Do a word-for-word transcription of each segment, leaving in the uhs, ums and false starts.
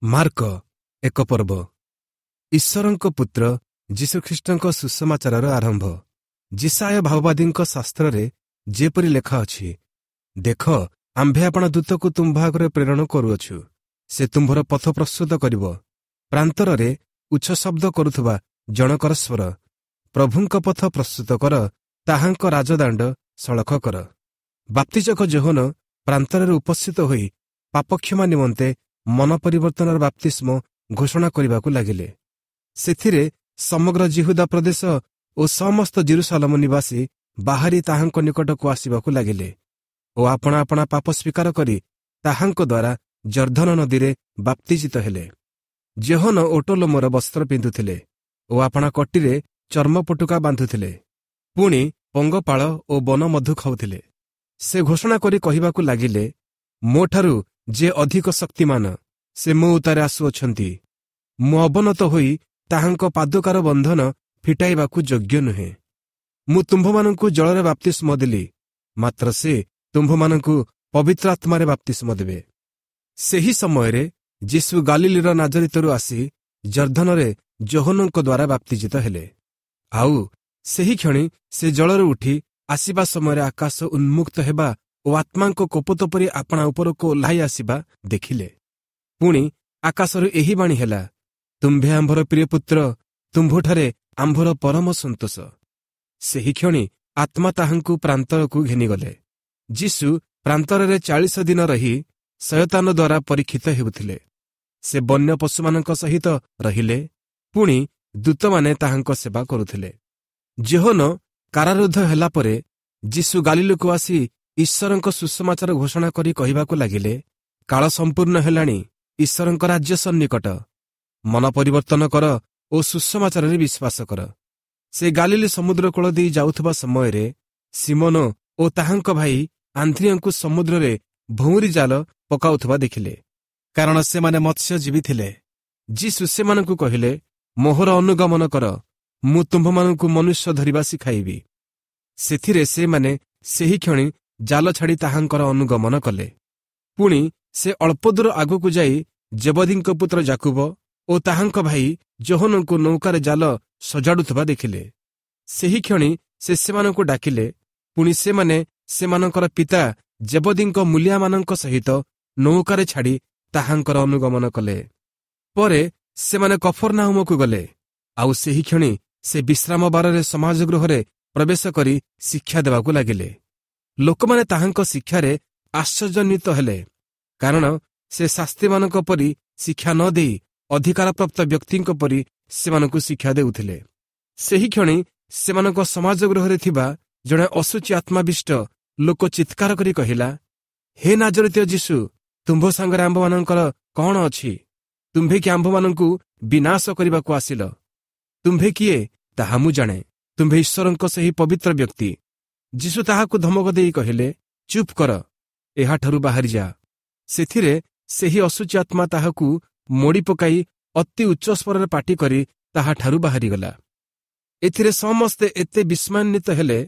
Mark ଏକ ପର୍ବ ଈଶ୍ୱରଙ୍କ ପୁତ୍ର ଯୀଶୁଖ୍ରୀଷ୍ଟଙ୍କ ସୁସମାଚାରର ଆରମ୍ଭ ଯିଶାଇୟ ଭାବବାଦୀଙ୍କ ଶାସ୍ତ୍ରରେ ଯେପରି ଲେଖା ଅଛି ଦେଖ ଆମ୍ଭେ ଆପଣା ଦୂତକୁ ତୁମ୍ଭ ଆଗରେ ପ୍ରେରଣ କରୁଅଛୁ ସେ ତୁମ୍ଭର ପଥ ପ୍ରସ୍ତୁତ କରିବ ପ୍ରାନ୍ତରରେ ଉଚ୍ଚ ଶବ୍ଦ କରୁଥିବା ଜଣକର ସ୍ୱର ପ୍ରଭୁଙ୍କ ପଥ ପ୍ରସ୍ତୁତ କର ତାହାଙ୍କ ରାଜଦାଣ୍ଡ ସଳଖ କର ବାପ୍ତିଜକ ଯୋହନ ପ୍ରାନ୍ତରରେ ଉପସ୍ଥିତ ହୋଇ ପାପକ୍ଷମା ନିମନ୍ତେ ମନ ପରିବର୍ତ୍ତନର ବାପ୍ତିସ୍ମ ଘୋଷଣା କରିବାକୁ ଲାଗିଲେ ସେଥିରେ ସମଗ୍ର ଜିହୁଦା ପ୍ରଦେଶ ଓ ସମସ୍ତ ଜିରୁସାଲମ ନିବାସୀ ବାହାରି ତାହାଙ୍କ ନିକଟକୁ ଆସିବାକୁ ଲାଗିଲେ ଓ ଆପଣା ଆପଣା ପାପ ସ୍ୱୀକାର କରି ତାହାଙ୍କ ଦ୍ୱାରା ଜର୍ଦ୍ଦନ ନଦୀରେ ବାପ୍ତିଜିତ ହେଲେ ଯୋହନ ଓଟ ଲୋମର ବସ୍ତ୍ର ପିନ୍ଧୁଥିଲେ ଓ ଆପଣା କଟିରେ ଚର୍ମ ପଟୁକା ବାନ୍ଧୁଥିଲେ ପୁଣି ପଙ୍ଗପାଳ ଓ ବନ ମଧୁ ଖାଉଥିଲେ ସେ ଘୋଷଣା କରି କହିବାକୁ ଲାଗିଲେ ମୋଠାରୁ ଯେ ଅଧିକ ଶକ୍ତିମାନ ସେ ମୋ ଉତ୍ତାରେ ଆସୁଅଛନ୍ତି ମୁଁ ଅବନତ ହୋଇ ତାହାଙ୍କ ପାଦୁକାର ବନ୍ଧନ ଫିଟାଇବାକୁ ଯୋଗ୍ୟ ନୁହେଁ ମୁଁ ତୁମ୍ଭମାନଙ୍କୁ ଜଳରେ ବାପ୍ତିସ୍ମ ଦେଲି ମାତ୍ର ସେ ତୁମ୍ଭମାନଙ୍କୁ ପବିତ୍ର ଆତ୍ମାରେ ବାପ୍ତିସ୍ମ ଦେବେ ସେହି ସମୟରେ ଯୀଶୁ ଗାଲିଲିର ନାଜରିତରୁ ଆସି ଜର୍ଦ୍ଦନରେ ଯୋହନଙ୍କ ଦ୍ୱାରା ବାପ୍ତିଜିତ ହେଲେ ଆଉ ସେହି କ୍ଷଣି ସେ ଜଳରୁ ଉଠି ଆସିବା ସମୟରେ ଆକାଶ ଉନ୍ମୁକ୍ତ ହେବା ଓ ଆତ୍ମାଙ୍କ କପୋତ ପରି ଆପଣା ଉପରକୁ ଓହ୍ଲାଇ ଆସିବା ଦେଖିଲେ ପୁଣି ଆକାଶରୁ ଏହି ବାଣୀ ହେଲା ତୁମ୍ଭେ ଆମ୍ଭର ପ୍ରିୟ ପୁତ୍ର ତୁମ୍ଭଠାରେ ଆମ୍ଭର ପରମ ସନ୍ତୋଷ ସେହି କ୍ଷଣି ଆତ୍ମା ତାହାଙ୍କୁ ପ୍ରାନ୍ତରକୁ ଘେନିଗଲେ ଯୀଶୁ ପ୍ରାନ୍ତରରେ ଚାଳିଶ ଦିନ ରହି ଶୟତାନ ଦ୍ୱାରା ପରୀକ୍ଷିତ ହେଉଥିଲେ ସେ ବନ୍ୟ ପଶୁମାନଙ୍କ ସହିତ ରହିଲେ ପୁଣି ଦୂତମାନେ ତାହାଙ୍କ ସେବା କରୁଥିଲେ ଯୋହନ କାରାରୁଦ୍ଧ ହେଲା ପରେ ଯୀଶୁ ଗାଲିଲକୁ ଆସି ଈଶ୍ୱରଙ୍କ ସୁସମାଚାର ଘୋଷଣା କରି କହିବାକୁ ଲାଗିଲେ କାଳ ସମ୍ପୂର୍ଣ୍ଣ ହେଲାଣି ଈଶ୍ୱରଙ୍କ ରାଜ୍ୟ ସନ୍ନିକଟ ମନ ପରିବର୍ତ୍ତନ କର ଓ ସୁସମାଚାରରେ ବିଶ୍ୱାସ କର ସେ ଗାଲିଲି ସମୁଦ୍ର କୂଳ ଦେଇ ଯାଉଥିବା ସମୟରେ ସିମୋନ ଓ ତାହାଙ୍କ ଭାଇ ଆନ୍ତ୍ରିୟଙ୍କୁ ସମୁଦ୍ରରେ ଭଉଁରୀ ଜାଲ ପକାଉଥିବା ଦେଖିଲେ କାରଣ ସେମାନେ ମତ୍ସ୍ୟଜୀବୀ ଥିଲେ ଯୀଶୁ ସେମାନଙ୍କୁ କହିଲେ ମୋହର ଅନୁଗମନ କର ମୁଁ ତୁମ୍ଭମାନଙ୍କୁ ମନୁଷ୍ୟ ଧରିବା ଶିଖାଇବି ସେଥିରେ ସେମାନେ ସେହି କ୍ଷଣି ଜାଲ ଛାଡ଼ି ତାହାଙ୍କର ଅନୁଗମନ କଲେ ପୁଣି ସେ ଅଳ୍ପ ଦୂର ଆଗକୁ ଯାଇ ଜେବଦୀଙ୍କ ପୁତ୍ର ଜାକୁବ ଓ ତାହାଙ୍କ ଭାଇ ଯୋହନଙ୍କୁ ନୌକାରେ ଜାଲ ସଜାଡୁଥିବା ଦେଖିଲେ ସେହି କ୍ଷଣି ସେ ସେମାନଙ୍କୁ ଡାକିଲେ ପୁଣି ସେମାନେ ସେମାନଙ୍କର ପିତା ଜେବଦୀଙ୍କ ମୂଲିଆମାନଙ୍କ ସହିତ ନୌକାରେ ଛାଡ଼ି ତାହାଙ୍କର ଅନୁଗମନ କଲେ ପରେ ସେମାନେ କଫରନାହୁମକୁ ଗଲେ ଆଉ ସେହି କ୍ଷଣି ସେ ବିଶ୍ରାମ ବାରରେ ସମାଜଗୃହରେ ପ୍ରବେଶ କରି ଶିକ୍ଷା ଦେବାକୁ ଲାଗିଲେ ଲୋକମାନେ ତାହାଙ୍କ ଶିକ୍ଷାରେ ଆଶ୍ଚର୍ଯ୍ୟାନ୍ୱିତ ହେଲେ କାରଣ ସେ ଶାସ୍ତ୍ରୀମାନଙ୍କ ପରି ଶିକ୍ଷା ନ ଦେଇ ଅଧିକାରପ୍ରାପ୍ତ ବ୍ୟକ୍ତିଙ୍କ ପରି ସେମାନଙ୍କୁ ଶିକ୍ଷା ଦେଉଥିଲେ ସେହି କ୍ଷଣି ସେମାନଙ୍କ ସମାଜଗୃହରେ ଥିବା ଜଣେ ଅଶୁଚି ଆତ୍ମାବିଷ୍ଟ ଲୋକ ଚିତ୍କାର କରି କହିଲା ହେ ନାଜରିତୀୟ ଯୀଶୁ ତୁମ୍ଭ ସାଙ୍ଗରେ ଆମ୍ଭମାନଙ୍କର କଣ ଅଛି ତୁମ୍ଭେ କି ଆମ୍ଭମାନଙ୍କୁ ବିନାଶ କରିବାକୁ ଆସିଲ ତୁମ୍ଭେ କିଏ ତାହା ମୁଁ ଜାଣେ ତୁମ୍ଭେ ଈଶ୍ୱରଙ୍କ ସେହି ପବିତ୍ର ବ୍ୟକ୍ତି ଯୀଶୁ ତାହାକୁ ଧମକ ଦେଇ କହିଲେ ଚୁପ୍ କର ଏହାଠାରୁ ବାହାରି ଯା ସେଥିରେ ସେହି ଅଶୁଚି ଆତ୍ମା ତାହାକୁ ମୋଡ଼ି ପକାଇ ଅତି ଉଚ୍ଚ ସ୍ୱରରେ ପାଟି କରି ତାହାଠାରୁ ବାହାରିଗଲା ଏଥିରେ ସମସ୍ତେ ଏତେ ବିସ୍ମୟାନ୍ୱିତ ହେଲେ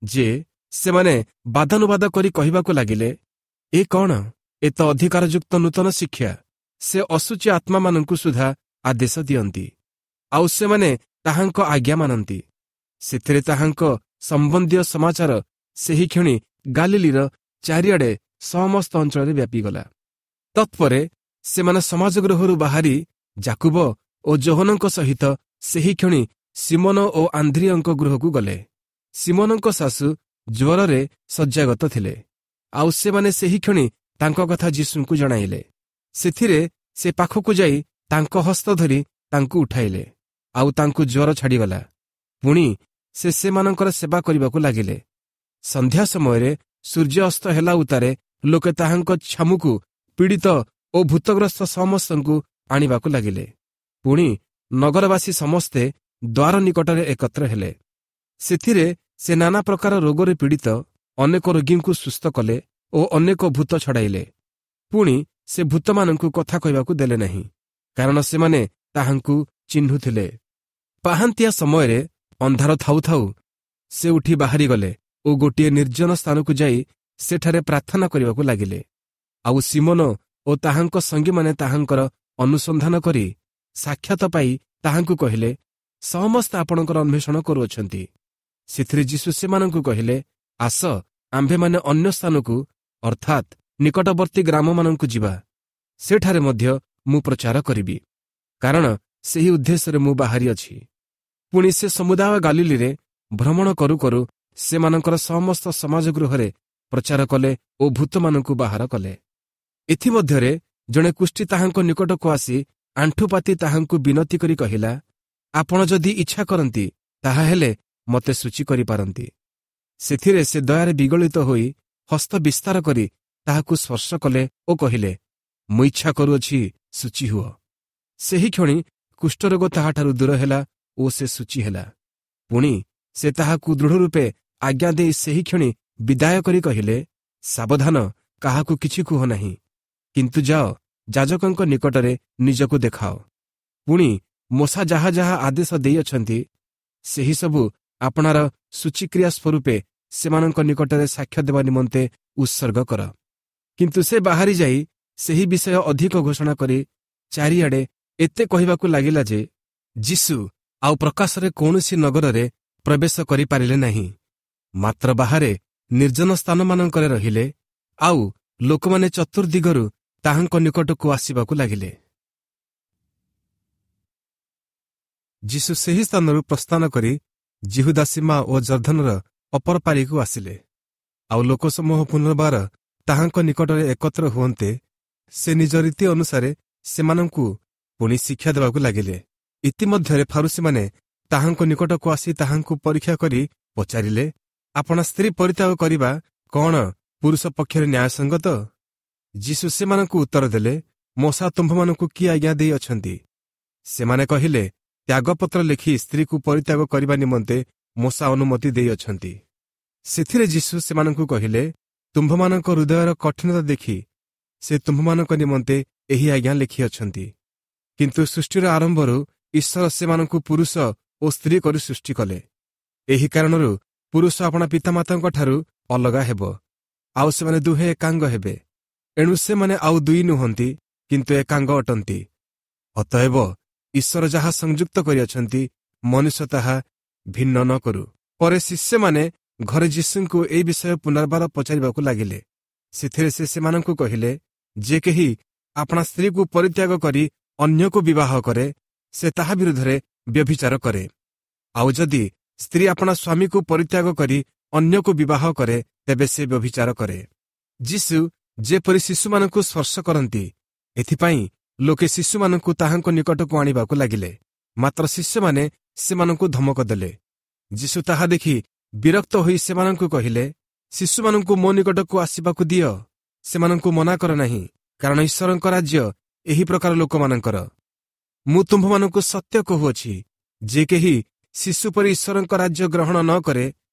ଯେ ସେମାନେ ବାଦାନୁବାଦ କରି କହିବାକୁ ଲାଗିଲେ ଏ କଣ ଏ ତ ଅଧିକାରଯୁକ୍ତ ନୂତନ ଶିକ୍ଷା ସେ ଅଶୁଚି ଆତ୍ମାମାନଙ୍କୁ ସୁଦ୍ଧା ଆଦେଶ ଦିଅନ୍ତି ଆଉ ସେମାନେ ତାହାଙ୍କ ଆଜ୍ଞା ମାନନ୍ତି ସେଥିରେ ତାହାଙ୍କ ସମ୍ବନ୍ଧୀୟ ସମାଚାର ସେହି କ୍ଷଣି ଗାଲିଲିର ଚାରିଆଡ଼େ ସମସ୍ତ ଅଞ୍ଚଳରେ ବ୍ୟାପିଗଲା ତତ୍ପରେ ସେମାନେ ସମାଜଗୃହରୁ ବାହାରି ଜାକୁବ ଓ ଯୋହନଙ୍କ ସହିତ ସେହି କ୍ଷଣି ସିମୋନ ଓ ଆନ୍ଦ୍ରିୟଙ୍କ ଗୃହକୁ ଗଲେ ସିମୋନଙ୍କ ଶାଶୁ ଜ୍ୱରରେ ଶଯ୍ୟାଗତ ଥିଲେ ଆଉ ସେମାନେ ସେହି କ୍ଷଣି ତାଙ୍କ କଥା ଯୀଶୁଙ୍କୁ ଜଣାଇଲେ ସେଥିରେ ସେ ପାଖକୁ ଯାଇ ତାଙ୍କ ହସ୍ତ ଧରି ତାଙ୍କୁ ଉଠାଇଲେ ଆଉ ତାଙ୍କୁ ଜ୍ୱର ଛାଡ଼ିଗଲା ପୁଣି ସେ ସେମାନଙ୍କର ସେବା କରିବାକୁ ଲାଗିଲେ ସନ୍ଧ୍ୟା ସମୟରେ ସୂର୍ଯ୍ୟ ଅସ୍ତ ହେଲା ଉତ୍ତାରେ ଲୋକେ ତାହାଙ୍କ ଛାମୁକୁ ପୀଡ଼ିତ ଓ ଭୂତଗ୍ରସ୍ତ ସମସ୍ତଙ୍କୁ ଆଣିବାକୁ ଲାଗିଲେ ପୁଣି ନଗରବାସୀ ସମସ୍ତେ ଦ୍ୱାର ନିକଟରେ ଏକତ୍ର ହେଲେ ସେଥିରେ ସେ ନାନା ପ୍ରକାର ରୋଗରେ ପୀଡ଼ିତ ଅନେକ ରୋଗୀଙ୍କୁ ସୁସ୍ଥ କଲେ ଓ ଅନେକ ଭୂତ ଛଡ଼ାଇଲେ ପୁଣି ସେ ଭୂତମାନଙ୍କୁ କଥା କହିବାକୁ ଦେଲେ ନାହିଁ କାରଣ ସେମାନେ ତାହାଙ୍କୁ ଚିହ୍ନୁଥିଲେ ପାହାନ୍ତିଆ ସମୟରେ ଅନ୍ଧାର ଥାଉ ଥାଉ ସେ ଉଠି ବାହାରିଗଲେ ଓ ଗୋଟିଏ ନିର୍ଜନ ସ୍ଥାନକୁ ଯାଇ ସେଠାରେ ପ୍ରାର୍ଥନା କରିବାକୁ ଲାଗିଲେ ଆଉ ସିମୋନ ଓ ତାହାଙ୍କ ସଙ୍ଗୀମାନେ ତାହାଙ୍କର ଅନୁସନ୍ଧାନ କରି ସାକ୍ଷାତ ପାଇ ତାହାଙ୍କୁ କହିଲେ, ସମସ୍ତେ ଆପଣଙ୍କର ଅନ୍ୱେଷଣ କରୁଅଛନ୍ତି। ସେଥିରେ ଯୀଶୁ ସେମାନଙ୍କୁ କହିଲେ, ଆସ, ଆମ୍ଭେମାନେ ଅନ୍ୟ ସ୍ଥାନକୁ, ଅର୍ଥାତ୍ ନିକଟବର୍ତ୍ତୀ ଗ୍ରାମମାନଙ୍କୁ ଯିବା। ସେଠାରେ ମଧ୍ୟ ମୁଁ ପ୍ରଚାର କରିବି, କାରଣ ସେହି ଉଦ୍ଦେଶ୍ୟରେ ମୁଁ ବାହାରିଅଛି। ପୁଣି ସେ ସମୁଦାୟ ଗାଲିଲିରେ ଭ୍ରମଣ କରୁ କରୁ ସେମାନଙ୍କର ସମସ୍ତ ସମାଜ ଗୃହରେ ପ୍ରଚାର କଲେ ଓ ଭୂତମାନଙ୍କୁ ବାହାର କଲେ। ଏଥିମଧ୍ୟରେ ଜଣେ କୁଷ୍ଠୀ ତାହାଙ୍କ ନିକଟକୁ ଆସି ଆଣ୍ଠୁପାତି ତାହାଙ୍କୁ ବିନତି କରି କହିଲା, ଆପଣ ଯଦି ଇଚ୍ଛା କରନ୍ତି, ତାହାହେଲେ ମୋତେ ଶୁଚି କରିପାରନ୍ତି। ସେଥିରେ ସେ ଦୟାରେ ବିଗଳିତ ହୋଇ ହସ୍ତ ବିସ୍ତାର କରି ତାହାକୁ ସ୍ପର୍ଶ କଲେ ଓ କହିଲେ, ମୁଁ ଇଚ୍ଛା କରୁଅଛି, ଶୁଚି ହୁଅ। ସେହିକ୍ଷଣି କୁଷ୍ଠରୋଗ ତାହାଠାରୁ ଦୂର ହେଲା ଓ ସେ ଶୁଚି ହେଲା। ପୁଣି ସେ ତାହାକୁ ଦୃଢ଼ ରୂପେ ଆଜ୍ଞା ଦେଇ ସେହିକ୍ଷଣି ବିଦାୟ କରି କହିଲେ, ସାବଧାନ, କାହାକୁ କିଛି କୁହ ନାହିଁ, କିନ୍ତୁ ଯାଅ, ଯାଜକଙ୍କ ନିକଟରେ ନିଜକୁ ଦେଖାଅ। ପୁଣି ମୋଶା ଯାହା ଯାହା ଆଦେଶ ଦେଇଅଛନ୍ତି, ସେହିସବୁ ଆପଣାର ଶୁଚିକ୍ରିୟା ସ୍ୱରୂପେ ସେମାନଙ୍କ ନିକଟରେ ସାକ୍ଷ୍ୟ ଦେବା ନିମନ୍ତେ ଉତ୍ସର୍ଗ କର। କିନ୍ତୁ ସେ ବାହାରି ଯାଇ ସେହି ବିଷୟ ଅଧିକ ଘୋଷଣା କରି ଚାରିଆଡ଼େ ଏତେ କହିବାକୁ ଲାଗିଲା ଯେ ଯୀଶୁ ଆଉ ପ୍ରକାଶରେ କୌଣସି ନଗରରେ ପ୍ରବେଶ କରିପାରିଲେ ନାହିଁ, ମାତ୍ର ବାହାରେ ନିର୍ଜନ ସ୍ଥାନମାନଙ୍କରେ ରହିଲେ, ଆଉ ଲୋକମାନେ ଚତୁର୍ଦ୍ଦିଗରୁ ତାହାଙ୍କ ନିକଟକୁ ଆସିବାକୁ ଲାଗିଲେ। ଯୀଶୁ ସେହି ସ୍ଥାନରୁ ପ୍ରସ୍ଥାନ କରି ଯିହୁଦା ସୀମା ଓ ଜର୍ଦ୍ଦନର ଅପର ପାରିକୁ ଆସିଲେ। ଆଉ ଲୋକସମୂହ ପୁନର୍ବାର ତାହାଙ୍କ ନିକଟରେ ଏକତ୍ର ହୁଅନ୍ତେ ସେ ନିଜ ରୀତି ଅନୁସାରେ ସେମାନଙ୍କୁ ପୁଣି ଶିକ୍ଷା ଦେବାକୁ ଲାଗିଲେ। ଇତିମଧ୍ୟରେ ଫାରୁସୀମାନେ ତାହାଙ୍କ ନିକଟକୁ ଆସି ତାହାଙ୍କୁ ପରୀକ୍ଷା କରି ପଚାରିଲେ, ଆପଣା ସ୍ତ୍ରୀ ପରିତ୍ୟାଗ କରିବା କ'ଣ ପୁରୁଷ ପକ୍ଷରେ ନ୍ୟାୟସଙ୍ଗତ? ଯୀଶୁ ସେମାନଙ୍କୁ ଉତ୍ତର ଦେଲେ, ମୋଶା ତୁମ୍ଭମାନଙ୍କୁ କି ଆଜ୍ଞା ଦେଇଅଛନ୍ତି? ସେମାନେ କହିଲେ, ତ୍ୟାଗପତ୍ର ଲେଖି ସ୍ତ୍ରୀକୁ ପରିତ୍ୟାଗ କରିବା ନିମନ୍ତେ ମୋଶା ଅନୁମତି ଦେଇଅଛନ୍ତି। ସେଥିରେ ଯୀଶୁ ସେମାନଙ୍କୁ କହିଲେ, ତୁମ୍ଭମାନଙ୍କ ହୃଦୟର କଠିନତା ଦେଖି ସେ ତୁମ୍ଭମାନଙ୍କ ନିମନ୍ତେ ଏହି ଆଜ୍ଞା ଲେଖିଅଛନ୍ତି। କିନ୍ତୁ ସୃଷ୍ଟିର ଆରମ୍ଭରୁ ଈଶ୍ୱର ସେମାନଙ୍କୁ ପୁରୁଷ ଓ ସ୍ତ୍ରୀ କରି ସୃଷ୍ଟି କଲେ। ଏହି କାରଣରୁ ପୁରୁଷ ଆପଣା ପିତାମାତାଙ୍କଠାରୁ ଅଲଗା ହେବ, ଆଉ ସେମାନେ ଦୁହେଁ ଏକାଙ୍ଗ ହେବେ। ଏଣୁ ସେମାନେ ଆଉ ଦୁଇ ନୁହନ୍ତି, କିନ୍ତୁ ଏକାଙ୍ଗ ଅଟନ୍ତି। ଅତଏବ ଈଶ୍ୱର ଯାହା ସଂଯୁକ୍ତ କରିଅଛନ୍ତି, ମନୁଷ୍ୟ ତାହା ଭିନ୍ନ ନ କରୁ। ପରେ ଶିଷ୍ୟମାନେ ଘରେ ଯୀଶୁଙ୍କୁ ଏହି ବିଷୟ ପୁନର୍ବାର ପଚାରିବାକୁ ଲାଗିଲେ। ସେଥିରେ ସେ ସେମାନଙ୍କୁ କହିଲେ, ଯେ କେହି ଆପଣା ସ୍ତ୍ରୀକୁ ପରିତ୍ୟାଗ କରି ଅନ୍ୟକୁ ବିବାହ କରେ, ସେ ତାହା ବିରୁଦ୍ଧରେ ବ୍ୟଭିଚାର କରେ। ଆଉ ଯଦି ସ୍ତ୍ରୀ ଆପଣା ସ୍ୱାମୀକୁ ପରିତ୍ୟାଗ କରି ଅନ୍ୟକୁ ବିବାହ କରେ, ତେବେ ସେ ବ୍ୟଭିଚାର କରେ। ଯୀଶୁ ଯେପରି ଶିଶୁମାନଙ୍କୁ ସ୍ପର୍ଶ କରନ୍ତି, ଏଥିପାଇଁ ଲୋକେ ଶିଶୁମାନଙ୍କୁ ତାହାଙ୍କ ନିକଟକୁ ଆଣିବାକୁ ଲାଗିଲେ। ମାତ୍ର ଶିଷ୍ୟମାନେ ସେମାନଙ୍କୁ ଧମକ ଦେଲେ। ଯୀଶୁ ତାହା ଦେଖି ବିରକ୍ତ ହୋଇ ସେମାନଙ୍କୁ କହିଲେ, ଶିଶୁମାନଙ୍କୁ ମୋ ନିକଟକୁ ଆସିବାକୁ ଦିଅ, ସେମାନଙ୍କୁ ମନା କର ନାହିଁ, କାରଣ ଈଶ୍ୱରଙ୍କ ରାଜ୍ୟ ଏହି ପ୍ରକାର ଲୋକମାନଙ୍କର। ମୁଁ ତୁମ୍ଭମାନଙ୍କୁ ସତ୍ୟ କହୁଅଛି, ଯେ କେହି ଶିଶୁ ପରି ଈଶ୍ୱରଙ୍କ ରାଜ୍ୟ ଗ୍ରହଣ ନ କରେ,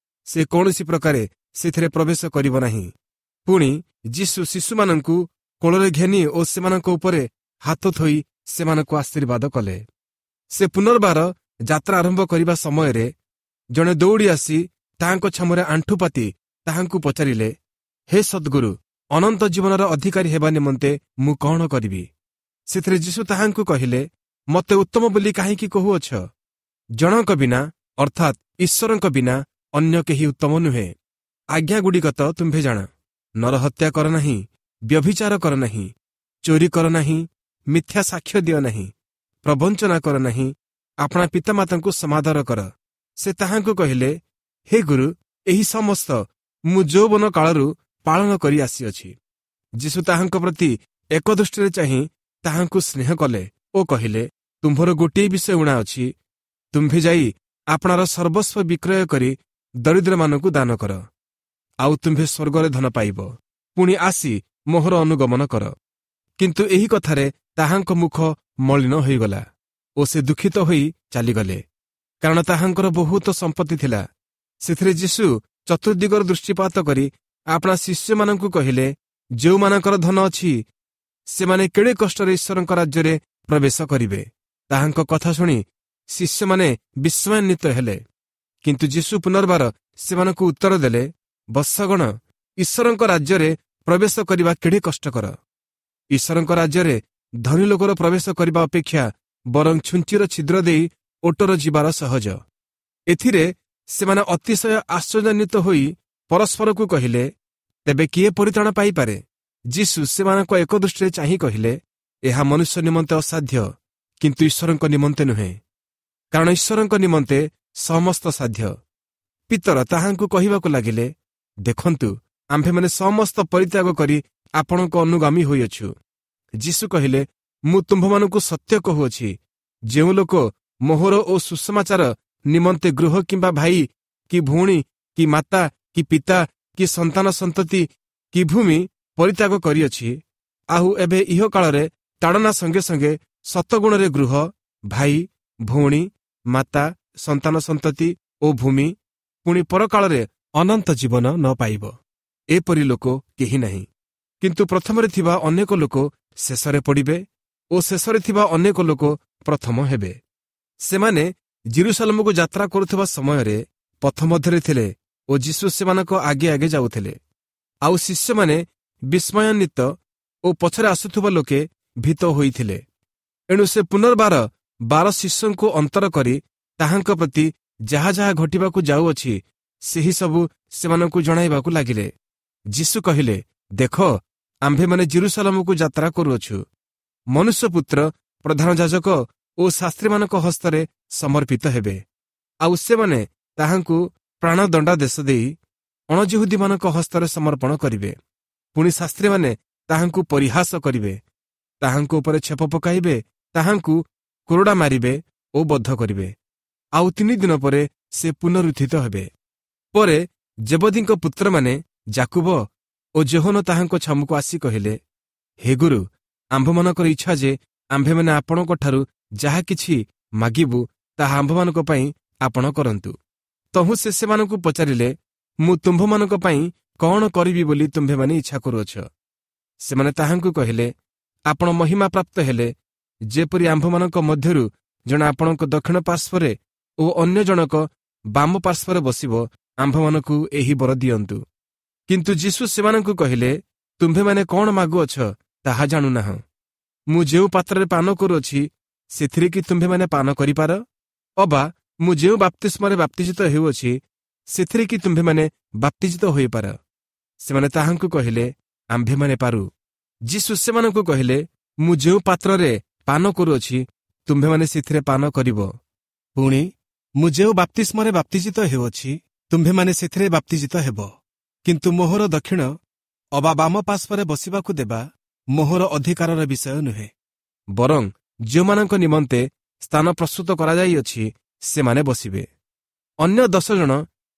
ସେ କୌଣସି ପ୍ରକାରେ ସେଥିରେ ପ୍ରବେଶ କରିବ ନାହିଁ। ପୁଣି ଯୀଶୁ ଶିଶୁମାନଙ୍କୁ କୋଳରେ ଘେନି ଓ ସେମାନଙ୍କ ଉପରେ ହାତ ଥୋଇ ସେମାନଙ୍କୁ ଆଶୀର୍ବାଦ କଲେ। ସେ ପୁନର୍ବାର ଯାତ୍ରା ଆରମ୍ଭ କରିବା ସମୟରେ ଜଣେ ଦୌଡ଼ି ଆସି ତାହାଙ୍କ ଛାମରେ ଆଣ୍ଠୁପାତି ତାହାଙ୍କୁ ପଚାରିଲେ, ହେ ସଦ୍ଗୁରୁ, ଅନନ୍ତ ଜୀବନର ଅଧିକାରୀ ହେବା ନିମନ୍ତେ ମୁଁ କ'ଣ କରିବି? ସେଥିରେ ଯୀଶୁ ତାହାଙ୍କୁ କହିଲେ, ମୋତେ ଉତ୍ତମ ବୋଲି କାହିଁକି କହୁଅଛ? ଜଣଙ୍କ ବିନା, ଅର୍ଥାତ୍ ଈଶ୍ୱରଙ୍କ ବିନା ଅନ୍ୟ କେହି ଉତ୍ତମ ନୁହେଁ। ଆଜ୍ଞାଗୁଡ଼ିକ ତ ତୁମ୍ଭେ ଜାଣ। ନରହତ୍ୟା କର ନାହିଁ, ବ୍ୟଭିଚାର କର ନାହିଁ, ଚୋରି କର ନାହିଁ, ମିଥ୍ୟା ସାକ୍ଷ୍ୟ ଦିଅ ନାହିଁ, ପ୍ରବଞ୍ଚନା କର ନାହିଁ, ଆପଣା ପିତାମାତାଙ୍କୁ ସମାଦର କର। ସେ ତାହାଙ୍କୁ କହିଲେ, ହେ ଗୁରୁ, ଏହି ସମସ୍ତ ମୁଁ ଯୌବନ କାଳରୁ ପାଳନ କରି ଆସିଅଛି। ଯୀଶୁ ତାହାଙ୍କ ପ୍ରତି ଏକ ଦୃଷ୍ଟିରେ ଚାହିଁ ତାହାଙ୍କୁ ସ୍ନେହ କଲେ ଓ କହିଲେ, ତୁମ୍ଭର ଗୋଟିଏ ବିଷୟ ଊଣା ଅଛି। ତୁମ୍ଭେ ଯାଇ ଆପଣାର ସର୍ବସ୍ୱ ବିକ୍ରୟ କରି ଦରିଦ୍ରମାନଙ୍କୁ ଦାନ କର, ଆଉ ତୁମ୍ଭେ ସ୍ୱର୍ଗରେ ଧନ ପାଇବ। ପୁଣି ଆସି ମୋହର ଅନୁଗମନ କର। କିନ୍ତୁ ଏହି କଥାରେ ତାହାଙ୍କ ମୁଖ ମଳିନ ହୋଇଗଲା ଓ ସେ ଦୁଃଖିତ ହୋଇ ଚାଲିଗଲେ, କାରଣ ତାହାଙ୍କର ବହୁତ ସମ୍ପତ୍ତି ଥିଲା। ସେଥିରେ ଯୀଶୁ ଚତୁର୍ଦିଗର ଦୃଷ୍ଟିପାତ କରି ଆପଣା ଶିଷ୍ୟମାନଙ୍କୁ କହିଲେ, ଯେଉଁମାନଙ୍କର ଧନ ଅଛି ସେମାନେ କେଡ଼େ କଷ୍ଟରେ ଈଶ୍ୱରଙ୍କ ରାଜ୍ୟରେ ପ୍ରବେଶ କରିବେ। ତାହାଙ୍କ କଥା ଶୁଣି ଶିଷ୍ୟମାନେ ବିସ୍ମୟାନ୍ୱିତ ହେଲେ। କିନ୍ତୁ ଯୀଶୁ ପୁନର୍ବାର ସେମାନଙ୍କୁ ଉତ୍ତର ଦେଲେ, ବତ୍ସଗଣ, ଈଶ୍ୱରଙ୍କ ରାଜ୍ୟରେ ପ୍ରବେଶ କରିବା କେଡ଼େ କଷ୍ଟକର। ଈଶ୍ୱରଙ୍କ ରାଜ୍ୟରେ ଧନୀ ଲୋକର ପ୍ରବେଶ କରିବା ଅପେକ୍ଷା ବରଂ ଛୁଞ୍ଚିର ଛିଦ୍ର ଦେଇ ଓଟର ଯିବାର ସହଜ। ଏଥିରେ ସେମାନେ ଅତିଶୟ ଆଶ୍ଚର୍ଯ୍ୟାନ୍ୱିତ ହୋଇ ପରସ୍ପରକୁ କହିଲେ, ତେବେ କିଏ ପରିତ୍ରାଣ ପାଇପାରେ? ଯୀଶୁ ସେମାନଙ୍କ ଏକ ଦୃଷ୍ଟିରେ ଚାହିଁ କହିଲେ, ଏହା ମନୁଷ୍ୟ ନିମନ୍ତେ ଅସାଧ୍ୟ, କିନ୍ତୁ ଈଶ୍ୱରଙ୍କ ନିମନ୍ତେ ନୁହେଁ, କାରଣ ଈଶ୍ୱରଙ୍କ ନିମନ୍ତେ ସମସ୍ତ ସାଧ୍ୟ। ପିତର ତାହାଙ୍କୁ କହିବାକୁ ଲାଗିଲେ, ଦେଖନ୍ତୁ, ଆମ୍ଭେମାନେ ସମସ୍ତ ପରିତ୍ୟାଗ କରି ଆପଣଙ୍କ ଅନୁଗାମୀ ହୋଇଅଛୁ। ଯୀଶୁ କହିଲେ, ମୁଁ ତୁମ୍ଭମାନଙ୍କୁ ସତ୍ୟ କହୁଅଛି, ଯେଉଁ ଲୋକ ମୋହର ଓ ସୁସମାଚାର ନିମନ୍ତେ ଗୃହ କିମ୍ବା ଭାଇ କି ଭଉଣୀ କି ମାତା କି ପିତା କି ସନ୍ତାନ ସନ୍ତତି କି ଭୂମି ପରିତ୍ୟାଗ କରିଅଛି, ଆଉ ଏବେ ଇହକାଳରେ ତାଡ଼ନା ସଙ୍ଗେ ସଙ୍ଗେ ଶତଗୁଣରେ ଗୃହ, ଭାଇ, ଭଉଣୀ, ମାତା, ସନ୍ତାନ ସନ୍ତତି ଓ ଭୂମି, ପୁଣି ପରକାଳରେ ଅନନ୍ତ ଜୀବନ ନ ପାଇବ, ଏପରି ଲୋକ କେହି ନାହିଁ। କିନ୍ତୁ ପ୍ରଥମରେ ଥିବା ଅନେକ ଲୋକ ଶେଷରେ ପଡ଼ିବେ ଓ ଶେଷରେ ଥିବା ଅନେକ ଲୋକ ପ୍ରଥମ ହେବେ। ସେମାନେ ଜିରୁସାଲମକୁ ଯାତ୍ରା କରୁଥିବା ସମୟରେ ପଥ ମଧ୍ୟରେ ଥିଲେ ଓ ଯୀଶୁ ସେମାନଙ୍କ ଆଗେ ଆଗେ ଯାଉଥିଲେ। ଆଉ ଶିଷ୍ୟମାନେ ବିସ୍ମୟାନ୍ୱିତ ଓ ପଛରେ ଆସୁଥିବା ଲୋକେ ଭୀତ ହୋଇଥିଲେ। ଏଣୁ ସେ ପୁନର୍ବାର ବାର ଶିଷ୍ୟଙ୍କୁ ଅନ୍ତର କରି ତାହାଙ୍କ ପ୍ରତି ଯାହା ଯାହା ଘଟିବାକୁ ଯାଉଅଛି, ସେହି ସବୁ ସେମାନଙ୍କୁ ଜଣାଇବାକୁ ଲାଗିଲେ। ଯୀଶୁ କହିଲେ, ଦେଖ, ଆମ୍ଭେମାନେ ଜିରୁସାଲମକୁ ଯାତ୍ରା କରୁଅଛୁ। ମନୁଷ୍ୟପୁତ୍ର ପ୍ରଧାନ ଯାଜକ ଓ ଶାସ୍ତ୍ରୀମାନଙ୍କ ହସ୍ତରେ ସମର୍ପିତ ହେବେ, ଆଉ ସେମାନେ ତାହାଙ୍କୁ ପ୍ରାଣଦଣ୍ଡାଦେଶ ଦେଇ ଅଣଜିହୁଦୀମାନଙ୍କ ହସ୍ତରେ ସମର୍ପଣ କରିବେ। ପୁଣି ଶାସ୍ତ୍ରୀମାନେ ତାହାଙ୍କୁ ପରିହାସ କରିବେ, ତାହାଙ୍କ ଉପରେ ଛେପ ପକାଇବେ, ତାହାଙ୍କୁ କୋରଡ଼ା ମାରିବେ ଓ ବଦ୍ଧ କରିବେ। ଆଉ ତିନି ଦିନ ପରେ ସେ ପୁନରୁତ୍ଥିତ ହେବେ। ପରେ ଜେବଦୀଙ୍କ ପୁତ୍ରମାନେ ଜାକୁବ ଓ ଜୋହନ ତାହାଙ୍କ ଛାମୁକୁ ଆସି କହିଲେ, ହେ ଗୁରୁ, ଆମ୍ଭମାନଙ୍କର ଇଚ୍ଛା ଯେ ଆମ୍ଭେମାନେ ଆପଣଙ୍କଠାରୁ ଯାହା କିଛି ମାଗିବୁ, ତାହା ଆମ୍ଭମାନଙ୍କ ପାଇଁ ଆପଣ କରନ୍ତୁ। ତହୁଁ ସେ ସେମାନଙ୍କୁ ପଚାରିଲେ, ମୁଁ ତୁମ୍ଭମାନଙ୍କ ପାଇଁ କ'ଣ କରିବି ବୋଲି ତୁମ୍ଭେମାନେ ଇଚ୍ଛା କରୁଅଛ? ସେମାନେ ତାହାଙ୍କୁ କହିଲେ, ଆପଣ ମହିମା ପ୍ରାପ୍ତ ହେଲେ ଯେପରି ଆମ୍ଭମାନଙ୍କ ମଧ୍ୟରୁ ଜଣେ ଆପଣଙ୍କ ଦକ୍ଷିଣ ପାର୍ଶ୍ୱରେ ଓ ଅନ୍ୟ ଜଣକ ବାମ ପାର୍ଶ୍ୱରେ ବସିବ, ଆମ୍ଭମାନଙ୍କୁ ଏହି ବର ଦିଅନ୍ତୁ। କିନ୍ତୁ ଯୀଶୁ ସେମାନଙ୍କୁ କହିଲେ, ତୁମ୍ଭେମାନେ କ'ଣ ମାଗୁଅଛ ତାହା ଜାଣୁନାହଁ। ମୁଁ ଯେଉଁ ପାତ୍ରରେ ପାନ କରୁଅଛି, ସେଥିରେ କି ତୁମ୍ଭେମାନେ ପାନ କରିପାର? ଅବା ମୁଁ ଯେଉଁ ବାପ୍ତିସ୍ମରେ ବାପ୍ତିଜିତ ହେଉଅଛି, ସେଥିରେ କି ତୁମ୍ଭେମାନେ ବାପ୍ତିଜିତ ହୋଇପାର? ସେମାନେ ତାହାଙ୍କୁ କହିଲେ, ଆମ୍ଭେମାନେ ପାରୁ। ଯୀଶୁ ସେମାନଙ୍କୁ କହିଲେ, ମୁଁ ଯେଉଁ ପାତ୍ରରେ ପାନ କରୁଅଛି, ତୁମ୍ଭେମାନେ ସେଥିରେ ପାନ କରିବ, ପୁଣି ମୁଁ ଯେଉଁ ବାପ୍ତିସ୍ମରେ ବାପ୍ତିଜିତ ହେଉଅଛି, ତୁମ୍ଭେମାନେ ସେଥିରେ ବାପ୍ତିଜିତ ହେବ। କିନ୍ତୁ ମୋହର ଦକ୍ଷିଣ ଅବା ବାମ ପାର୍ଶ୍ୱରେ ବସିବାକୁ ଦେବା ମୋହର ଅଧିକାରର ବିଷୟ ନୁହେଁ, ବରଂ ଯେଉଁମାନଙ୍କ ନିମନ୍ତେ ସ୍ଥାନ ପ୍ରସ୍ତୁତ କରାଯାଇଅଛି, ସେମାନେ ବସିବେ। ଅନ୍ୟ ଦଶ ଜଣ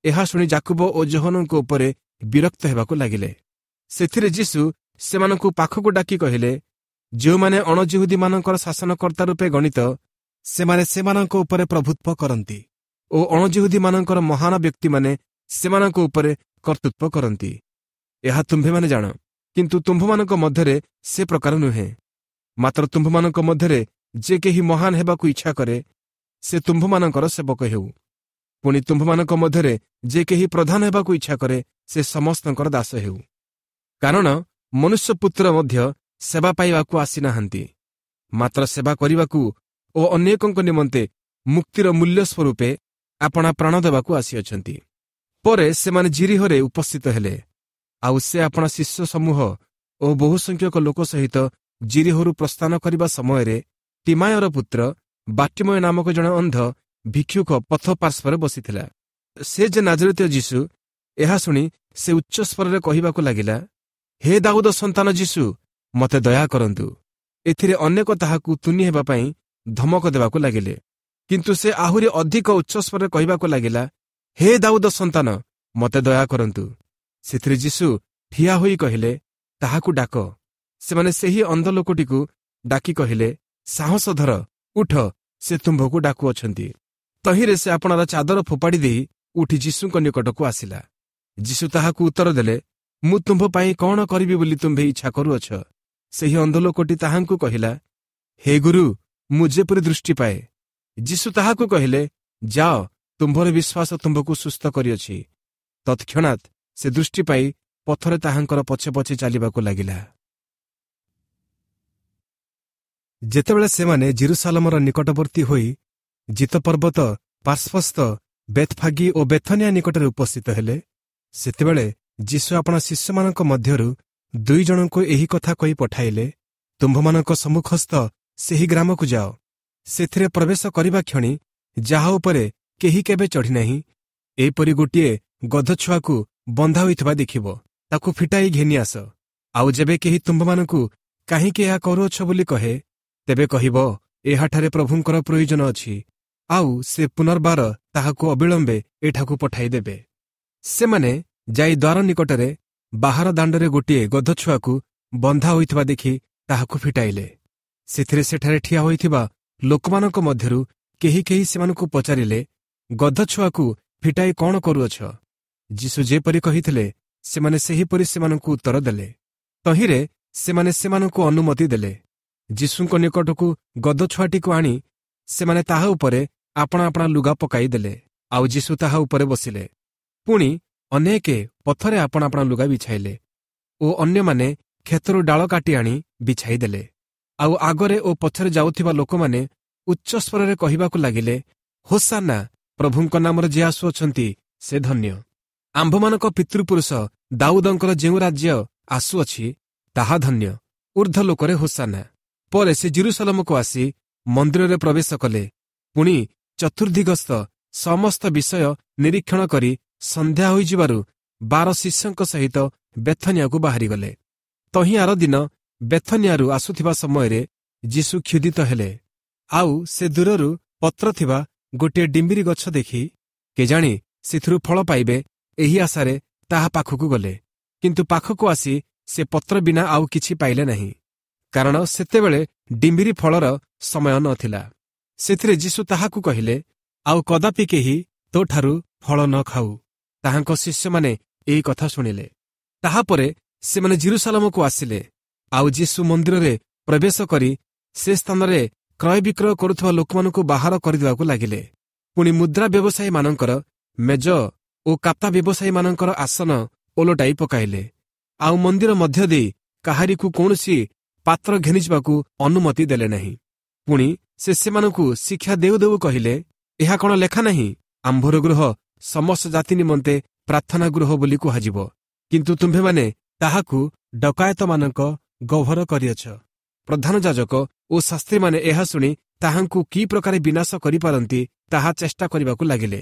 ଏହା ଶୁଣି ଜାକୁବ ଓ ଜୋହନଙ୍କ ଉପରେ ବିରକ୍ତ ହେବାକୁ ଲାଗିଲେ। ସେଥିରେ ଯୀଶୁ ସେମାନଙ୍କୁ ପାଖକୁ ଡାକି କହିଲେ, ଯେଉଁମାନେ ଅଣଜିହୁଦୀମାନଙ୍କର ଶାସନକର୍ତ୍ତା ରୂପେ ଗଣିତ, ସେମାନେ ସେମାନଙ୍କ ଉପରେ ପ୍ରଭୁତ୍ୱ କରନ୍ତି ଓ ଅଣଜିହୁଦୀମାନଙ୍କର ମହାନ ବ୍ୟକ୍ତିମାନେ ସେମାନଙ୍କ ଉପରେ କର୍ତ୍ତୃତ୍ୱ କରନ୍ତି। ଏହା ତୁମ୍ଭେମାନେ ଜାଣ। କିନ୍ତୁ ତୁମ୍ଭମାନଙ୍କ ମଧ୍ୟରେ ସେ ପ୍ରକାର ନୁହେଁ। ମାତ୍ର ତୁମ୍ଭମାନଙ୍କ ମଧ୍ୟରେ ଯେ କେହି ମହାନ ହେବାକୁ ଇଚ୍ଛା କରେ, ସେ ତୁମ୍ଭମାନଙ୍କର ସେବକ ହେଉ। ପୁଣି ତୁମ୍ଭମାନଙ୍କ ମଧ୍ୟରେ ଯେ କେହି ପ୍ରଧାନ ହେବାକୁ ଇଚ୍ଛା କରେ, ସେ ସମସ୍ତଙ୍କର ଦାସ ହେଉ। କାରଣ ମନୁଷ୍ୟପୁତ୍ର ମଧ୍ୟ ସେବା ପାଇବାକୁ ଆସିନାହାନ୍ତି, ମାତ୍ର ସେବା କରିବାକୁ ଓ ଅନେକଙ୍କ ନିମନ୍ତେ ମୁକ୍ତିର ମୂଲ୍ୟ ସ୍ୱରୂପେ ଆପଣା ପ୍ରାଣ ଦେବାକୁ ଆସିଅଛନ୍ତି। ପରେ ସେମାନେ ଜିରିହରେ ଉପସ୍ଥିତ ହେଲେ। ଆଉ ସେ ଆପଣା ଶିଷ୍ୟ ସମୂହ ଓ ବହୁସଂଖ୍ୟକ ଲୋକ ସହିତ ଜିରିହରୁ ପ୍ରସ୍ଥାନ କରିବା ସମୟରେ ତିମାୟର ପୁତ୍ର ବାଟିମୟ ନାମକ ଜଣେ ଅନ୍ଧ ଭିକ୍ଷୁକ ପଥ ପାର୍ଶ୍ୱରେ ବସିଥିଲା। ସେ ଯେ ନାଜରିତୀୟ ଯୀଶୁ, ଏହା ଶୁଣି ସେ ଉଚ୍ଚ ସ୍ୱରରେ କହିବାକୁ ଲାଗିଲା, ହେ ଦାଉଦ ସନ୍ତାନ ଯୀଶୁ, ମୋତେ ଦୟା କରନ୍ତୁ। ଏଥିରେ ଅନେକ ତାହାକୁ ତୁନି ହେବା ପାଇଁ ଧମକ ଦେବାକୁ ଲାଗିଲେ। କିନ୍ତୁ ସେ ଆହୁରି ଅଧିକ ଉଚ୍ଚସ୍ୱରରେ କହିବାକୁ ଲାଗିଲା, ହେ ଦାଉଦ ସନ୍ତାନ, ମୋତେ ଦୟା କରନ୍ତୁ। ସେଥିରେ ଯୀଶୁ ଠିଆ ହୋଇ କହିଲେ, ତାହାକୁ ଡାକ। ସେମାନେ ସେହି ଅନ୍ଧ ଲୋକଟିକୁ ଡାକି କହିଲେ, ସାହସ ଧର, ଉଠ, ସେ ତୁମ୍ଭକୁ ଡାକୁଅଛନ୍ତି। ତହିଁରେ ସେ ଆପଣାର ଚାଦର ଫୋପାଡ଼ି ଦେଇ ଉଠି ଯୀଶୁଙ୍କ ନିକଟକୁ ଆସିଲା। ଯୀଶୁ ତାହାକୁ ଉତ୍ତର ଦେଲେ, ମୁଁ ତୁମ୍ଭ ପାଇଁ କ'ଣ କରିବି ବୋଲି ତୁମ୍ଭେ ଇଚ୍ଛା କରୁଅଛ? ସେହି ଅନ୍ଧ ଲୋକଟି ତାହାଙ୍କୁ କହିଲା, ହେ ଗୁରୁ, ମୁଁ ଯେପରି ଦୃଷ୍ଟି ପାଏ। ଯୀଶୁ ତାହାକୁ କହିଲେ, ଯାଅ, ତୁମ୍ଭର ବିଶ୍ୱାସ ତୁମ୍ଭକୁ ସୁସ୍ଥ କରିଅଛି। ତତ୍କ୍ଷଣାତ୍ ସେ ଦୃଷ୍ଟି ପାଇ ପଥରେ ତାହାଙ୍କର ପଛେ ପଛେ ଚାଲିବାକୁ ଲାଗିଲା। ଯେତେବେଳେ ସେମାନେ ଜିରୁସାଲମର ନିକଟବର୍ତ୍ତୀ ହୋଇ ଜିତପର୍ବତ ପାର୍ଶ୍ୱସ୍ଥ ବେଥଫାଗି ଓ ବେଥନିଆ ନିକଟରେ ଉପସ୍ଥିତ ହେଲେ ସେତେବେଳେ ଯୀଶୁ ଆପଣା ଶିଷ୍ୟମାନଙ୍କ ମଧ୍ୟରୁ ଦୁଇ ଜଣଙ୍କୁ ଏହି କଥା କହି ପଠାଇଲେ ତୁମ୍ଭମାନଙ୍କ ସମ୍ମୁଖସ୍ଥ ସେହି ଗ୍ରାମକୁ ଯାଅ ସେଥିରେ ପ୍ରବେଶ କରିବା କ୍ଷଣି ଯାହା ଉପରେ କେହି କେବେ ଚଢ଼ିନାହିଁ ଏହିପରି ଗୋଟିଏ ଗଧଛୁଆକୁ ବନ୍ଧା ହୋଇଥିବା ଦେଖିବ ତାକୁ ଫିଟାଇ ଘେନି ଆସ ଆଉ ଯେବେ କେହି ତୁମ୍ଭମାନଙ୍କୁ କାହିଁକି ଏହା କରୁଅଛ ବୋଲି କହେ ତେବେ କହିବ ଏହାଠାରେ ପ୍ରଭୁଙ୍କର ପ୍ରୟୋଜନ ଅଛି ଆଉ ସେ ପୁନର୍ବାର ତାହାକୁ ଅବିଳମ୍ବେ ଏଠାକୁ ପଠାଇଦେବେ ସେମାନେ ଯାଇ ଦ୍ୱାର ନିକଟରେ ବାହାର ଦାଣ୍ଡରେ ଗୋଟିଏ ଗଧଛୁଆକୁ ବନ୍ଧା ହୋଇଥିବା ଦେଖି ତାହାକୁ ଫିଟାଇଲେ ସେଥିରେ ସେଠାରେ ଠିଆ ହୋଇଥିବା ଲୋକମାନଙ୍କ ମଧ୍ୟରୁ କେହି କେହି ସେମାନଙ୍କୁ ପଚାରିଲେ ଗଧଛୁଆକୁ ଫିଟାଇ କ'ଣ କରୁଅଛ ଯୀଶୁ ଯେପରି କହିଥିଲେ ସେମାନେ ସେହିପରି ସେମାନଙ୍କୁ ଉତ୍ତର ଦେଲେ ତହିଁରେ ସେମାନେ ସେମାନଙ୍କୁ ଅନୁମତି ଦେଲେ ଯୀଶୁଙ୍କ ନିକଟକୁ ଗଧଛୁଆଟିକୁ ଆଣି ସେମାନେ ତାହା ଉପରେ ଆପଣା ଆପଣା ଲୁଗା ପକାଇ ଦେଲେ ଆଉ ଯୀଶୁ ତାହା ଉପରେ ବସିଲେ ପୁଣି ଅନେକେ ପଥରେ ଆପଣା ଆପଣା ଲୁଗା ବିଛାଇଲେ ଓ ଅନ୍ୟମାନେ କ୍ଷେତରୁ ଡାଳ କାଟି ଆଣି ବିଛାଇ ଦେଲେ ଆଉ ଆଗରେ ଓ ପଛରେ ଯାଉଥିବା ଲୋକମାନେ ଉଚ୍ଚସ୍ୱରରେ କହିବାକୁ ଲାଗିଲେ ହୋସାନା ପ୍ରଭୁଙ୍କ ନାମରେ ଯିଏ ଆସୁଅଛନ୍ତି ସେ ଧନ୍ୟ ଆମ୍ଭମାନଙ୍କ ପିତୃପୁରୁଷ ଦାଉଦଙ୍କର ଯେଉଁ ରାଜ୍ୟ ଆସୁଅଛି ତାହା ଧନ୍ୟ ଉର୍ଦ୍ଧ୍ୱ ଲୋକରେ ହୋସାନା ପରେ ସେ ଜିରୁସାଲମକୁ ଆସି ମନ୍ଦିରରେ ପ୍ରବେଶ କଲେ ପୁଣି ଚତୁର୍ଦ୍ଦିଗସ୍ଥ ସମସ୍ତ ବିଷୟ ନିରୀକ୍ଷଣ କରି ସନ୍ଧ୍ୟା ହୋଇଯିବାରୁ ବାର ଶିଷ୍ୟଙ୍କ ସହିତ ବେଥନିଆକୁ ବାହାରିଗଲେ ତହିଁ ଆର ଦିନ ବେଥନିଆରୁ ଆସୁଥିବା ସମୟରେ ଯୀଶୁ କ୍ଷୁଧିତ ହେଲେ ଆଉ ସେ ଦୂରରୁ ପତ୍ର ଥିବା ଗୋଟିଏ ଡିମ୍ବିରି ଗଛ ଦେଖି କେଜାଣି ସେଥିରୁ ଫଳ ପାଇବେ ଏହି ଆଶାରେ ତାହା ପାଖକୁ ଗଲେ କିନ୍ତୁ ପାଖକୁ ଆସି ସେ ପତ୍ର ବିନା ଆଉ କିଛି ପାଇଲେ ନାହିଁ କାରଣ ସେତେବେଳେ ଡିମ୍ବିରି ଫଳର ସମୟ ନଥିଲା ସେଥିରେ ଯୀଶୁ ତାହାକୁ କହିଲେ ଆଉ କଦାପି କେହି ତୋଠାରୁ ଫଳ ନ ଖାଉ ତାହାଙ୍କ ଶିଷ୍ୟମାନେ ଏହି କଥା ଶୁଣିଲେ ତାହାପରେ ସେମାନେ ଜିରୁସାଲମକୁ ଆସିଲେ ଆଉ ଯୀଶୁ ମନ୍ଦିରରେ ପ୍ରବେଶ କରି ସେ ସ୍ଥାନରେ କ୍ରୟ ବିକ୍ରୟ କରୁଥିବା ଲୋକମାନଙ୍କୁ ବାହାର କରିଦେବାକୁ ଲାଗିଲେ ପୁଣି ମୁଦ୍ରା ବ୍ୟବସାୟୀମାନଙ୍କର ମେଜ ଓ କାତା ବ୍ୟବସାୟୀମାନଙ୍କର ଆସନ ଓଲଟାଇ ପକାଇଲେ ଆଉ ମନ୍ଦିର ମଧ୍ୟ ଦେଇ କାହାରିକୁ କୌଣସି ପାତ୍ର ଘେନିଯିବାକୁ ଅନୁମତି ଦେଲେ ନାହିଁ ପୁଣି ସେ ସେମାନଙ୍କୁ ଶିକ୍ଷା ଦେଉ ଦେଉ କହିଲେ ଏହା କ'ଣ ଲେଖା ନାହିଁ ଆମ୍ଭର ଗୃହ ସମସ୍ତ ଜାତି ନିମନ୍ତେ ପ୍ରାର୍ଥନା ଗୃହ ବୋଲି କୁହାଯିବ କିନ୍ତୁ ତୁମ୍ଭେମାନେ ତାହାକୁ ଡକାୟତମାନଙ୍କ ଗହ୍ୱର କରିଅଛ ପ୍ରଧାନ ଯାଜକ ଓ ଶାସ୍ତ୍ରୀମାନେ ଏହା ଶୁଣି ତାହାଙ୍କୁ କି ପ୍ରକାରେ ବିନାଶ କରିପାରନ୍ତି ତାହା ଚେଷ୍ଟା କରିବାକୁ ଲାଗିଲେ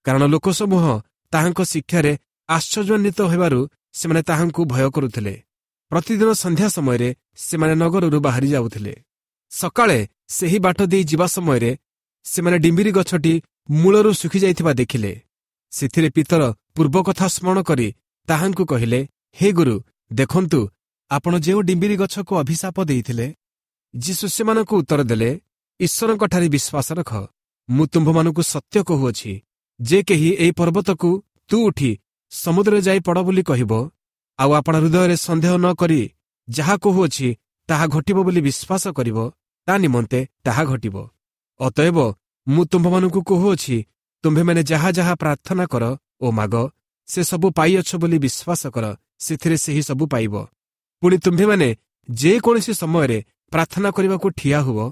କାରଣ ଲୋକସମୂହ ତାହାଙ୍କ ଶିକ୍ଷାରେ ଆଶ୍ଚର୍ଯ୍ୟାନ୍ୱିତ ହେବାରୁ ସେମାନେ ତାହାଙ୍କୁ ଭୟ କରୁଥିଲେ ପ୍ରତିଦିନ ସନ୍ଧ୍ୟା ସମୟରେ ସେମାନେ ନଗରରୁ ବାହାରି ଯାଉଥିଲେ ସକାଳେ ସେହି ବାଟ ଦେଇ ଯିବା ସମୟରେ ସେମାନେ ଡିମ୍ବିରି ଗଛଟି ମୂଳରୁ ଶୁଖିଯାଇଥିବା ଦେଖିଲେ ସେଥିରେ ପିତର ପୂର୍ବ କଥା ସ୍ମରଣ କରି ତାହାଙ୍କୁ କହିଲେ ହେ ଗୁରୁ ଦେଖନ୍ତୁ ଆପଣ ଯେଉଁ ଡିମ୍ବିରି ଗଛକୁ ଅଭିଶାପ ଦେଇଥିଲେ ଯୀଶୁ ସେମାନଙ୍କୁ ଉତ୍ତର ଦେଲେ ଈଶ୍ୱରଙ୍କଠାରେ ବିଶ୍ୱାସ ରଖ ମୁଁ ତୁମ୍ଭମାନଙ୍କୁ ସତ୍ୟ କହୁଅଛି ଯେ କେହି ଏହି ପର୍ବତକୁ ତୁ ଉଠି ସମୁଦ୍ରରେ ଯାଇ ପଡ଼ ବୋଲି କହିବ ଆଉ ଆପଣା ହୃଦୟରେ ସନ୍ଦେହ ନ କରି ଯାହା କହୁଅଛି ତାହା ଘଟିବ ବୋଲି ବିଶ୍ୱାସ କରିବ ତା ନିମନ୍ତେ ତାହା ଘଟିବ ଅତଏବ ମୁଁ ତୁମ୍ଭମାନଙ୍କୁ କହୁଅଛି ତୁମ୍ଭେମାନେ ଯାହା ଯାହା ପ୍ରାର୍ଥନା କର ଓ ମାଗ ସେ ସବୁ ପାଇଅଛ ବୋଲି ବିଶ୍ୱାସ କର ସେଥିରେ ସେହି ସବୁ ପାଇବ ପୁଣି ତୁମ୍ଭେମାନେ ଯେକୌଣସି ସମୟରେ ପ୍ରାର୍ଥନା କରିବାକୁ ଠିଆ ହୁଅ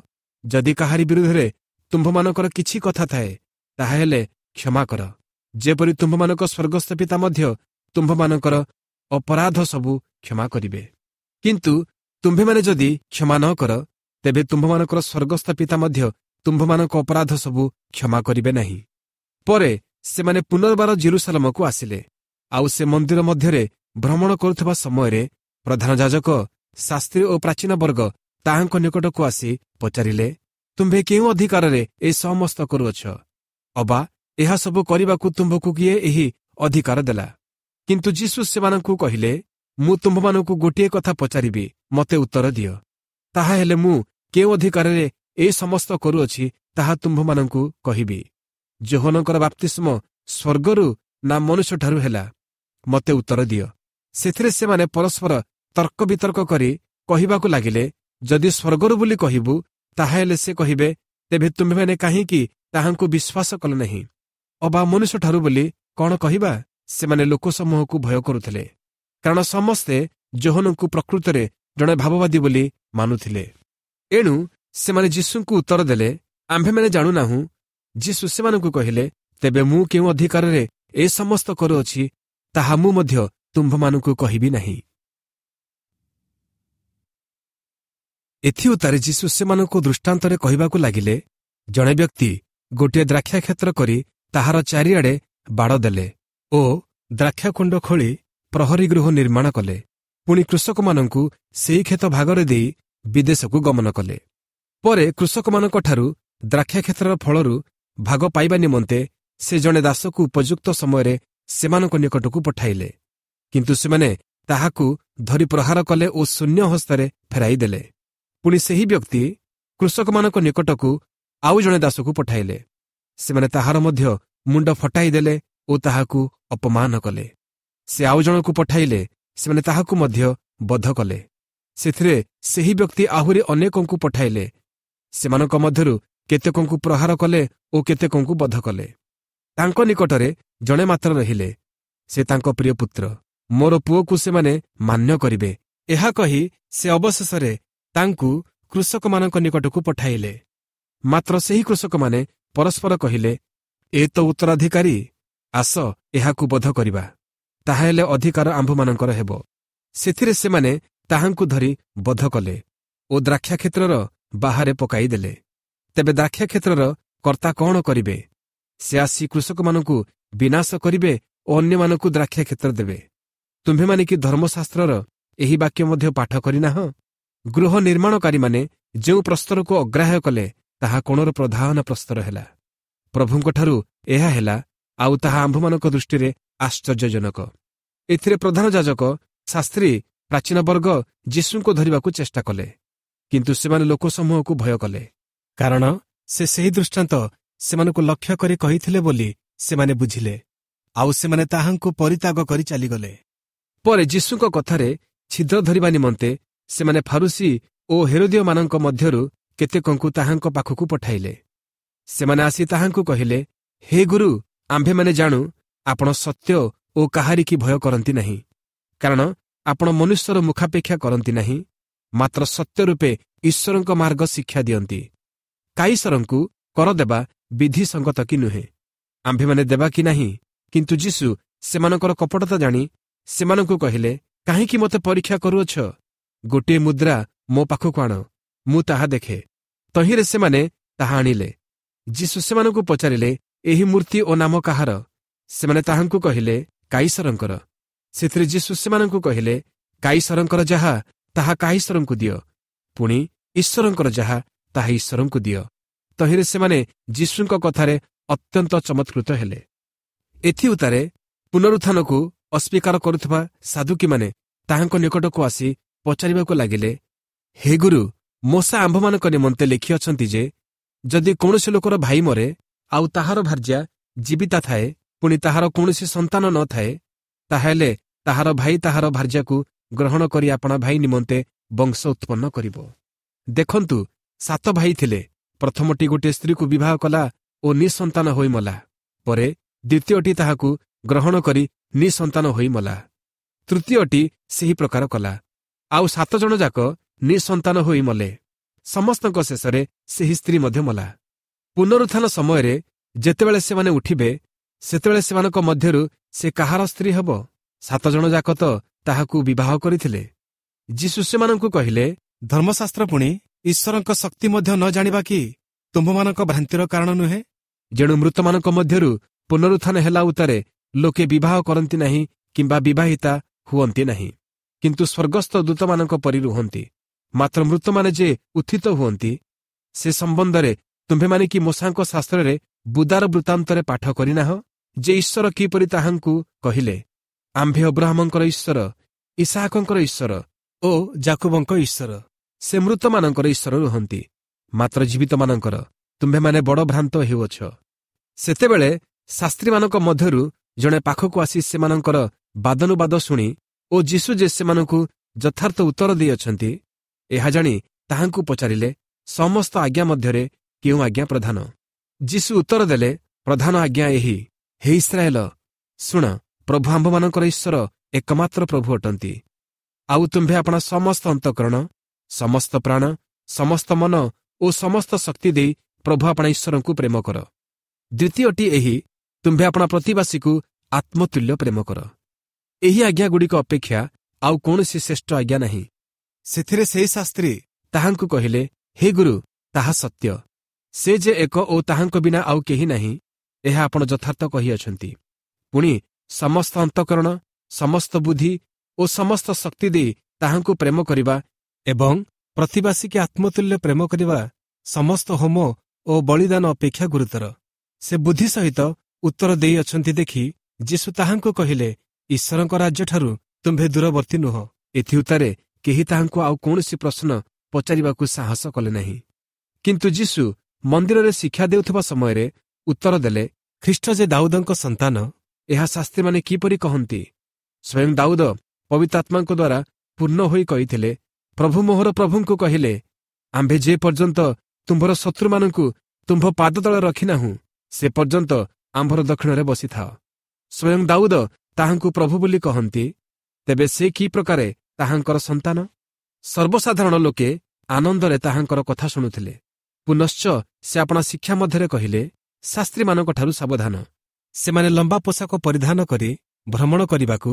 ଯଦି କାହାରି ବିରୁଦ୍ଧରେ ତୁମ୍ଭମାନଙ୍କର କିଛି କଥା ଥାଏ ତାହାହେଲେ କ୍ଷମା କର ଯେପରି ତୁମ୍ଭମାନଙ୍କ ସ୍ୱର୍ଗସ୍ଥ ପିତା ମଧ୍ୟ ତୁମ୍ଭମାନଙ୍କର ଅପରାଧ ସବୁ କ୍ଷମା କରିବେ କିନ୍ତୁ ତୁମ୍ଭେମାନେ ଯଦି କ୍ଷମା ନ କର ତେବେ ତୁମ୍ଭମାନଙ୍କର ସ୍ୱର୍ଗସ୍ଥ ପିତା ମଧ୍ୟ ତୁମ୍ଭମାନଙ୍କ ଅପରାଧ ସବୁ କ୍ଷମା କରିବେ ନାହିଁ ପରେ ସେମାନେ ପୁନର୍ବାର ଜିରୁସାଲମକୁ ଆସିଲେ ଆଉ ସେ ମନ୍ଦିର ମଧ୍ୟରେ ଭ୍ରମଣ କରୁଥିବା ସମୟରେ ପ୍ରଧାନ ଯାଜକ ଶାସ୍ତ୍ରୀ ଓ ପ୍ରାଚୀନ ବର୍ଗ ତାହାଙ୍କ ନିକଟକୁ ଆସି ପଚାରିଲେ ତୁମ୍ଭେ କେଉଁ ଅଧିକାରରେ ଏ ସମସ୍ତ କରୁଅଛ ଅବା ଏହା ସବୁ କରିବାକୁ ତୁମ୍ଭକୁ କିଏ ଏହି ଅଧିକାର ଦେଲା କିନ୍ତୁ ଯୀଶୁ ସେମାନଙ୍କୁ କହିଲେ ମୁଁ ତୁମ୍ଭମାନଙ୍କୁ ଗୋଟିଏ କଥା ପଚାରିବି ମୋତେ ଉତ୍ତର ଦିଅ ତାହାହେଲେ ମୁଁ କେଉଁ ଅଧିକାରରେ ଏ ସମସ୍ତ କରୁଅଛି ତାହା ତୁମ୍ଭମାନଙ୍କୁ କହିବି ଯୋହନଙ୍କର ବାପ୍ତିସ୍ମ ସ୍ୱର୍ଗରୁ ନା ମନୁଷ୍ୟଠାରୁ ହେଲା ମୋତେ ଉତ୍ତର ଦିଅ ସେଥିରେ ସେମାନେ ପରସ୍ପର ତର୍କ ବିତର୍କ କରି କହିବାକୁ ଲାଗିଲେ ଯଦି ସ୍ୱର୍ଗରୁ ବୋଲି କହିବୁ ତାହାହେଲେ ସେ କହିବେ ତେବେ ତୁମ୍ଭେମାନେ କାହିଁକି ତାହାଙ୍କୁ ବିଶ୍ୱାସ କଲ ନାହିଁ ଅବା ମନୁଷ୍ୟଠାରୁ ବୋଲି କ'ଣ କହିବା ସେମାନେ ଲୋକସମୂହକୁ ଭୟ କରୁଥିଲେ କାରଣ ସମସ୍ତେ ଯୋହନଙ୍କୁ ପ୍ରକୃତରେ ଜଣେ ଭାବବାଦୀ ବୋଲି ମାନୁଥିଲେ ଏଣୁ ସେମାନେ ଯୀଶୁଙ୍କୁ ଉତ୍ତର ଦେଲେ, ଆମ୍ଭେମାନେ ଜାଣୁନାହୁଁ। ଯୀଶୁ ସେମାନଙ୍କୁ କହିଲେ, ତେବେ ମୁଁ କେଉଁ ଅଧିକାରରେ ଏ ସମସ୍ତ କରୁଅଛି, ତାହା ମୁଁ ମଧ୍ୟ ତୁମ୍ଭମାନଙ୍କୁ କହିବି ନାହିଁ। ଏଥିଉତ୍ତାରେ ଯୀଶୁ ସେମାନଙ୍କୁ ଦୃଷ୍ଟାନ୍ତରେ କହିବାକୁ ଲାଗିଲେ, ଜଣେ ବ୍ୟକ୍ତି ଗୋଟିଏ ଦ୍ରାକ୍ଷାକ୍ଷେତ୍ର କରି ତାହାର ଚାରିଆଡ଼େ ବାଡ଼ ଦେଲେ ଓ ଦ୍ରାକ୍ଷାକୁଣ୍ଡ ଖୋଳି ପ୍ରହରୀ ଗୃହ ନିର୍ମାଣ କଲେ। ପୁଣି କୃଷକମାନଙ୍କୁ ସେହି କ୍ଷେତ ଭାଗରେ ଦେଇ ବିଦେଶକୁ ଗମନ କଲେ। ପରେ କୃଷକମାନଙ୍କଠାରୁ ଦ୍ରାକ୍ଷାକ୍ଷେତ୍ରର ଫଳରୁ ଭାଗ ପାଇବା ନିମନ୍ତେ ସେ ଜଣେ ଦାସକୁ ଉପଯୁକ୍ତ ସମୟରେ ସେମାନଙ୍କ ନିକଟକୁ ପଠାଇଲେ। କିନ୍ତୁ ସେମାନେ ତାହାକୁ ଧରି ପ୍ରହାର କଲେ ଓ ଶୂନ୍ୟ ହସ୍ତରେ ଫେରାଇ ଦେଲେ। ପୁଣି ସେହି ବ୍ୟକ୍ତି କୃଷକମାନଙ୍କ ନିକଟକୁ ଆଉ ଜଣେ ଦାସକୁ ପଠାଇଲେ। ସେମାନେ ତାହାର ମଧ୍ୟ ମୁଣ୍ଡ ଫଟାଇ ଦେଲେ ଓ ତାହାକୁ ଅପମାନ କଲେ। ସେ ଆଉ ଜଣକୁ ପଠାଇଲେ, ସେମାନେ ତାହାକୁ ମଧ୍ୟ ବଧ କଲେ। ସେଥିରେ ସେହି ବ୍ୟକ୍ତି ଆହୁରି ଅନେକଙ୍କୁ ପଠାଇଲେ। ସେମାନଙ୍କ ମଧ୍ୟରୁ କେତେକଙ୍କୁ ପ୍ରହାର କଲେ ଓ କେତେକଙ୍କୁ ବଧ କଲେ। ତାଙ୍କ ନିକଟରେ ଜଣେ ମାତ୍ର ରହିଲେ, ସେ ତାଙ୍କ ପ୍ରିୟ ପୁତ୍ର। ମୋର ପୁଅକୁ ସେମାନେ ମାନ୍ୟ କରିବେ, ଏହା କହି ସେ ଅବଶେଷରେ ତାଙ୍କୁ କୃଷକମାନଙ୍କ ନିକଟକୁ ପଠାଇଲେ। ମାତ୍ର ସେହି କୃଷକମାନେ ପରସ୍ପର କହିଲେ, ଏ ତ ଉତ୍ତରାଧିକାରୀ, ଆସ ଏହାକୁ ବଧ କରିବା, ତାହାହେଲେ ଅଧିକାର ଆମ୍ଭମାନଙ୍କର ହେବ। ସେଥିରେ ସେମାନେ ତାହାଙ୍କୁ ଧରି ବଧ କଲେ ଓ ଦ୍ରାକ୍ଷାକ୍ଷେତ୍ରର ବାହାରେ ପକାଇଦେଲେ। ତେବେ ଦ୍ରାକ୍ଷାକ୍ଷେତ୍ରର କର୍ତ୍ତା କ'ଣ କରିବେ? ସେ ଆସି କୃଷକମାନଙ୍କୁ ବିନାଶ କରିବେ ଓ ଅନ୍ୟମାନଙ୍କୁ ଦ୍ରାକ୍ଷାକ୍ଷେତ୍ର ଦେବେ। ତୁମ୍ଭେମାନେ କି ଧର୍ମଶାସ୍ତ୍ରର ଏହି ବାକ୍ୟ ମଧ୍ୟ ପାଠ କରିନାହଁ? ଗୃହ ନିର୍ମାଣକାରୀମାନେ ଯେଉଁ ପ୍ରସ୍ତରକୁ ଅଗ୍ରାହ୍ୟ କଲେ, ତାହା କୋଣର ପ୍ରଧାନ ପ୍ରସ୍ତର ହେଲା। ପ୍ରଭୁଙ୍କଠାରୁ ଏହା ହେଲା, ଆଉ ତାହା ଆମ୍ଭମାନଙ୍କ ଦୃଷ୍ଟିରେ ଆଶ୍ଚର୍ଯ୍ୟଜନକ। ଏଥିରେ ପ୍ରଧାନ ଯାଜକ, ଶାସ୍ତ୍ରୀ, ପ୍ରାଚୀନ ବର୍ଗ ଯୀଶୁଙ୍କୁ ଧରିବାକୁ ଚେଷ୍ଟା କଲେ, କିନ୍ତୁ ସେମାନେ ଲୋକସମୂହକୁ ଭୟ କଲେ, କାରଣ ସେ ସେହି ଦୃଷ୍ଟାନ୍ତ ସେମାନଙ୍କୁ ଲକ୍ଷ୍ୟ କରି କହିଥିଲେ ବୋଲି ସେମାନେ ବୁଝିଲେ। ଆଉ ସେମାନେ ତାହାଙ୍କୁ ପରିତ୍ୟାଗ କରି ଚାଲିଗଲେ। ପରେ ଯୀଶୁଙ୍କ କଥାରେ ଛିଦ୍ର ଧରିବା ନିମନ୍ତେ ସେମାନେ ଫାରୁସୀ ଓ ହେରୋଦୀୟମାନଙ୍କ ମଧ୍ୟରୁ କେତେକଙ୍କୁ ତାହାଙ୍କ ପାଖକୁ ପଠାଇଲେ। ସେମାନେ ଆସି ତାହାଙ୍କୁ କହିଲେ, ହେ ଗୁରୁ, ଆମ୍ଭେମାନେ ଜାଣୁ ଆପଣ ସତ୍ୟ ଓ କାହାରିକି ଭୟ କରନ୍ତି ନାହିଁ, କାରଣ ଆପଣ ମନୁଷ୍ୟର ମୁଖାପେକ୍ଷା କରନ୍ତି ନାହିଁ, ମାତ୍ର ସତ୍ୟ ରୂପେ ଈଶ୍ୱରଙ୍କ ମାର୍ଗ ଶିକ୍ଷା ଦିଅନ୍ତି। କାଇସରଙ୍କୁ କର ଦେବା ବିଧିସଙ୍ଗତ କି ନୁହେଁ? ଆମ୍ଭେମାନେ ଦେବା କି ନାହିଁ? କିନ୍ତୁ ଯୀଶୁ ସେମାନଙ୍କର କପଟତା ଜାଣି ସେମାନଙ୍କୁ କହିଲେ, କାହିଁକି ମୋତେ ପରୀକ୍ଷା କରୁଅଛ? ଗୋଟିଏ ମୁଦ୍ରା ମୋ ପାଖକୁ ଆଣ, ମୁଁ ତାହା ଦେଖେ। ତହିଁରେ ସେମାନେ ତାହା ଆଣିଲେ। ଯୀଶୁ ସେମାନଙ୍କୁ ପଚାରିଲେ, ଏହି ମୂର୍ତ୍ତି ଓ ନାମ କାହାର? ସେମାନେ ତାହାଙ୍କୁ କହିଲେ, କାଇସରଙ୍କର। ସେଥିରେ ଯୀଶୁ ସେମାନଙ୍କୁ କହିଲେ, କାଇସରଙ୍କର ଯାହା ତାହା କାଇସରଙ୍କୁ ଦିଅ, ପୁଣି ଈଶ୍ୱରଙ୍କର ଯାହା ତାହା ଈଶ୍ୱରଙ୍କୁ ଦିଅ। ତହିଁରେ ସେମାନେ ଯୀଶୁଙ୍କ କଥାରେ ଅତ୍ୟନ୍ତ ଚମତ୍କୃତ ହେଲେ। ଏଥିଉତ୍ତାରେ ପୁନରୁତ୍ଥାନକୁ ଅସ୍ୱୀକାର କରୁଥିବା ସାଧୁକୀମାନେ ତାହାଙ୍କ ନିକଟକୁ ଆସି ପଚାରିବାକୁ ଲାଗିଲେ, ହେ ଗୁରୁ, ମୋଶା ଆମ୍ଭମାନଙ୍କ ନିମନ୍ତେ ଲେଖିଅଛନ୍ତି ଯେ, ଯଦି କୌଣସି ଲୋକର ଭାଇ ମରେ, ଆଉ ତାହାର ଭାର୍ଯ୍ୟା ଜୀବିତା ଥାଏ, ପୁଣି ତାହାର କୌଣସି ସନ୍ତାନ ନ ଥାଏ, ତାହାହେଲେ ତାହାର ଭାଇ ତାହାର ଭାର୍ଯ୍ୟାକୁ ଗ୍ରହଣ କରି ଆପଣା ଭାଇ ନିମନ୍ତେ ବଂଶ ଉତ୍ପନ୍ନ କରିବ। ଦେଖନ୍ତୁ, ସାତ ଭାଇ ଥିଲେ। ପ୍ରଥମଟି ଗୋଟିଏ ସ୍ତ୍ରୀକୁ ବିବାହ କଲା ଓ ନିଃସନ୍ତାନ ହୋଇ ମଲା। ପରେ ଦ୍ୱିତୀୟଟି ତାହାକୁ ଗ୍ରହଣ କରି ନିଃସନ୍ତାନ ହୋଇ ମଲା। ତୃତୀୟଟି ସେହି ପ୍ରକାର କଲା। ଆଉ ସାତ ଜଣ ଯାକ ନିଃସନ୍ତାନ ହୋଇ ମଲେ। ସମସ୍ତଙ୍କ ଶେଷରେ ସେହି ସ୍ତ୍ରୀ ମଧ୍ୟ ମଲା। ପୁନରୁତ୍ଥାନ ସମୟରେ ଯେତେବେଳେ ସେମାନେ ଉଠିବେ, ସେତେବେଳେ ସେମାନଙ୍କ ମଧ୍ୟରୁ ସେ କାହାର ସ୍ତ୍ରୀ ହେବ? ସାତ ଜଣ ଯାକ ତ ତାହାକୁ ବିବାହ କରିଥିଲେ। ଯୀଶୁ ସେମାନଙ୍କୁ କହିଲେ, ଧର୍ମଶାସ୍ତ୍ର ପୁଣି ଈଶ୍ୱରଙ୍କ ଶକ୍ତି ମଧ୍ୟ ନ ଜାଣିବା କି ତୁମ୍ଭମାନଙ୍କ ଭ୍ରାନ୍ତିର କାରଣ ନୁହେଁ? ଯେଣୁ ମୃତମାନଙ୍କ ମଧ୍ୟରୁ ପୁନରୁତ୍ଥାନ ହେଲା ଉତ୍ତାରେ ଲୋକେ ବିବାହ କରନ୍ତି ନାହିଁ କିମ୍ବା ବିବାହିତା ହୁଅନ୍ତି ନାହିଁ, କିନ୍ତୁ ସ୍ୱର୍ଗସ୍ଥ ଦୂତମାନଙ୍କ ପରି ରୁହନ୍ତି। ମାତ୍ର ମୃତମାନେ ଯେ ଉତ୍ଥିତ ହୁଅନ୍ତି, ସେ ସମ୍ବନ୍ଧରେ ତୁମ୍ଭେମାନେ କି ମୋଶାଙ୍କ ଶାସ୍ତ୍ରରେ ବୁଦାର ବୃତ୍ତାନ୍ତରେ ପାଠ କରିନାହ ଯେ ଈଶ୍ୱର କିପରି ତାହାଙ୍କୁ କହିଲେ, ଆମ୍ଭେ ଅବ୍ରାହମଙ୍କର ଈଶ୍ୱର, ଇସାହାକଙ୍କର ଈଶ୍ୱର ଓ ଜାକୁବଙ୍କ ଈଶ୍ୱର। ସେ ମୃତମାନଙ୍କର ଈଶ୍ୱର ରୁହନ୍ତି, ମାତ୍ର ଜୀବିତମାନଙ୍କର। ତୁମ୍ଭେମାନେ ବଡ଼ ଭ୍ରାନ୍ତ ହେଉଅଛ। ସେତେବେଳେ ଶାସ୍ତ୍ରୀମାନଙ୍କ ମଧ୍ୟରୁ ଜଣେ ପାଖକୁ ଆସି ସେମାନଙ୍କର ବାଦାନୁବାଦ ଶୁଣି ଓ ଯୀଶୁ ଯେ ସେମାନଙ୍କୁ ଯଥାର୍ଥ ଉତ୍ତର ଦେଇଅଛନ୍ତି, ଏହା ଜାଣି ତାହାଙ୍କୁ ପଚାରିଲେ, ସମସ୍ତ ଆଜ୍ଞା ମଧ୍ୟରେ କେଉଁ ଆଜ୍ଞା ପ୍ରଧାନ? ଯୀଶୁ ଉତ୍ତର ଦେଲେ, ପ୍ରଧାନ ଆଜ୍ଞା ଏହି, ହେ ଇସ୍ରାଏଲ, ଶୁଣ, ପ୍ରଭୁ ଆମ୍ଭମାନଙ୍କର ଈଶ୍ୱର ଏକମାତ୍ର ପ୍ରଭୁ ଅଟନ୍ତି। ଆଉ ତୁମ୍ଭେ ଆପଣା ସମସ୍ତ ଅନ୍ତଃକରଣ, ସମସ୍ତ ପ୍ରାଣ, ସମସ୍ତ ମନ ଓ ସମସ୍ତ ଶକ୍ତି ଦେଇ ପ୍ରଭୁ ଆପଣା ଈଶ୍ୱରଙ୍କୁ ପ୍ରେମ କର। ଦ୍ୱିତୀୟଟି ଏହି, ତୁମ୍ଭେ ଆପଣା ପ୍ରତିବାସୀକୁ ଆତ୍ମତୁଲ୍ୟ ପ୍ରେମ କର। ଏହି ଆଜ୍ଞାଗୁଡ଼ିକ ଅପେକ୍ଷା ଆଉ କୌଣସି ଶ୍ରେଷ୍ଠ ଆଜ୍ଞା ନାହିଁ। ସେଥିରେ ସେହି ଶାସ୍ତ୍ରୀ ତାହାଙ୍କୁ କହିଲେ, ହେ ଗୁରୁ, ତାହା ସତ୍ୟ, ସେ ଯେ ଏକ ଓ ତାହାଙ୍କ ବିନା ଆଉ କେହି ନାହିଁ, ଏହା ଆପଣ ଯଥାର୍ଥ କହିଅଛନ୍ତି। ପୁଣି ସମସ୍ତ ଅନ୍ତଃକରଣ, ସମସ୍ତ ବୁଦ୍ଧି ଓ ସମସ୍ତ ଶକ୍ତି ଦେଇ ତାହାଙ୍କୁ ପ୍ରେମ କରିବା ଏବଂ ପ୍ରତିବାସୀକି ଆତ୍ମତୁଲ୍ୟ ପ୍ରେମ କରିବା ସମସ୍ତ ହୋମ ଓ ବଳିଦାନ ଅପେକ୍ଷା ଗୁରୁତର। ସେ ବୁଦ୍ଧି ସହିତ ଉତ୍ତର ଦେଇଅଛନ୍ତି ଦେଖି ଯୀଶୁ ତାହାଙ୍କୁ କହିଲେ, ଈଶ୍ୱରଙ୍କ ରାଜ୍ୟଠାରୁ ତୁମ୍ଭେ ଦୂରବର୍ତ୍ତୀ ନୁହଁ। ଏଥିଉତ୍ତାରେ କେହି ତାହାଙ୍କୁ ଆଉ କୌଣସି ପ୍ରଶ୍ନ ପଚାରିବାକୁ ସାହସ କଲେ ନାହିଁ। କିନ୍ତୁ ଯୀଶୁ ମନ୍ଦିରରେ ଶିକ୍ଷା ଦେଉଥିବା ସମୟରେ ଉତ୍ତର ଦେଲେ, ଖ୍ରୀଷ୍ଟ ଯେ ଦାଉଦଙ୍କ ସନ୍ତାନ, ଏହା ଶାସ୍ତ୍ରୀମାନେ କିପରି କହନ୍ତି? ସ୍ୱୟଂ ଦାଉଦ ପବିତ୍ରାତ୍ମାଙ୍କ ଦ୍ୱାରା ପୂର୍ଣ୍ଣ ହୋଇ କହିଥିଲେ, ପ୍ରଭୁ ମୋହର ପ୍ରଭୁଙ୍କୁ କହିଲେ, ଆମ୍ଭେ ଯେ ପର୍ଯ୍ୟନ୍ତ ତୁମ୍ଭର ଶତ୍ରୁମାନଙ୍କୁ ତୁମ୍ଭ ପାଦତଳେ ରଖିନାହୁଁ, ସେ ପର୍ଯ୍ୟନ୍ତ ଆମ୍ଭର ଦକ୍ଷିଣରେ ବସିଥାଅ। ସ୍ୱୟଂ ଦାଉଦ ତାହାଙ୍କୁ ପ୍ରଭୁ ବୋଲି କହନ୍ତି, ତେବେ ସେ କି ପ୍ରକାରେ ତାହାଙ୍କର ସନ୍ତାନ? ସର୍ବସାଧାରଣ ଲୋକେ ଆନନ୍ଦରେ ତାହାଙ୍କର କଥା ଶୁଣୁଥିଲେ। ପୁନଶ୍ଚ ସେ ଆପଣା ଶିକ୍ଷା ମଧ୍ୟରେ କହିଲେ, ଶାସ୍ତ୍ରୀମାନଙ୍କଠାରୁ ସାବଧାନ। ସେମାନେ ଲମ୍ବା ପୋଷାକ ପରିଧାନ କରି ଭ୍ରମଣ କରିବାକୁ,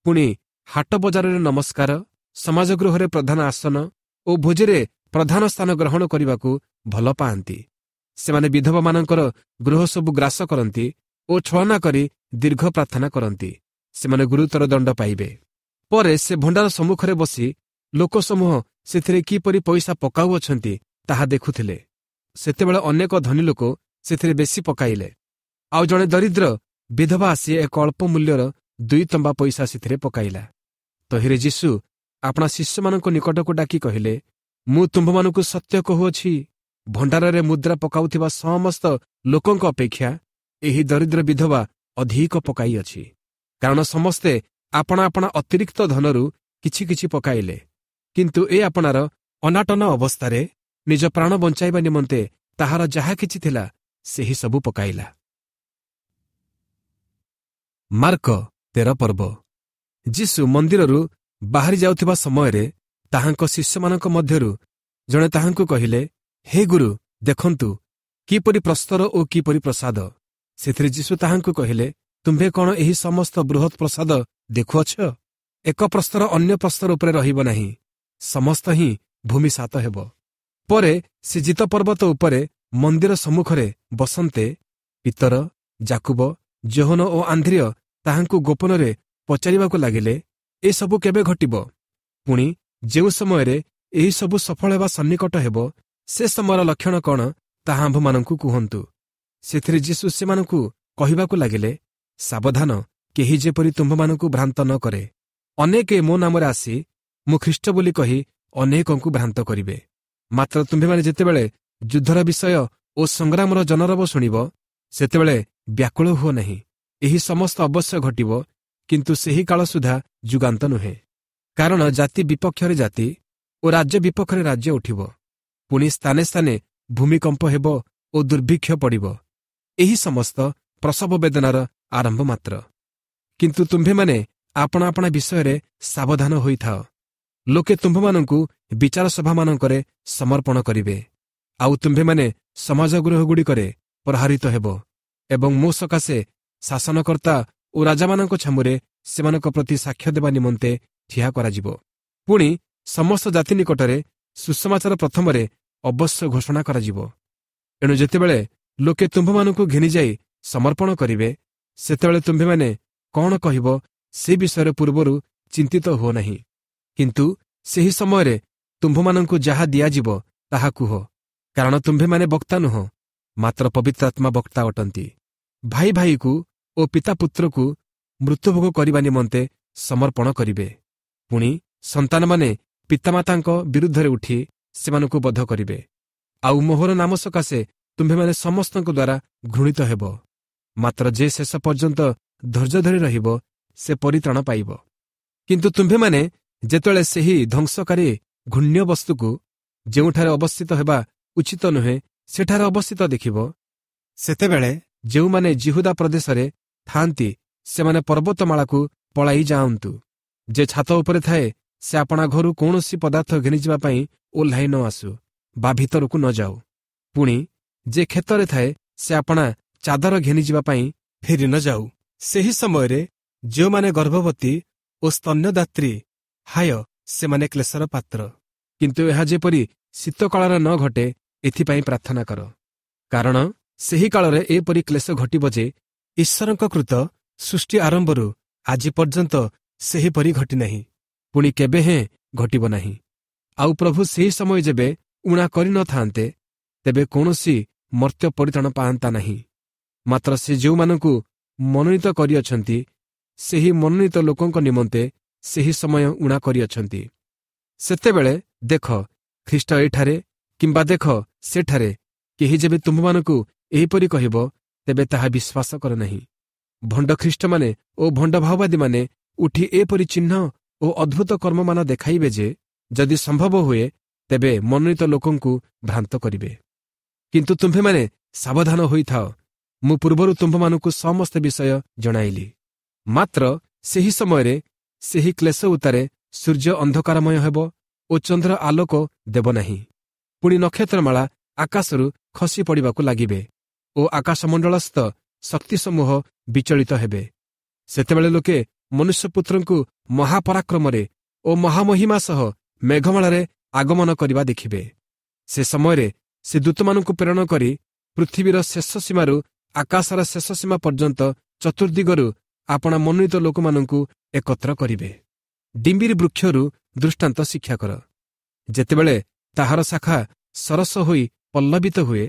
ପୁଣି ହାଟ ବଜାରରେ ନମସ୍କାର, ସମାଜଗୃହରେ ପ୍ରଧାନ ଆସନ ଓ ଭୋଜିରେ ପ୍ରଧାନ ସ୍ଥାନ ଗ୍ରହଣ କରିବାକୁ ଭଲ ପାଆନ୍ତି। ସେମାନେ ବିଧବାମାନଙ୍କର ଗୃହ ସବୁ ଗ୍ରାସ କରନ୍ତି ଓ ଛଳନା କରି ଦୀର୍ଘ ପ୍ରାର୍ଥନା କରନ୍ତି। ସେମାନେ ଗୁରୁତର ଦଣ୍ଡ ପାଇବେ। ପରେ ସେ ଭଣ୍ଡାର ସମ୍ମୁଖରେ ବସି ଲୋକସମୂହ ସେଥିରେ କିପରି ପଇସା ପକାଉଅଛନ୍ତି ତାହା ଦେଖୁଥିଲେ। ସେତେବେଳେ ଅନେକ ଧନୀ ଲୋକ ସେଥିରେ ବେଶୀ ପକାଇଲେ। ଆଉ ଜଣେ ଦରିଦ୍ର ବିଧବା ଆସି ଏକ ଅଳ୍ପ ମୂଲ୍ୟର ଦୁଇ ତମ୍ବା ପଇସା ସେଥିରେ ପକାଇଲା। ତହିଁରେ ଯୀଶୁ ଆପଣା ଶିଷ୍ୟମାନଙ୍କ ନିକଟକୁ ଡାକି କହିଲେ, ମୁଁ ତୁମ୍ଭମାନଙ୍କୁ ସତ୍ୟ କହୁଅଛି, ଭଣ୍ଡାରରେ ମୁଦ୍ରା ପକାଉଥିବା ସମସ୍ତ ଲୋକଙ୍କ ଅପେକ୍ଷା ଏହି ଦରିଦ୍ର ବିଧବା ଅଧିକ ପକାଇଅଛି। କାରଣ ସମସ୍ତେ ଆପଣା ଆପଣା ଅତିରିକ୍ତ ଧନରୁ କିଛି କିଛି ପକାଇଲେ, କିନ୍ତୁ ଏ ଆପଣାର ଅନାଟନ ଅବସ୍ଥାରେ ନିଜ ପ୍ରାଣ ବଞ୍ଚାଇବା ନିମନ୍ତେ ତାହାର ଯାହା କିଛି ଥିଲା ସେହି ସବୁ ପକାଇଲା। ମାର୍କ ତେର ପର୍ବ। ଯୀଶୁ ମନ୍ଦିରରୁ ବାହାରି ଯାଉଥିବା ସମୟରେ ତାହାଙ୍କ ଶିଷ୍ୟମାନଙ୍କ ମଧ୍ୟରୁ ଜଣେ ତାହାଙ୍କୁ କହିଲେ, ହେ ଗୁରୁ, ଦେଖନ୍ତୁ କିପରି ପ୍ରସ୍ତର ଓ କିପରି ପ୍ରସାଦ। ସେଥିରେ ଯୀଶୁ ତାହାଙ୍କୁ କହିଲେ, ତୁମ୍ଭେ କ'ଣ ଏହି ସମସ୍ତ ବୃହତ୍ ପ୍ରସାଦ ଦେଖୁଅଛ? ଏକ ପ୍ରସ୍ତର ଅନ୍ୟ ପ୍ରସ୍ତର ଉପରେ ରହିବ ନାହିଁ, ସମସ୍ତ ହିଁ ଭୂମିସାତ ହେବ। ପରେ ସେ ଜିତ ପର୍ବତ ଉପରେ ମନ୍ଦିର ସମ୍ମୁଖରେ ବସନ୍ତେ ପିତର, ଜାକୁବ, ଯୋହନ ଓ ଆନ୍ଧ୍ରିୟ ତାହାଙ୍କୁ ଗୋପନରେ ପଚାରିବାକୁ ଲାଗିଲେ, ଏସବୁ କେବେ ଘଟିବ? ପୁଣି ଯେଉଁ ସମୟରେ ଏହିସବୁ ସଫଳ ହେବା ସନ୍ନିକଟ ହେବ, ସେ ସମୟର ଲକ୍ଷଣ କ'ଣ ତାହା ଆମ୍ଭମାନଙ୍କୁ କୁହନ୍ତୁ। ସେଥିରେ ଯୀଶୁ ସେମାନଙ୍କୁ କହିବାକୁ ଲାଗିଲେ, ସାବଧାନ, କେହି ଯେପରି ତୁମ୍ଭମାନଙ୍କୁ ଭ୍ରାନ୍ତ ନ କରେ। ଅନେକେ ମୋ ନାମରେ ଆସି ମୁଁ ଖ୍ରୀଷ୍ଟ ବୋଲି କହି ଅନେକଙ୍କୁ ଭ୍ରାନ୍ତ କରିବେ। ମାତ୍ର ତୁମ୍ଭେମାନେ ଯେତେବେଳେ ଯୁଦ୍ଧର ବିଷୟ ଓ ସଂଗ୍ରାମର ଜନରବ ଶୁଣିବ, ସେତେବେଳେ ବ୍ୟାକୁଳ ହୁଅ ନାହିଁ। ଏହି ସମସ୍ତ ଅବଶ୍ୟ ଘଟିବ, କିନ୍ତୁ ସେହି କାଳ ସୁଦ୍ଧା ଯୁଗାନ୍ତ ନୁହେଁ। କାରଣ ଜାତି ବିପକ୍ଷରେ ଜାତି ଓ ରାଜ୍ୟ ବିପକ୍ଷରେ ରାଜ୍ୟ ଉଠିବ। ପୁଣି ସ୍ଥାନେ ସ୍ଥାନେ ଭୂମିକମ୍ପ ହେବ ଓ ଦୁର୍ଭିକ୍ଷ ପଡ଼ିବ। ଏହି ସମସ୍ତ ପ୍ରସବ ବେଦନାର ଆରମ୍ଭ ମାତ୍ର। କିନ୍ତୁ ତୁମ୍ଭେମାନେ ଆପଣା ଆପଣା ବିଷୟରେ ସାବଧାନ ହୋଇଥାଅ। ଲୋକେ ତୁମ୍ଭମାନଙ୍କୁ ବିଚାର ସଭାମାନଙ୍କରେ ସମର୍ପଣ କରିବେ, ଆଉ ତୁମ୍ଭେମାନେ ସମାଜଗୃହଗୁଡ଼ିକରେ ପ୍ରହାରିତ ହେବ ଏବଂ ମୋ ସକାଶେ ଶାସନକର୍ତ୍ତା ଓ ରାଜାମାନଙ୍କ ଛାମୁରେ ସେମାନଙ୍କ ପ୍ରତି ସାକ୍ଷ୍ୟ ଦେବା ନିମନ୍ତେ ଠିଆ କରାଯିବ। ପୁଣି ସମସ୍ତ ଜାତି ନିକଟରେ ସୁସମାଚାର ପ୍ରଥମରେ ଅବଶ୍ୟ ଘୋଷଣା କରାଯିବ। ଏଣୁ ଯେତେବେଳେ ଲୋକେ ତୁମ୍ଭମାନଙ୍କୁ ଘେନିଯାଇ ସମର୍ପଣ କରିବେ, ସେତେବେଳେ ତୁମ୍ଭେମାନେ କ'ଣ କହିବ ସେ ବିଷୟରେ ପୂର୍ବରୁ ଚିନ୍ତିତ ହୁଅ ନାହିଁ। କିନ୍ତୁ ସେହି ସମୟରେ ତୁମ୍ଭମାନଙ୍କୁ ଯାହା ଦିଆଯିବ ତାହା କୁହ, କାରଣ ତୁମ୍ଭେମାନେ ବକ୍ତା ନୁହଁ, ମାତ୍ର ପବିତ୍ରାତ୍ମା ବକ୍ତା ଅଟନ୍ତି। ଭାଇ ଭାଇକୁ ଓ ପିତା ପୁତ୍ରକୁ ମୃତ୍ୟୁଭୋଗ କରିବା ନିମନ୍ତେ ସମର୍ପଣ କରିବେ। ପୁଣି ସନ୍ତାନମାନେ ପିତାମାତାଙ୍କ ବିରୁଦ୍ଧରେ ଉଠି ସେମାନଙ୍କୁ ବଧ କରିବେ। ଆଉ ମୋହର ନାମ ସକାଶେ ତୁମ୍ଭେମାନେ ସମସ୍ତଙ୍କ ଦ୍ୱାରା ଘୃଣିତ ହେବ। ମାତ୍ର ଯେ ଶେଷ ପର୍ଯ୍ୟନ୍ତ ଧୈର୍ଯ୍ୟ ଧରି ରହିବ, ସେ ପରିତ୍ରାଣ ପାଇବ। କିନ୍ତୁ ତୁମ୍ଭେମାନେ ଯେତେବେଳେ ସେହି ଧ୍ୱଂସକାରୀ ଘୃଣ୍ୟ ବସ୍ତୁକୁ ଯେଉଁଠାରେ ଅବସ୍ଥିତ ହେବା ଉଚିତ ନୁହେଁ, ସେଠାରେ ଅବସ୍ଥିତ ଦେଖିବ, ସେତେବେଳେ ଯେଉଁମାନେ ଜିହୁଦା ପ୍ରଦେଶରେ ଥାଆନ୍ତି ସେମାନେ ପର୍ବତମାଳାକୁ ପଳାଇ ଯାଆନ୍ତୁ। ଯେ ଛାତ ଉପରେ ଥାଏ ସେ ଆପଣା ଘରୁ କୌଣସି ପଦାର୍ଥ ଘେନିଯିବା ପାଇଁ ଓହ୍ଲାଇ ନ ଆସୁ। ବା ଭିତରକୁ ନ ଯାଉ। ପୁଣି ଯେ କ୍ଷେତରେ ଥାଏ, ସେ ଆପଣା ଚାଦର ଘେନିଯିବା ପାଇଁ ଫେରି ନ ଯାଉ। ସେହି ସମୟରେ ଯେଉଁମାନେ ଗର୍ଭବତୀ ଓ ସ୍ତନ୍ୟଦାତ୍ରୀ, ହାୟ, ସେମାନେ କ୍ଲେଶର ପାତ୍ର। କିନ୍ତୁ ଏହା ଯେପରି ଶୀତକାଳରେ ନ ଘଟେ, ଏଥିପାଇଁ ପ୍ରାର୍ଥନା କର। କାରଣ ସେହି କାଳରେ ଏପରି କ୍ଲେଶ ଘଟିବ ଯେ ଈଶ୍ୱରଙ୍କ କୃତ ସୃଷ୍ଟି ଆରମ୍ଭରୁ ଆଜି ପର୍ଯ୍ୟନ୍ତ ସେହିପରି ଘଟିନାହିଁ, ପୁଣି କେବେ ହେଁ ଘଟିବ ନାହିଁ। ଆଉ ପ୍ରଭୁ ସେହି ସମୟ ଯେବେ ଊଣା କରିନଥାନ୍ତେ, ତେବେ କୌଣସି ମର୍ତ୍ତ୍ୟ ପରିତ୍ରାଣ ପାଆନ୍ତା ନାହିଁ। ମାତ୍ର ସେ ଯେଉଁମାନଙ୍କୁ ମନୋନୀତ କରିଅଛନ୍ତି, ସେହି ମନୋନୀତ ଲୋକଙ୍କ ନିମନ୍ତେ ସେହି ସମୟ ଊଣା କରିଅଛନ୍ତି। ସେତେବେଳେ ଦେଖ, ଖ୍ରୀଷ୍ଟ ଏଠାରେ କିମ୍ବା ଦେଖ, ସେଠାରେ, କେହି ଯେବେ ତୁମ୍ଭମାନଙ୍କୁ ଏହିପରି କହିବ, ତେବେ ତାହା ବିଶ୍ୱାସ କର ନାହିଁ। ଭଣ୍ଡ ଖ୍ରୀଷ୍ଟମାନେ ଓ ଭଣ୍ଡ ଭାଓବାଦୀମାନେ ଉଠି ଏପରି ଚିହ୍ନ ଓ ଅଦ୍ଭୁତ କର୍ମମାନ ଦେଖାଇବେ ଯେ ଯଦି ସମ୍ଭବ ହୁଏ, ତେବେ ମନୋନୀତ ଲୋକଙ୍କୁ ଭ୍ରାନ୍ତ କରିବେ। କିନ୍ତୁ ତୁମ୍ଭେମାନେ ସାବଧାନ ହୋଇଥାଅ, ମୁଁ ପୂର୍ବରୁ ତୁମ୍ଭମାନଙ୍କୁ ସମସ୍ତ ବିଷୟ ଜଣାଇଲି। ମାତ୍ର ସେହି ସମୟରେ ସେହି କ୍ଲେଶ ଉତ୍ତାରେ ସୂର୍ଯ୍ୟ ଅନ୍ଧକାରମୟ ହେବ ଓ ଚନ୍ଦ୍ର ଆଲୋକ ଦେବ ନାହିଁ। ପୁଣି ନକ୍ଷତ୍ରମାଳା ଆକାଶରୁ ଖସି ପଡ଼ିବାକୁ ଲାଗିବେ ଓ ଆକାଶମଣ୍ଡଳସ୍ଥ ଶକ୍ତିସମୂହ ବିଚଳିତ ହେବେ। ସେତେବେଳେ ଲୋକେ ମନୁଷ୍ୟପୁତ୍ରଙ୍କୁ ମହାପରାକ୍ରମରେ ଓ ମହାମହିମା ସହ ମେଘମାଳାରେ ଆଗମନ କରିବା ଦେଖିବେ। ସେ ସମୟରେ ସେ ଦୂତମାନଙ୍କୁ ପ୍ରେରଣ କରି ପୃଥିବୀର ଶେଷ ସୀମାରୁ ଆକାଶର ଶେଷ ସୀମା ପର୍ଯ୍ୟନ୍ତ ଚତୁର୍ଦ୍ଦିଗରୁ ଆପଣା ମନୋନୀତ ଲୋକମାନଙ୍କୁ ଏକତ୍ର କରିବେ। ଡିମ୍ବିରି ବୃକ୍ଷରୁ ଦୃଷ୍ଟାନ୍ତ ଶିକ୍ଷା କର। ଯେତେବେଳେ ତାହାର ଶାଖା ସରସ ହୋଇ ପଲ୍ଲବିତ ହୁଏ,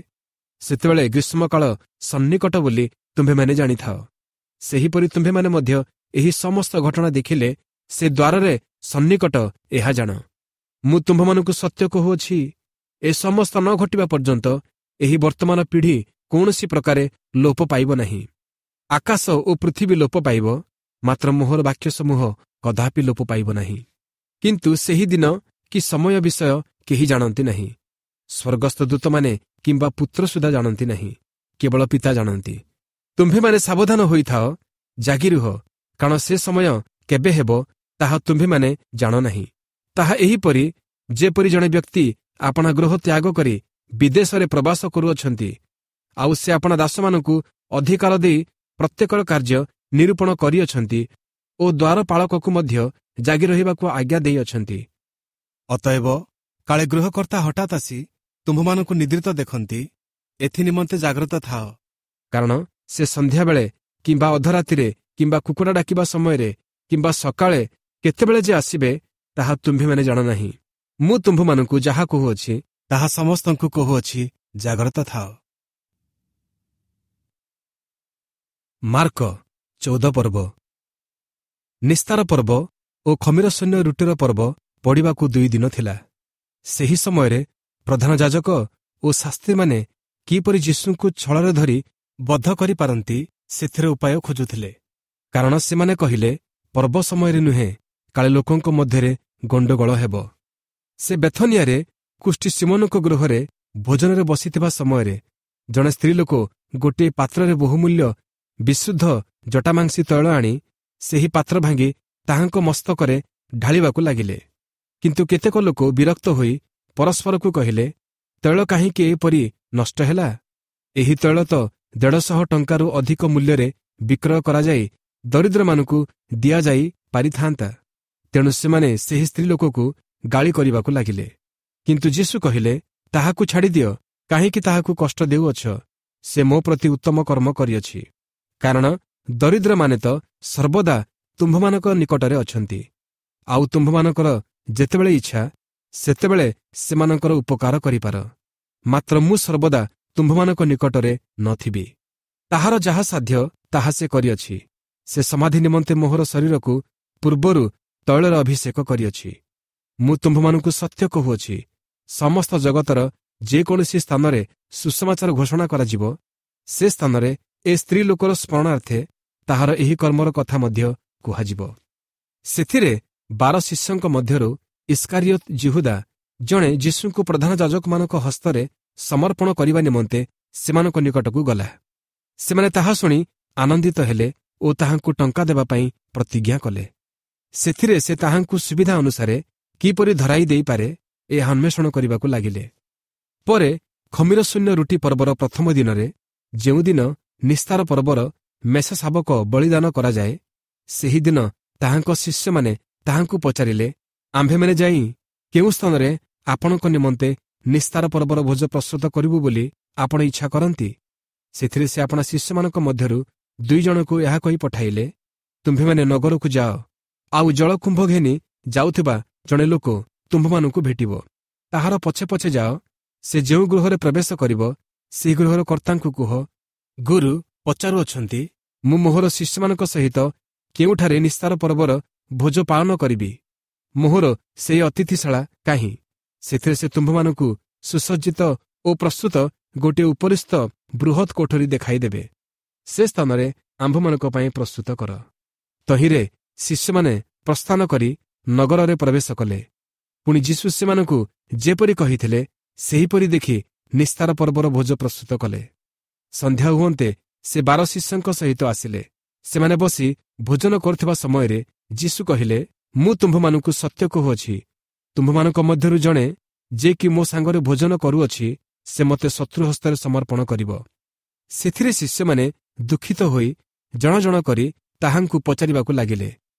ସେତେବେଳେ ଗ୍ରୀଷ୍ମକାଳ ସନ୍ନିକଟ ବୋଲି ତୁମ୍ଭେମାନେ ଜାଣିଥାଅ। ସେହିପରି ତୁମ୍ଭେମାନେ ମଧ୍ୟ ଏହି ସମସ୍ତ ଘଟଣା ଦେଖିଲେ ସେ ଦ୍ୱାରରେ ସନ୍ନିକଟ, ଏହା ଜାଣ। ମୁଁ ତୁମ୍ଭମାନଙ୍କୁ ସତ୍ୟ କହୁଅଛି, ଏ ସମସ୍ତ ନ ଘଟିବା ପର୍ଯ୍ୟନ୍ତ ଏହି ବର୍ତ୍ତମାନ ପିଢ଼ି କୌଣସି ପ୍ରକାରେ ଲୋପ ପାଇବ ନାହିଁ। ଆକାଶ ଓ ପୃଥିବୀ ଲୋପ ପାଇବ, ମାତ୍ର ମୋହର ବାକ୍ୟ ସମୂହ କଦାପି ଲୋପ ପାଇବ ନାହିଁ। କିନ୍ତୁ ସେହି ଦିନ କି ସମୟ ବିଷୟ କେହି ଜାଣନ୍ତି ନାହିଁ, ସ୍ୱର୍ଗସ୍ଥ ଦୂତମାନେ କିମ୍ବା ପୁତ୍ର ସୁଦ୍ଧା ଜାଣନ୍ତି ନାହିଁ, କେବଳ ପିତା ଜାଣନ୍ତି। ତୁମ୍ଭେମାନେ ସାବଧାନ ହୋଇଥାଅ, ଜାଗି ରୁହ, କାରଣ ସେ ସମୟ କେବେ ହେବ ତାହା ତୁମ୍ଭେମାନେ ଜାଣ ନାହିଁ। ତାହା ଏହିପରି, ଯେପରି ଜଣେ ବ୍ୟକ୍ତି ଆପଣା ଗୃହ ତ୍ୟାଗ କରି ବିଦେଶରେ ପ୍ରବାସ କରୁଅଛନ୍ତି, ଆଉ ସେ ଆପଣା ଦାସମାନଙ୍କୁ ଅଧିକାର ଦେଇ ପ୍ରତ୍ୟେକର କାର୍ଯ୍ୟ ନିରୂପଣ କରିଅଛନ୍ତି ଓ ଦ୍ୱାରପାଳକକୁ ମଧ୍ୟ ଜାଗି ରହିବାକୁ ଆଜ୍ଞା ଦେଇଅଛନ୍ତି। ଅତଏବ କାଳେ ଗୃହକର୍ତ୍ତା ହଠାତ୍ ଆସି ତୁମ୍ଭମାନଙ୍କୁ ନିଦ୍ରିତ ଦେଖନ୍ତି, ଏଥି ନିମନ୍ତେ ଜାଗ୍ରତ ଥାଅ। କାରଣ ସେ ସନ୍ଧ୍ୟାବେଳେ କିମ୍ବା ଅଧରାତିରେ କିମ୍ବା କୁକୁଡ଼ା ଡାକିବା ସମୟରେ କିମ୍ବା ସକାଳେ କେତେବେଳେ ଯେ ଆସିବେ, ତାହା ତୁମ୍ଭେମାନେ ଜାଣ ନାହିଁ। ମୁଁ ତୁମ୍ଭମାନଙ୍କୁ ଯାହା କହୁଅଛି, ତାହା ସମସ୍ତଙ୍କୁ କହୁଅଛି, ଜାଗ୍ରତ ଥାଅ। ମାର୍କ ଚଉଦ ପର୍ବ। ନିସ୍ତାର ପର୍ବ ଓ ଖମିର ସୈନ୍ୟ ରୁଟିର ପର୍ବ ପଡ଼ିବାକୁ ଦୁଇ ଦିନ ଥିଲା। ସେହି ସମୟରେ ପ୍ରଧାନ ଯାଜକ ଓ ଶାସ୍ତ୍ରୀମାନେ କିପରି ଯୀଶୁଙ୍କୁ ଛଳରେ ଧରି ବଧ କରିପାରନ୍ତି, ସେଥିରେ ଉପାୟ ଖୋଜୁଥିଲେ। କାରଣ ସେମାନେ କହିଲେ, ପର୍ବ ସମୟରେ ନୁହେଁ, କାଳେ ଲୋକଙ୍କ ମଧ୍ୟରେ ଗଣ୍ଡଗୋଳ ହେବ। ସେ ବେଥନିଆରେ କୁଷ୍ଠି ସିମନଙ୍କ ଗୃହରେ ଭୋଜନରେ ବସିଥିବା ସମୟରେ ଜଣେ ସ୍ତ୍ରୀଲୋକ ଗୋଟିଏ ପାତ୍ରରେ ବହୁମୂଲ୍ୟ ବିଶୁଦ୍ଧ ଜଟାମାଂସୀ ତୈଳ ଆଣି ସେହି ପାତ୍ର ଭାଙ୍ଗି ତାହାଙ୍କ ମସ୍ତକରେ ଢାଳିବାକୁ ଲାଗିଲେ। କିନ୍ତୁ କେତେକ ଲୋକ ବିରକ୍ତ ହୋଇ ପରସ୍ପରକୁ କହିଲେ, ତୈଳ କାହିଁକି ଏପରି ନଷ୍ଟ ହେଲା? ଏହି ତୈଳ ତ ଦେଢ଼ଶହ ଟଙ୍କାରୁ ଅଧିକ ମୂଲ୍ୟରେ ବିକ୍ରୟ କରାଯାଇ ଦରିଦ୍ରମାନଙ୍କୁ ଦିଆଯାଇ ପାରିଥାନ୍ତା। ତେଣୁ ସେମାନେ ସେହି ସ୍ତ୍ରୀଲୋକକୁ ଗାଳି କରିବାକୁ ଲାଗିଲେ। କିନ୍ତୁ ଯୀଶୁ କହିଲେ, ତାହାକୁ ଛାଡ଼ିଦିଅ, କାହିଁକି ତାହାକୁ କଷ୍ଟ ଦେଉଅଛ? ସେ ମୋ ପ୍ରତି ଉତ୍ତମ କର୍ମ କରିଅଛି। କାରଣ ଦରିଦ୍ରମାନେ ତ ସର୍ବଦା ତୁମ୍ଭମାନଙ୍କ ନିକଟରେ ଅଛନ୍ତି, ଆଉ ତୁମ୍ଭମାନଙ୍କର ଯେତେବେଳେ ଇଚ୍ଛା ସେତେବେଳେ ସେମାନଙ୍କର ଉପକାର କରିପାର। ମାତ୍ର ମୁଁ ସର୍ବଦା ତୁମ୍ଭମାନଙ୍କ ନିକଟରେ ନଥିବି। ତାହାର ଯାହା ସାଧ୍ୟ ତାହା ସେ କରିଅଛି। ସେ ସମାଧି ନିମନ୍ତେ ମୋହର ଶରୀରକୁ ପୂର୍ବରୁ ତୈଳରେ ଅଭିଷେକ କରିଅଛି। ମୁଁ ତୁମ୍ଭମାନଙ୍କୁ ସତ୍ୟ କହୁଅଛି, ସମସ୍ତ ଜଗତର ଯେକୌଣସି ସ୍ଥାନରେ ସୁସମାଚାର ଘୋଷଣା କରାଯିବ, ସେ ସ୍ଥାନରେ ଏ ସ୍ତ୍ରୀ ଲୋକର ସ୍ମରଣାର୍ଥେ ତାହାର ଏହି କର୍ମର କଥା ମଧ୍ୟ କୁହାଯିବ। ସେଥିରେ ବାର ଶିଷ୍ୟଙ୍କ ମଧ୍ୟରୁ ଇସ୍କାରିୟତ ଜିହୁଦା ଜଣେ ଯୀଶୁଙ୍କୁ ପ୍ରଧାନ ଯାଜକମାନଙ୍କ ହସ୍ତରେ ସମର୍ପଣ କରିବା ନିମନ୍ତେ ସେମାନଙ୍କ ନିକଟକୁ ଗଲା। ସେମାନେ ତାହା ଶୁଣି ଆନନ୍ଦିତ ହେଲେ ଓ ତାହାଙ୍କୁ ଟଙ୍କା ଦେବା ପାଇଁ ପ୍ରତିଜ୍ଞା କଲେ। ସେଥିରେ ସେ ତାହାଙ୍କୁ ସୁବିଧା ଅନୁସାରେ କିପରି ଧରାଇ ଦେଇପାରେ, ଏହା ଅନ୍ୱେଷଣ କରିବାକୁ ଲାଗିଲେ। ପରେ ଖମିର ଶୂନ୍ୟ ରୁଟି ପର୍ବର ପ୍ରଥମ ଦିନରେ ଯେଉଁଦିନ ନିସ୍ତାର ପର୍ବର ମେଷ ଶାବକ ବଳିଦାନ କରାଯାଏ ସେହିଦିନ ତାହାଙ୍କ ଶିଷ୍ୟମାନେ ତାହାଙ୍କୁ ପଚାରିଲେ ଆମ୍ଭେମାନେ ଯାଇ କେଉଁ ସ୍ଥାନରେ ଆପଣଙ୍କ ନିମନ୍ତେ ନିସ୍ତାର ପର୍ବର ଭୋଜ ପ୍ରସ୍ତୁତ କରିବୁ ବୋଲି ଆପଣ ଇଚ୍ଛା କରନ୍ତି ସେଥିରେ ସେ ଆପଣା ଶିଷ୍ୟମାନଙ୍କ ମଧ୍ୟରୁ ଦୁଇ ଜଣଙ୍କୁ ଏହା କହି ପଠାଇଲେ ତୁମ୍ଭେମାନେ ନଗରକୁ ଯାଅ ଆଉ ଜଳକୁମ୍ଭ ଘେନି ଯାଉଥିବା ଜଣେ ଲୋକ ତୁମ୍ଭମାନଙ୍କୁ ଭେଟିବ ତାହାର ପଛେ ପଛେ ଯାଅ ସେ ଯେଉଁ ଗୃହରେ ପ୍ରବେଶ କରିବ ସେହି ଗୃହର କର୍ତ୍ତାଙ୍କୁ କୁହ ଗୁରୁ ପଚାରୁଅଛନ୍ତି ମୁଁ ମୋହର ଶିଷ୍ୟମାନଙ୍କ ସହିତ କେଉଁଠାରେ ନିସ୍ତାର ପର୍ବର ଭୋଜ ପାଳନ କରିବି ମୋହର ସେହି ଅତିଥିଶାଳା କାହିଁ ସେଥିରେ ସେ ତୁମ୍ଭମାନଙ୍କୁ ସୁସଜ୍ଜିତ ଓ ପ୍ରସ୍ତୁତ ଗୋଟିଏ ଉପରିସ୍ଥ ବୃହତ୍ କୋଠରୀ ଦେଖାଇଦେବେ ସେ ସ୍ଥାନରେ ଆମ୍ଭମାନଙ୍କ ପାଇଁ ପ୍ରସ୍ତୁତ କର ତହିଁରେ ଶିଷ୍ୟମାନେ ପ୍ରସ୍ଥାନ କରି ନଗରରେ ପ୍ରବେଶ କଲେ ପୁଣି ଯୀଶୁ ସେମାନଙ୍କୁ ଯେପରି କହିଥିଲେ ସେହିପରି ଦେଖି ନିସ୍ତାର ପର୍ବର ଭୋଜ ପ୍ରସ୍ତୁତ କଲେ ସନ୍ଧ୍ୟା ହୁଅନ୍ତେ ସେ ବାର ଶିଷ୍ୟଙ୍କ ସହିତ ଆସିଲେ ସେମାନେ ବସି ଭୋଜନ କରୁଥିବା ସମୟରେ ଯୀଶୁ କହିଲେ ମୁଁ ତୁମ୍ଭମାନଙ୍କୁ ସତ୍ୟ କହୁଅଛି ତୁମ୍ଭମାନଙ୍କ ମଧ୍ୟରୁ ଜଣେ ଯେ କି ମୋ ସାଙ୍ଗରେ ଭୋଜନ କରୁଅଛି ସେ ମୋତେ ଶତ୍ରୁ ହସ୍ତରେ ସମର୍ପଣ କରିବ ସେଥିରେ ଶିଷ୍ୟମାନେ ଦୁଃଖିତ ହୋଇ ଜଣ ଜଣ କରି ତାହାଙ୍କୁ ପଚାରିବାକୁ ଲାଗିଲେ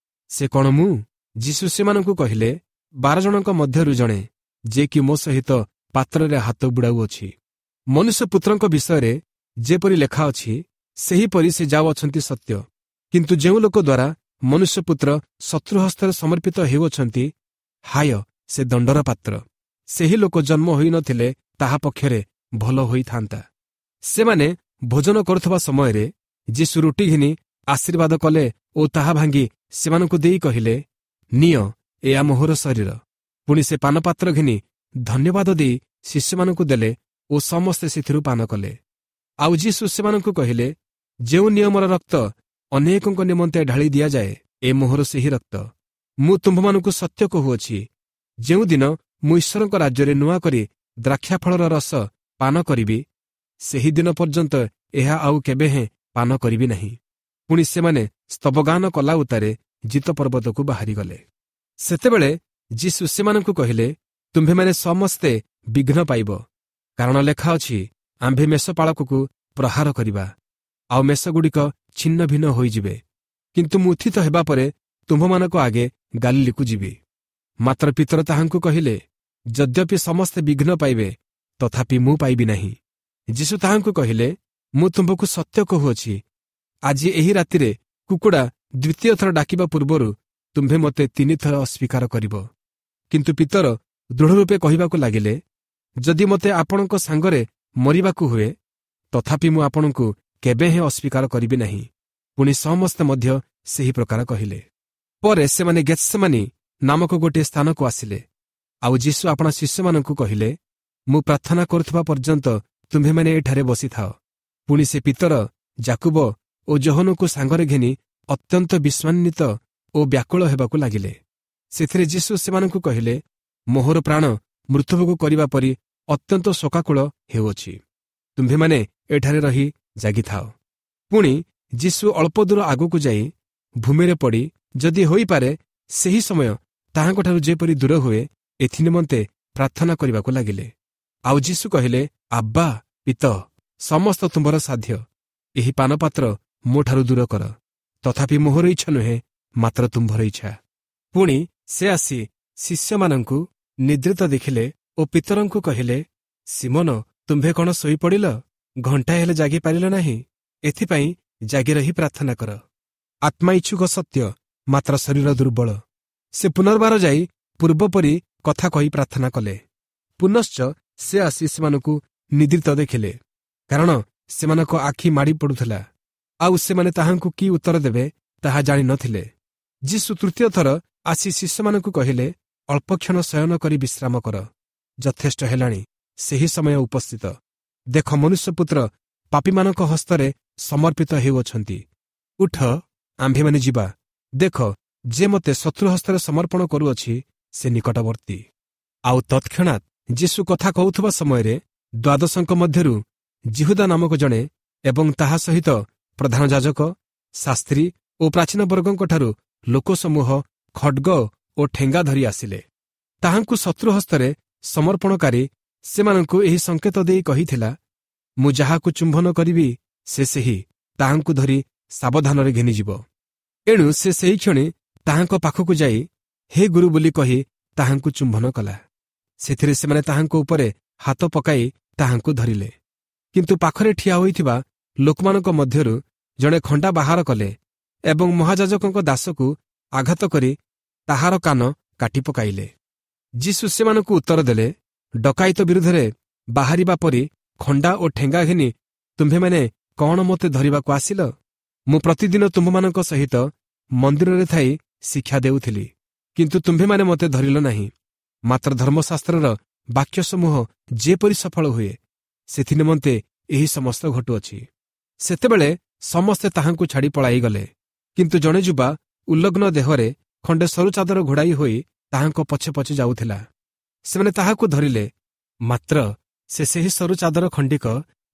ସେ କ'ଣ ମୁଁ ଯୀଶୁ ସେମାନଙ୍କୁ କହିଲେ ବାର ଜଣଙ୍କ ମଧ୍ୟରୁ ଜଣେ ଯେ କି ମୋ ସହିତ ପାତ୍ରରେ ହାତ ବୁଡ଼ାଉଅଛି ମନୁଷ୍ୟପୁତ୍ରଙ୍କ ବିଷୟରେ ଯେପରି ଲେଖା ଅଛି ସେହିପରି ସେ ଯାଉଅଛନ୍ତି ସତ୍ୟ କିନ୍ତୁ ଯେଉଁ ଲୋକ ଦ୍ୱାରା ମନୁଷ୍ୟପୁତ୍ର ଶତ୍ରୁ ହସ୍ତରେ ସମର୍ପିତ ହେଉଅଛନ୍ତି ହାୟ ସେ ଦଣ୍ଡର ପାତ୍ର ସେହି ଲୋକ ଜନ୍ମ ହୋଇନଥିଲେ ତାହା ପକ୍ଷରେ ଭଲ ହୋଇଥାନ୍ତା ସେମାନେ ଭୋଜନ କରୁଥିବା ସମୟରେ ଯୀଶୁ ରୁଟି ଘେନି ଆଶୀର୍ବାଦ କଲେ ଓ ତାହା ଭାଙ୍ଗି ସେମାନଙ୍କୁ ଦେଇ କହିଲେ ନିଅ ଏହା ମୋହର ଶରୀର ପୁଣି ସେ ପାନପାତ୍ର ଘେନି ଧନ୍ୟବାଦ ଦେଇ ଶିଷ୍ୟମାନଙ୍କୁ ଦେଲେ ଓ ସମସ୍ତେ ସେଥିରୁ ପାନ କଲେ ଆଉ ଯୀଶୁ ସେମାନଙ୍କୁ କହିଲେ ଯେଉଁ ନିୟମର ରକ୍ତ ଅନେକଙ୍କ ନିମନ୍ତେ ଢାଳି ଦିଆଯାଏ ଏ ମୋହର ସେହି ରକ୍ତ ମୁଁ ତୁମ୍ଭମାନଙ୍କୁ ସତ୍ୟ କହୁଅଛି ଯେଉଁଦିନ ମୁଁ ଈଶ୍ୱରଙ୍କ ରାଜ୍ୟରେ ନୂଆ କରି ଦ୍ରାକ୍ଷାଫଳର ରସ ପାନ କରିବି ସେହିଦିନ ପର୍ଯ୍ୟନ୍ତ ଏହା ଆଉ କେବେ ହେଁ ପାନ କରିବି ନାହିଁ ପୁଣି ସେମାନେ ସ୍ତବଗାନ କଲା ଉତ୍ତାରେ ଜିତ ପର୍ବତକୁ ବାହାରିଗଲେ ସେତେବେଳେ ଯୀଶୁ ସେମାନଙ୍କୁ କହିଲେ ତୁମ୍ଭେମାନେ ସମସ୍ତେ ବିଘ୍ନ ପାଇବ କାରଣ ଲେଖା ଅଛି ଆମ୍ଭେ ମେଷପାଳକକୁ ପ୍ରହାର କରିବା ଆଉ ମେଷଗୁଡ଼ିକ ଛିନ୍ନ ଭିନ୍ନ ହୋଇଯିବେ କିନ୍ତୁ ମୁଁ ଉତ୍ଥିତ ହେବା ପରେ ତୁମ୍ଭମାନଙ୍କ ଆଗେ ଗାଲିଲିକୁ ଯିବି ମାତ୍ର ପିତର ତାହାଙ୍କୁ କହିଲେ ଯଦ୍ୟପି ସମସ୍ତେ ବିଘ୍ନ ପାଇବେ ତଥାପି ମୁଁ ପାଇବି ନାହିଁ ଯୀଶୁ ତାହାଙ୍କୁ କହିଲେ ମୁଁ ତୁମ୍ଭକୁ ସତ୍ୟ କହୁଅଛି ଆଜି ଏହି ରାତିରେ କୁକୁଡ଼ା ଦ୍ୱିତୀୟ ଥର ଡାକିବା ପୂର୍ବରୁ ତୁମ୍ଭେ ମୋତେ ତିନିଥର ଅସ୍ୱୀକାର କରିବ କିନ୍ତୁ ପିତର ଦୃଢ଼ ରୂପେ କହିବାକୁ ଲାଗିଲେ ଯଦି ମୋତେ ଆପଣଙ୍କ ସାଙ୍ଗରେ ମରିବାକୁ ହୁଏ ତଥାପି ମୁଁ ଆପଣଙ୍କୁ କେବେ ହେଁ ଅସ୍ୱୀକାର କରିବି ନାହିଁ ପୁଣି ସମସ୍ତେ ମଧ୍ୟ ସେହି ପ୍ରକାର କହିଲେ ପରେ ସେମାନେ ଗେତ୍ସେମାନି ନାମକ ଗୋଟିଏ ସ୍ଥାନକୁ ଆସିଲେ ଆଉ ଯୀଶୁ ଆପଣା ଶିଷ୍ୟମାନଙ୍କୁ କହିଲେ ମୁଁ ପ୍ରାର୍ଥନା କରୁଥିବା ପର୍ଯ୍ୟନ୍ତ ତୁମ୍ଭେମାନେ ଏଠାରେ ବସିଥାଅ ପୁଣି ସେ ପିତର ଜାକୁବ ଓ ଯୋହନକୁ ସାଙ୍ଗରେ ଘେନି ଅତ୍ୟନ୍ତ ବିସ୍ମାନ୍ୱିତ ଓ ବ୍ୟାକୁଳ ହେବାକୁ ଲାଗିଲେ ସେଥିରେ ଯୀଶୁ ସେମାନଙ୍କୁ କହିଲେ ମୋହର ପ୍ରାଣ ମୃତ୍ୟୁଭୋଗ କରିବା ପରି ଅତ୍ୟନ୍ତ ଶୋକାକୁଳ ହେଉଅଛି ତୁମ୍ଭେମାନେ ଏଠାରେ ରହି ଜାଗିଥାଅ ପୁଣି ଯୀଶୁ ଅଳ୍ପ ଦୂର ଆଗକୁ ଯାଇ ଭୂମିରେ ପଡ଼ି ଯଦି ହୋଇପାରେ ସେହି ସମୟ ତାହାଙ୍କଠାରୁ ଯେପରି ଦୂର ହୁଏ ଏଥିନିମନ୍ତେ ପ୍ରାର୍ଥନା କରିବାକୁ ଲାଗିଲେ ଆଉ ଯୀଶୁ କହିଲେ ଆବ୍ବା ପିତ ସମସ୍ତ ତୁମ୍ଭର ସାଧ୍ୟ ଏହି ପାନପାତ୍ର ମୋଠାରୁ ଦୂର କର ତଥାପି ମୋହର ଇଚ୍ଛା ନୁହେଁ ମାତ୍ର ତୁମ୍ଭର ଇଚ୍ଛା ପୁଣି ସେ ଆସି ଶିଷ୍ୟମାନଙ୍କୁ ନିଦ୍ରିତ ଦେଖିଲେ ଓ ପିତରଙ୍କୁ କହିଲେ ସିମୋନ ତୁମ୍ଭେ କ'ଣ ଶୋଇପଡ଼ିଲ ଘଣ୍ଟାଏ ହେଲେ ଜାଗିପାରିଲ ନାହିଁ ଏଥିପାଇଁ ଜାଗି ରହି ପ୍ରାର୍ଥନା କର ଆତ୍ମା ଇଚ୍ଛୁକ ସତ୍ୟ ମାତ୍ର ଶରୀର ଦୁର୍ବଳ ସେ ପୁନର୍ବାର ଯାଇ ପୂର୍ବପରି କଥା କହି ପ୍ରାର୍ଥନା କଲେ ପୁନଶ୍ଚ ସେ ଆସି ସେମାନଙ୍କୁ ନିଦ୍ରିତ ଦେଖିଲେ କାରଣ ସେମାନଙ୍କ ଆଖି ମାଡ଼ି ପଡୁଥିଲା ଆଉ ସେମାନେ ତାହାଙ୍କୁ କି ଉତ୍ତର ଦେବେ ତାହା ଜାଣିନଥିଲେ ଯୀଶୁ ତୃତୀୟ ଥର ଆସି ଶିଷ୍ୟମାନଙ୍କୁ କହିଲେ ଅଳ୍ପକ୍ଷଣ ଶୟନ କରି ବିଶ୍ରାମ କର ଯଥେଷ୍ଟ ହେଲାଣି ସେହି ସମୟ ଉପସ୍ଥିତ ଦେଖ ମନୁଷ୍ୟପୁତ୍ର ପାପୀମାନଙ୍କ ହସ୍ତରେ ସମର୍ପିତ ହେଉଅଛନ୍ତି ଉଠ ଆମ୍ଭେମାନେ ଯିବା ଦେଖ ଯେ ମୋତେ ଶତ୍ରୁ ହସ୍ତରେ ସମର୍ପଣ କରୁଅଛି ସେ ନିକଟବର୍ତ୍ତୀ ଆଉ ତତ୍କ୍ଷଣାତ୍ ଯୀଶୁ କଥା କହୁଥିବା ସମୟରେ ଦ୍ୱାଦଶଙ୍କ ମଧ୍ୟରୁ ଜିହୁଦା ନାମକ ଜଣେ ଏବଂ ତାହା ସହିତ ପ୍ରଧାନ ଯାଜକ ଶାସ୍ତ୍ରୀ ଓ ପ୍ରାଚୀନ ବର୍ଗଙ୍କଠାରୁ ଲୋକସମୂହ ଖଡ୍ଗ ଓ ଠେଙ୍ଗା ଧରି ଆସିଲେ ତାହାଙ୍କୁ ଶତ୍ରୁ ହସ୍ତରେ ସମର୍ପଣକାରୀ ସେମାନଙ୍କୁ ଏହି ସଂକେତ ଦେଇ କହିଥିଲା, ମୁଁ ଯାହାକୁ ଚୁମ୍ବନ କରିବି ସେ ସେହି, ତାହାଙ୍କୁ ଧରି ସାବଧାନରେ ଘେନିଯିବ। ଏଣୁ ସେ ସେହିକ୍ଷଣି ତାହାଙ୍କ ପାଖକୁ ଯାଇ ହେ ଗୁରୁ ବୋଲି କହି ତାହାଙ୍କୁ ଚୁମ୍ବନ କଲା। ସେଥିରେ ସେମାନେ ତାହାଙ୍କ ଉପରେ ହାତ ପକାଇ ତାହାଙ୍କୁ ଧରିଲେ। କିନ୍ତୁ ପାଖରେ ଠିଆ ହୋଇଥିବା ଲୋକମାନଙ୍କ ମଧ୍ୟରୁ ଜଣେ ଖଣ୍ଡା ବାହାର କଲେ ଏବଂ ମହାଯାଜକଙ୍କ ଦାସକୁ ଆଘାତ କରି ତାହାର କାନ କାଟି ପକାଇଲେ। ଯୀଶୁ ସେମାନଙ୍କୁ ଉତ୍ତର ଦେଲେ, ଡକାୟତ ବିରୁଦ୍ଧରେ ବାହାରିବା ପରି ଖଣ୍ଡା ଓ ଠେଙ୍ଗା ଘେନି ତୁମ୍ଭେମାନେ କ'ଣ ମୋତେ ଧରିବାକୁ ଆସିଲ? ମୁଁ ପ୍ରତିଦିନ ତୁମ୍ଭମାନଙ୍କ ସହିତ ମନ୍ଦିରରେ ଥାଇ ଶିକ୍ଷା ଦେଉଥିଲି, କିନ୍ତୁ ତୁମ୍ଭେମାନେ ମୋତେ ଧରିଲ ନାହିଁ। ମାତ୍ର ଧର୍ମଶାସ୍ତ୍ରର ବାକ୍ୟସମୂହ ଯେପରି ସଫଳ ହୁଏ, ସେଥିନିମନ୍ତେ ଏହି ସମସ୍ତ ଘଟୁଅଛି। ସେତେବେଳେ ସମସ୍ତେ ତାହାଙ୍କୁ ଛାଡ଼ି ପଳାଇଗଲେ। କିନ୍ତୁ ଜଣେ ଯୁବା ଉଲ୍ଲଗ୍ନ ଦେହରେ ଖଣ୍ଡେ ସରୁ ଚାଦର ଘୋଡ଼ାଇ ହୋଇ ତାହାଙ୍କ ପଛେ ପଛେ ଯାଉଥିଲା। ସେମାନେ ତାହାକୁ ଧରିଲେ, ମାତ୍ର ସେ ସେହି ସରୁ ଚାଦର ଖଣ୍ଡିକ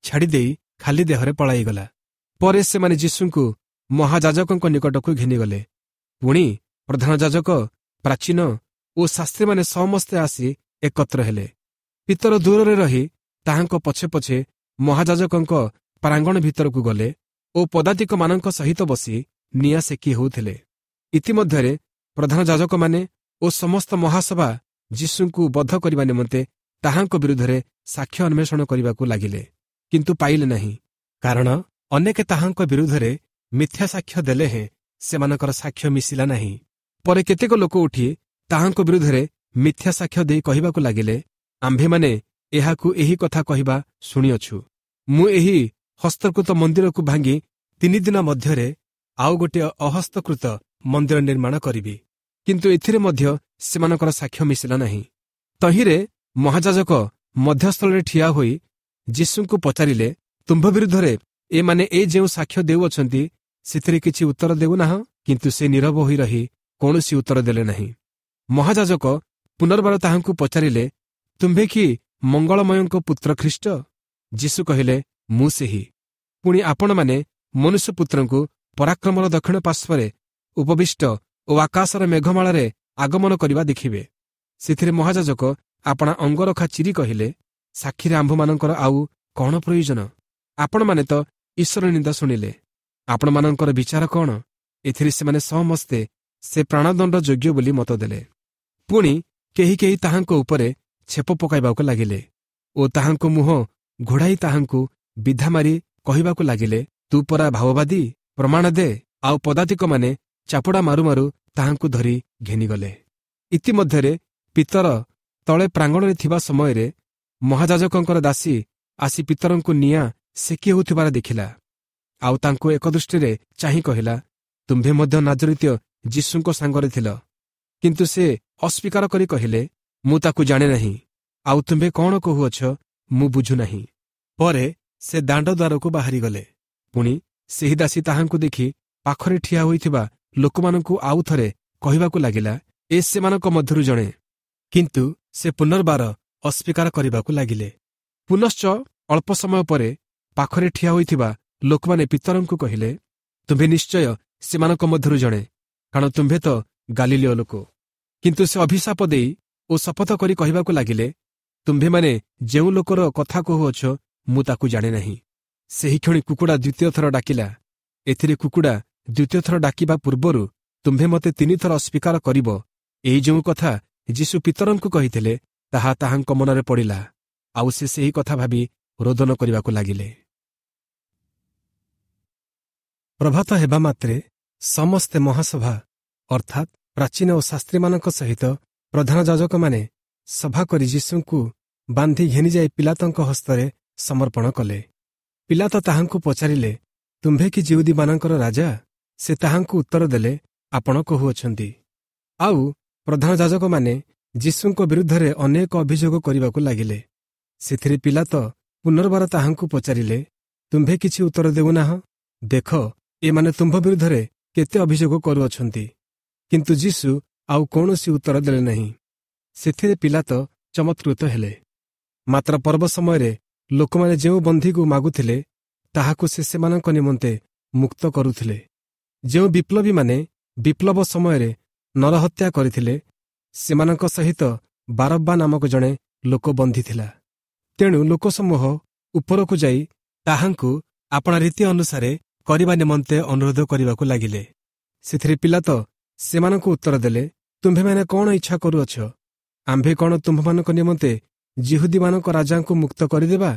ଛାଡ଼ିଦେଇ ଖାଲି ଦେହରେ ପଳାଇଗଲା। ପରେ ସେମାନେ ଯୀଶୁଙ୍କୁ ମହାଯାଜକଙ୍କ ନିକଟକୁ ଘେନିଗଲେ। ପୁଣି ପ୍ରଧାନ ଯାଜକ, ପ୍ରାଚୀନ ଓ ଶାସ୍ତ୍ରୀମାନେ ସମସ୍ତେ ଆସି ଏକତ୍ର ହେଲେ। ପିତର ଦୂରରେ ରହି ତାହାଙ୍କ ପଛେ ପଛେ ମହାଯାଜକଙ୍କ ପ୍ରାଙ୍ଗଣ ଭିତରକୁ ଗଲେ ଓ ପଦାତିକମାନଙ୍କ ସହିତ ବସି ନିଆଁ ସେକି ହେଉଥିଲେ। ଇତିମଧ୍ୟରେ ପ୍ରଧାନ ଯାଜକମାନେ ଓ ସମସ୍ତ ମହାସଭା ଯୀଶୁଙ୍କୁ ବଧ କରିବା ନିମନ୍ତେ ତାହାଙ୍କ ବିରୁଦ୍ଧରେ ସାକ୍ଷ୍ୟ ଅନ୍ୱେଷଣ କରିବାକୁ ଲାଗିଲେ, କିନ୍ତୁ ପାଇଲେ ନାହିଁ, କାରଣ ଅନେକେ ତାହାଙ୍କ ବିରୁଦ୍ଧରେ ମିଥ୍ୟା ସାକ୍ଷ୍ୟ ଦେଲେ ହେଁ ସେମାନଙ୍କର ସାକ୍ଷ୍ୟ ମିଶିଲା ନାହିଁ। ପରେ କେତେକ ଲୋକ ଉଠି ତାହାଙ୍କ ବିରୁଦ୍ଧରେ ମିଥ୍ୟା ସାକ୍ଷ୍ୟ ଦେଇ କହିବାକୁ ଲାଗିଲେ, ଆମ୍ଭେମାନେ ଏହାକୁ ଏହି କଥା କହିବା ଶୁଣିଅଛୁ, ମୁଁ ଏହି ହସ୍ତକୃତ ମନ୍ଦିରକୁ ଭାଙ୍ଗି ତିନି ଦିନ ମଧ୍ୟରେ ଆଉ ଗୋଟିଏ ଅହସ୍ତକୃତ ମନ୍ଦିର ନିର୍ମାଣ କରିବି। କିନ୍ତୁ ଏଥିରେ ମଧ୍ୟ ସେମାନଙ୍କର ସାକ୍ଷ୍ୟ ମିଶିଲା ନାହିଁ। ତହିଁରେ ମହାଯାଜକ ମଧ୍ୟସ୍ଥଳରେ ଠିଆ ହୋଇ ଯୀଶୁଙ୍କୁ ପଚାରିଲେ, ତୁମ୍ଭ ବିରୁଦ୍ଧରେ ଏମାନେ ଏ ଯେଉଁ ସାକ୍ଷ୍ୟ ଦେଉଅଛନ୍ତି, ସେଥିରେ କିଛି ଉତ୍ତର ଦେଉନାହଁ? କିନ୍ତୁ ସେ ନୀରବ ହୋଇ ରହି କୌଣସି ଉତ୍ତର ଦେଲେ ନାହିଁ। ମହାଯାଜକ ପୁନର୍ବାର ତାହାଙ୍କୁ ପଚାରିଲେ, ତୁମ୍ଭେ କି ମଙ୍ଗଳମୟଙ୍କ ପୁତ୍ର ଖ୍ରୀଷ୍ଟ? ଯୀଶୁ କହିଲେ, ମୁଁ ସେହି। ପୁଣି ଆପଣମାନେ ମନୁଷ୍ୟପୁତ୍ରଙ୍କୁ ପରାକ୍ରମର ଦକ୍ଷିଣ ପାର୍ଶ୍ୱରେ ଉପବିଷ୍ଟ ଓ ଆକାଶର ମେଘମାଳାରେ ଆଗମନ କରିବା ଦେଖିବେ। ସେଥିରେ ମହାଯାଜକ ଆପଣା ଅଙ୍ଗରଖା ଚିରି କହିଲେ, ସାକ୍ଷୀରେ ଆମ୍ଭମାନଙ୍କର ଆଉ କ'ଣ ପ୍ରୟୋଜନ? ଆପଣମାନେ ତ ଈଶ୍ୱର ନିନ୍ଦା ଶୁଣିଲେ, ଆପଣମାନଙ୍କର ବିଚାର କ'ଣ? ଏଥିରେ ସେମାନେ ସମସ୍ତେ ସେ ପ୍ରାଣଦଣ୍ଡ ଯୋଗ୍ୟ ବୋଲି ମତ ଦେଲେ। ପୁଣି କେହି କେହି ତାହାଙ୍କ ଉପରେ ଛେପ ପକାଇବାକୁ ଲାଗିଲେ ଓ ତାହାଙ୍କ ମୁହଁ ଘୋଡ଼ାଇ ତାହାଙ୍କୁ ବିଧା ମାରି କହିବାକୁ ଲାଗିଲେ, ତୁ ପରା ଭାବବାଦୀ, ପ୍ରମାଣ ଦେ। ଆଉ ପଦାତିକମାନେ ଚାପୁଡ଼ା ମାରୁ ମାରୁ ତାହାଙ୍କୁ ଧରି ଘେନିଗଲେ। ଇତିମଧ୍ୟରେ ପିତର ତଳେ ପ୍ରାଙ୍ଗଣରେ ଥିବା ସମୟରେ ମହାଯାଜକଙ୍କର ଦାସୀ ଆସି ପିତରଙ୍କୁ ନିଆଁ ସେକି ହେଉଥିବାର ଦେଖିଲା, ଆଉ ତାଙ୍କୁ ଏକ ଦୃଷ୍ଟିରେ ଚାହିଁ କହିଲା, ତୁମ୍ଭେ ମଧ୍ୟ ନାଜରିତୀୟ ଯୀଶୁଙ୍କ ସାଙ୍ଗରେ ଥିଲ। କିନ୍ତୁ ସେ ଅସ୍ୱୀକାର କରି କହିଲେ, ମୁଁ ତାକୁ ଜାଣେ ନାହିଁ, ଆଉ ତୁମ୍ଭେ କ'ଣ କହୁଅଛ ମୁଁ ବୁଝୁନାହିଁ। ପରେ ସେ ଦାଣ୍ଡ ଦ୍ୱାରକୁ ବାହାରିଗଲେ। ପୁଣି ସେହି ଦାସୀ ତାହାଙ୍କୁ ଦେଖି ପାଖରେ ଠିଆ ହୋଇଥିବା ଲୋକମାନଙ୍କୁ ଆଉ ଥରେ କହିବାକୁ ଲାଗିଲା, ଏ ସେମାନଙ୍କ ମଧ୍ୟରୁ ଜଣେ। କିନ୍ତୁ ସେ ପୁନର୍ବାର ଅସ୍ୱୀକାର କରିବାକୁ ଲାଗିଲେ। ପୁନଶ୍ଚ ଅଳ୍ପ ସମୟ ପରେ ପାଖରେ ଠିଆ ହୋଇଥିବା ଲୋକମାନେ ପିତରଙ୍କୁ କହିଲେ, ତୁମ୍ଭେ ନିଶ୍ଚୟ ସେମାନଙ୍କ ମଧ୍ୟରୁ ଜଣେ, କାରଣ ତୁମ୍ଭେ ତ ଗାଲିଲୀୟ ଲୋକ। କିନ୍ତୁ ସେ ଅଭିଶାପ ଦେଇ ଓ ଶପଥ କରି କହିବାକୁ ଲାଗିଲେ, ତୁମ୍ଭେମାନେ ଯେଉଁ ଲୋକର କଥା କହୁଅଛ ମୁଁ ତାକୁ ଜାଣେ ନାହିଁ। ସେହିକ୍ଷଣି କୁକୁଡ଼ା ଦ୍ୱିତୀୟ ଥର ଡାକିଲା। ଏଥିରେ କୁକୁଡ଼ା ଦ୍ୱିତୀୟ ଥର ଡାକିବା ପୂର୍ବରୁ ତୁମ୍ଭେ ମୋତେ ତିନିଥର ଅସ୍ୱୀକାର କରିବ, ଏହି ଯେଉଁ କଥା ଯୀଶୁ ପିତରଙ୍କୁ କହିଥିଲେ ତାହା ତାହାଙ୍କ ମନରେ ପଡ଼ିଲା, ଆଉ ସେ ସେହି କଥା ଭାବି ରୋଦନ କରିବାକୁ ଲାଗିଲେ। ପ୍ରଭାତ ହେବା ମାତ୍ରେ ସମସ୍ତେ ମହାସଭା ଅର୍ଥାତ୍ ପ୍ରାଚୀନ ଓ ଶାସ୍ତ୍ରୀମାନଙ୍କ ସହିତ ପ୍ରଧାନ ଯାଜକମାନେ ସଭା କରି ଯୀଶୁଙ୍କୁ ବାନ୍ଧି ଘେନିଯାଇ ପିଲାତଙ୍କ ହସ୍ତରେ ସମର୍ପଣ କଲେ। ପିଲାତ ତାହାଙ୍କୁ ପଚାରିଲେ, ତୁମ୍ଭେ କି ଯିହୁଦୀମାନଙ୍କର ରାଜା? ସେ ତାହାଙ୍କୁ ଉତ୍ତର ଦେଲେ, ଆପଣ କହୁଅଛନ୍ତି। ଆଉ ପ୍ରଧାନ ଯାଜକମାନେ ଯୀଶୁଙ୍କ ବିରୁଦ୍ଧରେ ଅନେକ ଅଭିଯୋଗ କରିବାକୁ ଲାଗିଲେ। ସେଥିରେ ପିଲାତ ପୁନର୍ବାର ତାହାଙ୍କୁ ପଚାରିଲେ, ତୁମ୍ଭେ କିଛି ଉତ୍ତର ଦେଉନାହଁ? ଦେଖ, ଏମାନେ ତୁମ୍ଭ ବିରୁଦ୍ଧରେ କେତେ ଅଭିଯୋଗ କରୁଅଛନ୍ତି। କିନ୍ତୁ ଯୀଶୁ ଆଉ କୌଣସି ଉତ୍ତର ଦେଲେ ନାହିଁ। ସେଥିରେ ପିଲାତ ଚମତ୍କୃତ ହେଲେ। ମାତ୍ର ପର୍ବ ସମୟରେ ଲୋକମାନେ ଯେଉଁ ବନ୍ଧୀକୁ ମାଗୁଥିଲେ ତାହାକୁ ସେ ସେମାନଙ୍କ ନିମନ୍ତେ ମୁକ୍ତ କରୁଥିଲେ। ଯେଉଁ ବିପ୍ଳବୀମାନେ ବିପ୍ଳବ ସମୟରେ ନରହତ୍ୟା କରିଥିଲେ, ସେମାନଙ୍କ ସହିତ ବାରବ୍ବା ନାମକ ଜଣେ ଲୋକ ବନ୍ଦୀ ଥିଲା। ତେଣୁ ଲୋକସମୂହ ଉପରକୁ ଯାଇ ତାହାଙ୍କୁ ଆପଣା ରୀତି ଅନୁସାରେ କରିବା ନିମନ୍ତେ ଅନୁରୋଧ କରିବାକୁ ଲାଗିଲେ। ସେଥିରେ ପିଲାତ ସେମାନଙ୍କୁ ଉତ୍ତର ଦେଲେ, ତୁମ୍ଭେମାନେ କ'ଣ ଇଚ୍ଛା କରୁଅଛ? ଆମ୍ଭେ କ'ଣ ତୁମ୍ଭମାନଙ୍କ ନିମନ୍ତେ ଯିହୁଦୀମାନଙ୍କ ରାଜାଙ୍କୁ ମୁକ୍ତ କରିଦେବା?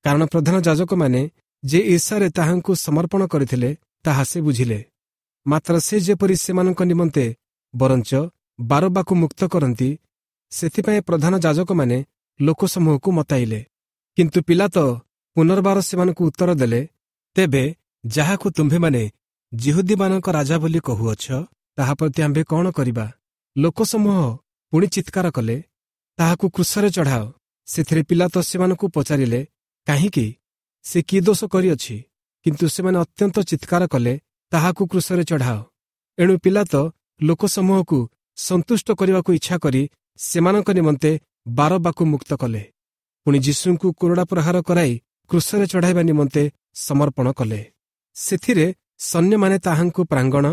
କାରଣ ପ୍ରଧାନ ଯାଜକମାନେ ଯେ ଈର୍ଷାରେ ତାହାଙ୍କୁ ସମର୍ପଣ କରିଥିଲେ, ତାହା ସେ ବୁଝିଲେ। ମାତ୍ର ସେ ଯେପରି ସେମାନଙ୍କ ନିମନ୍ତେ ବରଞ୍ଚ ବାରବାକୁ ମୁକ୍ତ କରନ୍ତି, ସେଥିପାଇଁ ପ୍ରଧାନ ଯାଜକମାନେ ଲୋକସମୂହକୁ ମତାଇଲେ। କିନ୍ତୁ ପିଲାତ ପୁନର୍ବାର ସେମାନଙ୍କୁ ଉତ୍ତର ଦେଲେ, ତେବେ ଯାହାକୁ ତୁମ୍ଭେମାନେ ଯିହୁଦୀମାନଙ୍କ ରାଜା ବୋଲି କହୁଅଛ, ତାହା ପ୍ରତି ଆମ୍ଭେ କ'ଣ କରିବା? ଲୋକସମୂହ ପୁଣି ଚିତ୍କାର କଲେ, ତାହାକୁ କ୍ରୁଶରେ ଚଢ଼ାଅ। ସେଥିରେ ପିଲାତ ସେମାନଙ୍କୁ ପଚାରିଲେ, କାହିଁକି? ସେ କି ଦୋଷ କରିଅଛି? କିନ୍ତୁ ସେମାନେ ଅତ୍ୟନ୍ତ ଚିତ୍କାର କଲେ, ତାହାକୁ କ୍ରୁଶରେ ଚଢ଼ାଅ। ଏଣୁ ପିଲାତ ଲୋକସମୂହକୁ ସନ୍ତୁଷ୍ଟ କରିବାକୁ ଇଚ୍ଛା କରି ସେମାନଙ୍କ ନିମନ୍ତେ ବାରବାକୁ ମୁକ୍ତ କଲେ। ପୁଣି ଯୀଶୁଙ୍କୁ କୋରଡ଼ା ପ୍ରହାର କରାଇ କ୍ରୁଶରେ ଚଢ଼ାଇବା ନିମନ୍ତେ ସମର୍ପଣ କଲେ। ସେଥିରେ ସୈନ୍ୟମାନେ ତାହାଙ୍କୁ ପ୍ରାଙ୍ଗଣ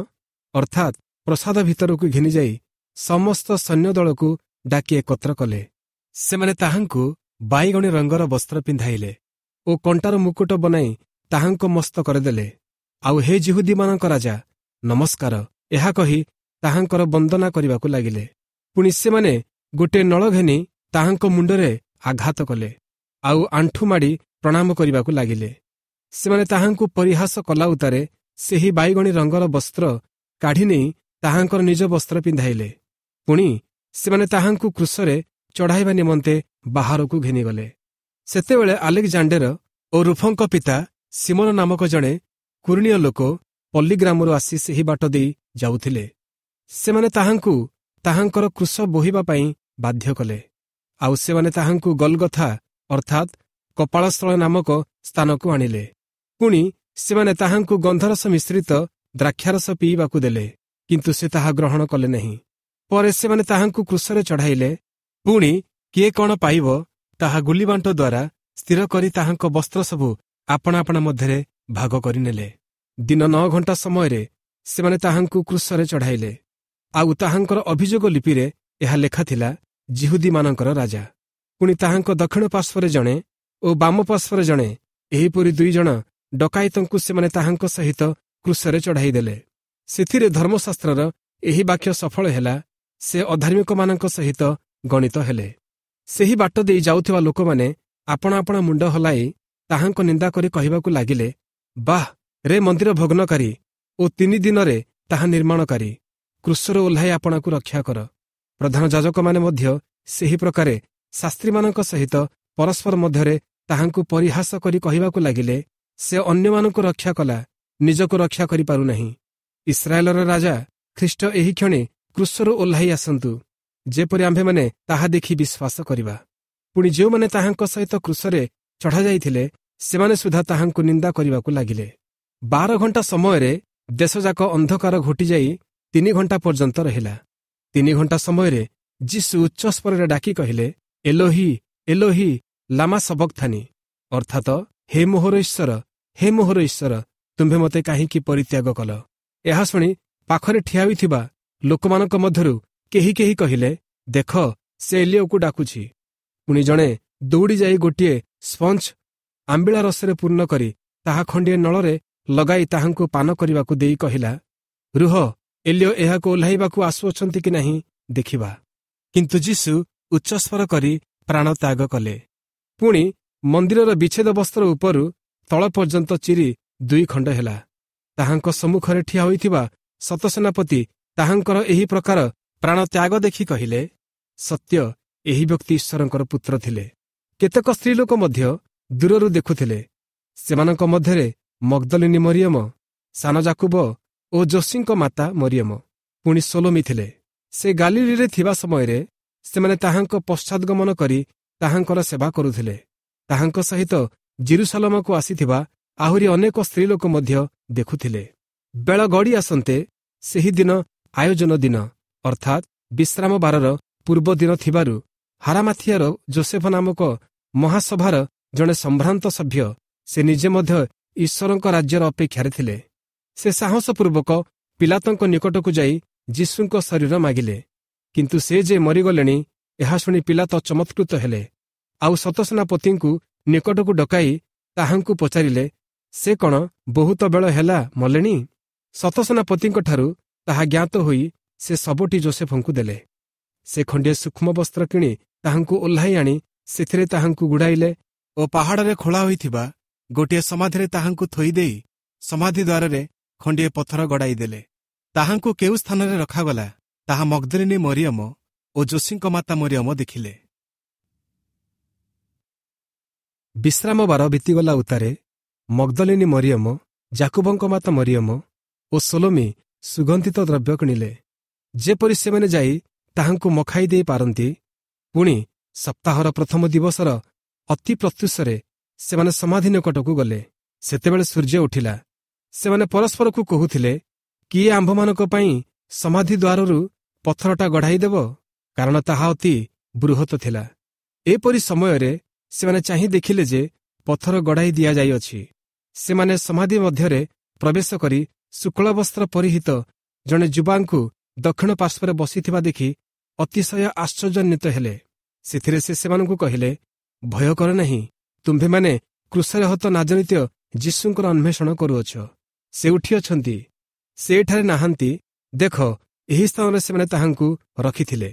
ଅର୍ଥାତ୍ ପ୍ରସାଦ ଭିତରକୁ ଘେନିଯାଇ ସମସ୍ତ ସୈନ୍ୟଦଳକୁ ଡାକି ଏକତ୍ର କଲେ। ସେମାନେ ତାହାଙ୍କୁ ବାଇଗଣୀ ରଙ୍ଗର ବସ୍ତ୍ର ପିନ୍ଧାଇଲେ ଓ କଣ୍ଟାର ମୁକୁଟ ବନାଇ ତାହାଙ୍କ ମସ୍ତକରେ ଦେଲେ। ଆଉ ହେ ଯିହୁଦୀମାନଙ୍କ ରାଜା, ନମସ୍କାର, ଏହା କହି ତାହାଙ୍କର ବନ୍ଦନା କରିବାକୁ ଲାଗିଲେ। ପୁଣି ସେମାନେ ଗୋଟିଏ ନଳ ଘେନି ତାହାଙ୍କ ମୁଣ୍ଡରେ ଆଘାତ କଲେ, ଆଉ ଆଣ୍ଠୁ ମାଡ଼ି ପ୍ରଣାମ କରିବାକୁ ଲାଗିଲେ। ସେମାନେ ତାହାଙ୍କୁ ପରିହାସ କଲା ଉତ୍ତାରେ ସେହି ବାଇଗଣୀ ରଙ୍ଗର ବସ୍ତ୍ର କାଢ଼ି ନେଇ ତାହାଙ୍କର ନିଜ ବସ୍ତ୍ର ପିନ୍ଧାଇଲେ। ପୁଣି ସେମାନେ ତାହାଙ୍କୁ କ୍ରୁଶରେ ଚଢ଼ାଇବା ନିମନ୍ତେ ବାହାରକୁ ଘେନିଗଲେ। ସେତେବେଳେ ଆଲେକ୍ଜାଣ୍ଡେର ଓ ରୁଫଙ୍କ ପିତା ସିମୋନ ନାମକ ଜଣେ କୁରିଣୀୟ ଲୋକ ପଲ୍ଲୀଗ୍ରାମରୁ ଆସି ସେହି ବାଟ ଦେଇ ଯାଉଥିଲେ। ସେମାନେ ତାହାଙ୍କୁ ତାହାଙ୍କର କ୍ରୁଶ ବୋହିବା ପାଇଁ ବାଧ୍ୟ କଲେ। ଆଉ ସେମାନେ ତାହାଙ୍କୁ ଗଲଗଥା ଅର୍ଥାତ୍ କପାଳସ୍ଥଳ ନାମକ ସ୍ଥାନକୁ ଆଣିଲେ। ପୁଣି ସେମାନେ ତାହାଙ୍କୁ ଗନ୍ଧରସ ମିଶ୍ରିତ ଦ୍ରାକ୍ଷାରସ ପିଇବାକୁ ଦେଲେ, କିନ୍ତୁ ସେ ତାହା ଗ୍ରହଣ କଲେ ନାହିଁ। ପରେ ସେମାନେ ତାହାଙ୍କୁ କ୍ରୁଶରେ ଚଢ଼ାଇଲେ। ପୁଣି କିଏ କ'ଣ ପାଇବ ତାହା ଗୁଲିବାଣ୍ଟ ଦ୍ୱାରା ସ୍ଥିର କରି ତାହାଙ୍କ ବସ୍ତ୍ର ସବୁ ଆପଣା ଆପଣା ମଧ୍ୟରେ ଭାଗ କରିନେଲେ। ଦିନ ନଅ ଘଣ୍ଟା ସମୟରେ ସେମାନେ ତାହାଙ୍କୁ କ୍ରୁଶରେ ଚଢ଼ାଇଲେ। ଆଉ ତାହାଙ୍କର ଅଭିଯୋଗ ଲିପିରେ ଏହା ଲେଖା ଥିଲା, ଯିହୁଦୀମାନଙ୍କର ରାଜା। ପୁଣି ତାହାଙ୍କ ଦକ୍ଷିଣ ପାର୍ଶ୍ୱରେ ଜଣେ ଓ ବାମ ପାର୍ଶ୍ୱରେ ଜଣେ, ଏହିପରି ଦୁଇ ଜଣ ଡକାୟତଙ୍କୁ ସେମାନେ ତାହାଙ୍କ ସହିତ କ୍ରୁଶରେ ଚଢ଼ାଇ ଦେଲେ। ସେଥିରେ ଧର୍ମଶାସ୍ତ୍ରର ଏହି ବାକ୍ୟ ସଫଳ ହେଲା, ସେ ଅଧାର୍ମିକମାନଙ୍କ ସହିତ ଗଣିତ ହେଲେ। ସେହି ବାଟ ଦେଇ ଯାଉଥିବା ଲୋକମାନେ ଆପଣା ଆପଣା ମୁଣ୍ଡ ହଲାଇ ତାହାଙ୍କ ନିନ୍ଦା କରି କହିବାକୁ ଲାଗିଲେ, ବାଃ ରେ ମନ୍ଦିର ଭଗ୍ନକାରୀ ଓ ତିନି ଦିନରେ ତାହା ନିର୍ମାଣକାରୀ, କ୍ରୁଶରୁ ଓହ୍ଲାଇ ଆପଣାକୁ ରକ୍ଷା କର। ପ୍ରଧାନ ଯାଜକମାନେ ମଧ୍ୟ ସେହି ପ୍ରକାରେ ଶାସ୍ତ୍ରୀମାନଙ୍କ ସହିତ ପରସ୍ପର ମଧ୍ୟରେ ତାହାଙ୍କୁ ପରିହାସ କରି କହିବାକୁ ଲାଗିଲେ, ସେ ଅନ୍ୟମାନଙ୍କୁ ରକ୍ଷା କଲା, ନିଜକୁ ରକ୍ଷା କରିପାରୁନାହିଁ। ଇସ୍ରାଏଲର ରାଜା ଖ୍ରୀଷ୍ଟ ଏହି କ୍ଷଣି କ୍ରୁଶରୁ ଓହ୍ଲାଇ ଆସନ୍ତୁ, ଯେପରି ଆମ୍ଭେମାନେ ତାହା ଦେଖି ବିଶ୍ୱାସ କରିବା। ପୁଣି ଯେଉଁମାନେ ତାହାଙ୍କ ସହିତ କ୍ରୁଶରେ ଚଢ଼ାଯାଇଥିଲେ, ସେମାନେ ସୁଦ୍ଧା ତାହାଙ୍କୁ ନିନ୍ଦା କରିବାକୁ ଲାଗିଲେ। ବାର ଘଣ୍ଟା ସମୟରେ ଦେଶଯାକ ଅନ୍ଧକାର ଘୋଟିଯାଇ ତିନି ଘଣ୍ଟା ପର୍ଯ୍ୟନ୍ତ ରହିଲା। ତିନି ଘଣ୍ଟା ସମୟରେ ଯୀଶୁ ଉଚ୍ଚସ୍ୱରରେ ଡାକି କହିଲେ, ଏଲୋହି ଏଲୋହି ଲାମା ସବକ୍ଥାନି, ଅର୍ଥାତ ହେ ମୋହର ଈଶ୍ୱର, ହେ ମୋହର ଈଶ୍ୱର, ତୁମ୍ଭେ ମୋତେ କାହିଁକି ପରିତ୍ୟାଗ କଲ? ଏହା ଶୁଣି ପାଖରେ ଠିଆ ହୋଇଥିବା ଲୋକମାନଙ୍କ ମଧ୍ୟରୁ କେହି କେହି କହିଲେ, ଦେଖ, ସେ ଏଲିଓକୁ ଡାକୁଛି। ପୁଣି ଜଣେ ଦୌଡ଼ି ଯାଇ ଗୋଟିଏ ସ୍ପଞ୍ଜ ଆମ୍ବିଳା ରସରେ ପୂର୍ଣ୍ଣ କରି ତାହା ଖଣ୍ଡିଏ ନଳରେ ଲଗାଇ ତାହାଙ୍କୁ ପାନ କରିବାକୁ ଦେଇ କହିଲା, ରୁହ, ଏଲିଓ ଏହାକୁ ଓହ୍ଲାଇବାକୁ ଆସୁଅଛନ୍ତି କି ନାହିଁ ଦେଖିବା। କିନ୍ତୁ ଯୀଶୁ ଉଚ୍ଚସ୍ୱର କରି ପ୍ରାଣତ୍ୟାଗ କଲେ। ପୁଣି ମନ୍ଦିରର ବିଚ୍ଛେଦ ବସ୍ତ୍ର ଉପରୁ ତଳ ପର୍ଯ୍ୟନ୍ତ ଚିରି ଦୁଇ ଖଣ୍ଡ ହେଲା। ତାହାଙ୍କ ସମ୍ମୁଖରେ ଠିଆ ହୋଇଥିବା ଶତସେନାପତି ତାହାଙ୍କର ଏହି ପ୍ରକାର ପ୍ରାଣତ୍ୟାଗ ଦେଖି କହିଲେ, ସତ୍ୟ, ଏହି ବ୍ୟକ୍ତି ଈଶ୍ୱରଙ୍କର ପୁତ୍ର ଥିଲେ। କେତେକ ସ୍ତ୍ରୀଲୋକ ମଧ୍ୟ ଦୂରରୁ ଦେଖୁଥିଲେ। ସେମାନଙ୍କ ମଧ୍ୟରେ ମଗ୍ଦଲିନୀ ମରିୟମ, ସାନ ଜାକୁବ ଓ ଯୋଶୀଙ୍କ ମାତା ମରିୟମ, ପୁଣି ସୋଲୋମି ଥିଲେ। ସେ ଗାଲିଲିରେ ଥିବା ସମୟରେ ସେମାନେ ତାହାଙ୍କ ପଶ୍ଚାଦଗମନ କରି ତାହାଙ୍କର ସେବା କରୁଥିଲେ। ତାହାଙ୍କ ସହିତ ଜିରୁସାଲମକୁ ଆସିଥିବା ଆହୁରି ଅନେକ ସ୍ତ୍ରୀଲୋକ ମଧ୍ୟ ଦେଖୁଥିଲେ। ବେଳ ଗଡ଼ି ଆସନ୍ତେ ସେହି ଦିନ ଆୟୋଜନ ଦିନ ଅର୍ଥାତ୍ ବିଶ୍ରାମ ବାରର ପୂର୍ବ ଦିନ ଥିବାରୁ ହାରାମାଥିଆର ଜୋସେଫ ନାମକ ମହାସଭାର ଜଣେ ସମ୍ଭ୍ରାନ୍ତ ସଭ୍ୟ, ସେ ନିଜେ ମଧ୍ୟ ଈଶ୍ୱରଙ୍କ ରାଜ୍ୟର ଅପେକ୍ଷାରେ ଥିଲେ। ସେ ସାହସପୂର୍ବକ ପିଲାତଙ୍କ ନିକଟକୁ ଯାଇ ଯୀଶୁଙ୍କ ଶରୀର ମାଗିଲେ। କିନ୍ତୁ ସେ ଯେ ମରିଗଲେଣି ଏହା ଶୁଣି ପିଲାତ ଚମତ୍କୃତ ହେଲେ। ଆଉ ଶତସେନାପତିଙ୍କୁ ନିକଟକୁ ଡକାଇ ତାହାଙ୍କୁ ପଚାରିଲେ, ସେ କ'ଣ ବହୁତ ବେଳ ହେଲା ମଲେଣି? ଶତସେନାପତିଙ୍କଠାରୁ ତାହା ଜ୍ଞାତ ହୋଇ ସେ ଶବଟି ଜୋସେଫଙ୍କୁ ଦେଲେ। ସେ ଖଣ୍ଡିଏ ସୂକ୍ଷ୍ମ ବସ୍ତ୍ର କିଣି ତାହାଙ୍କୁ ଓହ୍ଲାଇ ଆଣି ସେଥିରେ ତାହାଙ୍କୁ ଗୁଡ଼ାଇଲେ ଓ ପାହାଡ଼ରେ ଖୋଳା ହୋଇଥିବା ଗୋଟିଏ ସମାଧିରେ ତାହାଙ୍କୁ ଥୋଇଦେଇ ସମାଧି ଦ୍ୱାରରେ ଖଣ୍ଡିଏ ପଥର ଗଡ଼ାଇ ଦେଲେ। ତାହାଙ୍କୁ କେଉଁ ସ୍ଥାନରେ ରଖାଗଲା, ତାହା ମଗ୍ଦଲିନୀ ମରିୟମ ଓ ଯୋଶୀଙ୍କ ମାତା ମରିୟମ ଦେଖିଲେ। ବିଶ୍ରାମବାର ବିତିଗଲା ଉତ୍ତାରେ ମଗ୍ଦଲିନୀ ମରିୟମ, ଜାକୁବଙ୍କ ମାତା ମରିୟମ ଓ ସଲୋମି ସୁଗନ୍ଧିତ ଦ୍ରବ୍ୟ କିଣିଲେ, ଯେପରି ସେମାନେ ଯାଇ ତାହାଙ୍କୁ ମଖାଇ ଦେଇ ପାରନ୍ତି। ପୁଣି ସପ୍ତାହର ପ୍ରଥମ ଦିବସର ଅତି ପ୍ରତ୍ୟୁଷରେ ସେମାନେ ସମାଧି ନିକଟକୁ ଗଲେ। ସେତେବେଳେ ସୂର୍ଯ୍ୟ ଉଠିଲା। ସେମାନେ ପରସ୍ପରକୁ କହୁଥିଲେ, କିଏ ଆମ୍ଭମାନଙ୍କ ପାଇଁ ସମାଧି ଦ୍ୱାରରୁ ପଥରଟା ଗଢ଼ାଇ ଦେବ? କାରଣ ତାହା ଅତି ବୃହତ ଥିଲା। ଏପରି ସମୟରେ ସେମାନେ ଚାହିଁ ଦେଖିଲେ ଯେ ପଥର ଗଢ଼ାଇ ଦିଆଯାଇଅଛି। ସେମାନେ ସମାଧି ମଧ୍ୟରେ ପ୍ରବେଶ କରି ଶୁକ୍ଳ ବସ୍ତ୍ର ପରିହିତ ଜଣେ ଯୁବାଙ୍କୁ ଦକ୍ଷିଣ ପାର୍ଶ୍ୱରେ ବସିଥିବା ଦେଖି ଅତିଶୟ ଆଶ୍ଚର୍ଯ୍ୟାନ୍ୱିତ ହେଲେ। ସେଥିରେ ସେ ସେମାନଙ୍କୁ କହିଲେ, ଭୟ କର ନାହିଁ, ତୁମ୍ଭେମାନେ କ୍ରୁଶରେ ହତ ନାଜରିତୀୟ ଯୀଶୁଙ୍କର ଅନ୍ୱେଷଣ କରୁଅଛ। ସେ ଉଠିଅଛନ୍ତି, ସେ ଏଠାରେ ନାହାନ୍ତି। ଦେଖ, ଏହି ସ୍ଥାନରେ ସେମାନେ ତାହାଙ୍କୁ ରଖିଥିଲେ।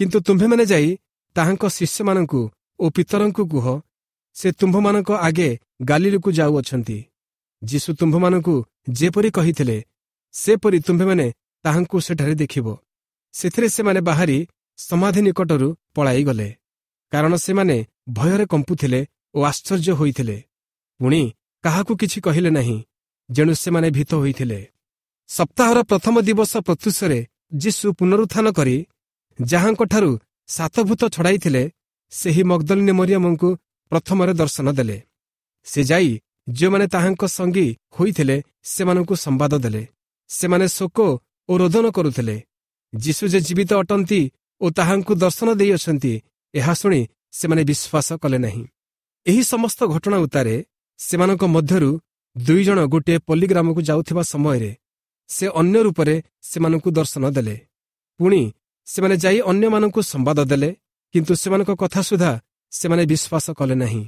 କିନ୍ତୁ ତୁମ୍ଭେମାନେ ଯାଇ ତାହାଙ୍କ ଶିଷ୍ୟମାନଙ୍କୁ ଓ ପିତରଙ୍କୁ କୁହ, ସେ ତୁମ୍ଭମାନଙ୍କ ଆଗେ ଗାଲିଲକୁ ଯାଉଅଛନ୍ତି। ଯୀଶୁ ତୁମ୍ଭମାନଙ୍କୁ ଯେପରି କହିଥିଲେ, ସେପରି ତୁମ୍ଭେମାନେ ତାହାଙ୍କୁ ସେଠାରେ ଦେଖିବ। ସେଥିରେ ସେମାନେ ବାହାରି ସମାଧି ନିକଟରୁ ପଳାଇଗଲେ, କାରଣ ସେମାନେ ଭୟରେ କମ୍ପୁଥିଲେ ଓ ଆଶ୍ଚର୍ଯ୍ୟ ହୋଇଥିଲେ। ପୁଣି କାହାକୁ କିଛି କହିଲେ ନାହିଁ, ଯେଣୁ ସେମାନେ ଭୀତ ହୋଇଥିଲେ। ସପ୍ତାହର ପ୍ରଥମ ଦିବସ ପ୍ରତ୍ୟୁଷରେ ଯୀଶୁ ପୁନରୁତ୍ଥାନ କରି ଯାହାଙ୍କଠାରୁ ସାତଭୂତ ଛଡ଼ାଇଥିଲେ, ସେହି ମଗ୍ଦଲିନୀ ମରିୟମଙ୍କୁ ପ୍ରଥମରେ ଦର୍ଶନ ଦେଲେ। ସେ ଯାଇ ଯେଉଁମାନେ ତାହାଙ୍କ ସଙ୍ଗୀ ହୋଇଥିଲେ ସେମାନଙ୍କୁ ସମ୍ବାଦ ଦେଲେ। ସେମାନେ ଶୋକ ଓ ରୋଦନ କରୁଥିଲେ। ଯୀଶୁ ଯେ ଜୀବିତ ଅଟନ୍ତି ଓ ତାହାଙ୍କୁ ଦର୍ଶନ ଦେଇଅଛନ୍ତି, ଏହା ଶୁଣି ସେମାନେ ବିଶ୍ୱାସ କଲେ ନାହିଁ। ଏହି ସମସ୍ତ ଘଟଣା ଉତ୍ତାରେ ସେମାନଙ୍କ ମଧ୍ୟରୁ ଦୁଇ ଜଣ ଗୋଟିଏ ପଲ୍ଲୀଗ୍ରାମକୁ ଯାଉଥିବା ସମୟରେ ସେ ଅନ୍ୟ ରୂପରେ ସେମାନଙ୍କୁ ଦର୍ଶନ ଦେଲେ। ପୁଣି ସେମାନେ ଯାଇ ଅନ୍ୟମାନଙ୍କୁ ସମ୍ବାଦ ଦେଲେ, କିନ୍ତୁ ସେମାନଙ୍କ କଥା ସୁଦ୍ଧା ସେମାନେ ବିଶ୍ୱାସ କଲେ ନାହିଁ।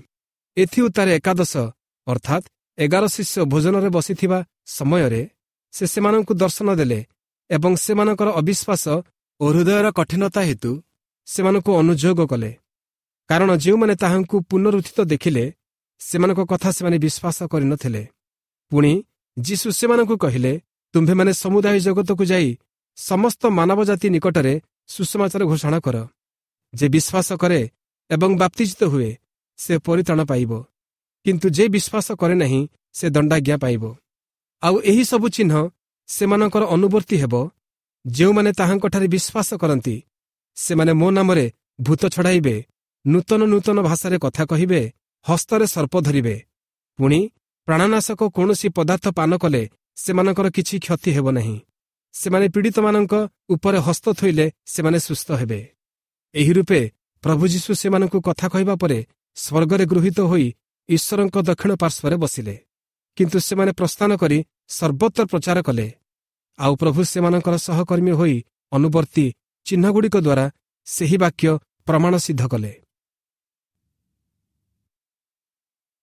ଏଥି ଉତ୍ତାରେ ଏକାଦଶ ଅର୍ଥାତ୍ ଏଗାର ଶିଷ୍ୟ ଭୋଜନରେ ବସିଥିବା ସମୟରେ ସେ ସେମାନଙ୍କୁ ଦର୍ଶନ ଦେଲେ ଏବଂ ସେମାନଙ୍କର ଅବିଶ୍ୱାସ ଓ ହୃଦୟର କଠିନତା ହେତୁ ସେମାନଙ୍କୁ ଅନୁଯୋଗ କଲେ। କାରଣ ଯେଉଁମାନେ ତାହାଙ୍କୁ ପୁନରୁତ୍ଥିତ ଦେଖିଲେ, ସେମାନଙ୍କ କଥା ସେମାନେ ବିଶ୍ୱାସ କରିନଥିଲେ। ପୁଣି ଯୀଶୁ ସେମାନଙ୍କୁ କହିଲେ, ତୁମ୍ଭେମାନେ ସମୁଦାୟ ଜଗତକୁ ଯାଇ ସମସ୍ତ ମାନବ ଜାତି ନିକଟରେ ସୁସମାଚାର ଘୋଷଣା କର। ଯେ ବିଶ୍ୱାସ କରେ ଏବଂ ବାପ୍ତିଜିତ ହୁଏ, ସେ ପରିତ୍ରାଣ ପାଇବ, କିନ୍ତୁ ଯେ ବିଶ୍ୱାସ କରେ ନାହିଁ, ସେ ଦଣ୍ଡାଜ୍ଞା ପାଇବ। ଆଉ ଏହି ସବୁ ଚିହ୍ନ ସେମାନଙ୍କର ଅନୁବର୍ତ୍ତୀ ହେବ, ଯେଉଁମାନେ ତାହାଙ୍କଠାରେ ବିଶ୍ୱାସ କରନ୍ତି। ସେମାନେ ମୋ ନାମରେ ଭୂତ ଛଡ଼ାଇବେ, ନୂତନ ନୂତନ ଭାଷାରେ କଥା କହିବେ, ହସ୍ତରେ ସର୍ପ ଧରିବେ। ପୁଣି ପ୍ରାଣନାଶକ କୌଣସି ପଦାର୍ଥ ପାନ କଲେ ସେମାନଙ୍କର କିଛି କ୍ଷତି ହେବ ନାହିଁ। ସେମାନେ ପୀଡ଼ିତମାନଙ୍କ ଉପରେ ହସ୍ତ ଥୋଇଲେ ସେମାନେ ସୁସ୍ଥ ହେବେ। ଏହି ରୂପେ ପ୍ରଭୁ ଯୀଶୁ ସେମାନଙ୍କୁ କଥା କହିବା ପରେ ସ୍ୱର୍ଗରେ ଗୃହୀତ ହୋଇ ଈଶ୍ୱରଙ୍କ ଦକ୍ଷିଣ ପାର୍ଶ୍ୱରେ ବସିଲେ। କିନ୍ତୁ ସେମାନେ ପ୍ରସ୍ଥାନ କରି ସର୍ବତ୍ର ପ୍ରଚାର କଲେ। ଆଉ ପ୍ରଭୁ ସେମାନଙ୍କର ସହକର୍ମୀ ହୋଇ ଅନୁବର୍ତ୍ତୀ ଚିହ୍ନଗୁଡ଼ିକ ଦ୍ୱାରା ସେହି ବାକ୍ୟ ପ୍ରମାଣ ସିଦ୍ଧ କଲେ।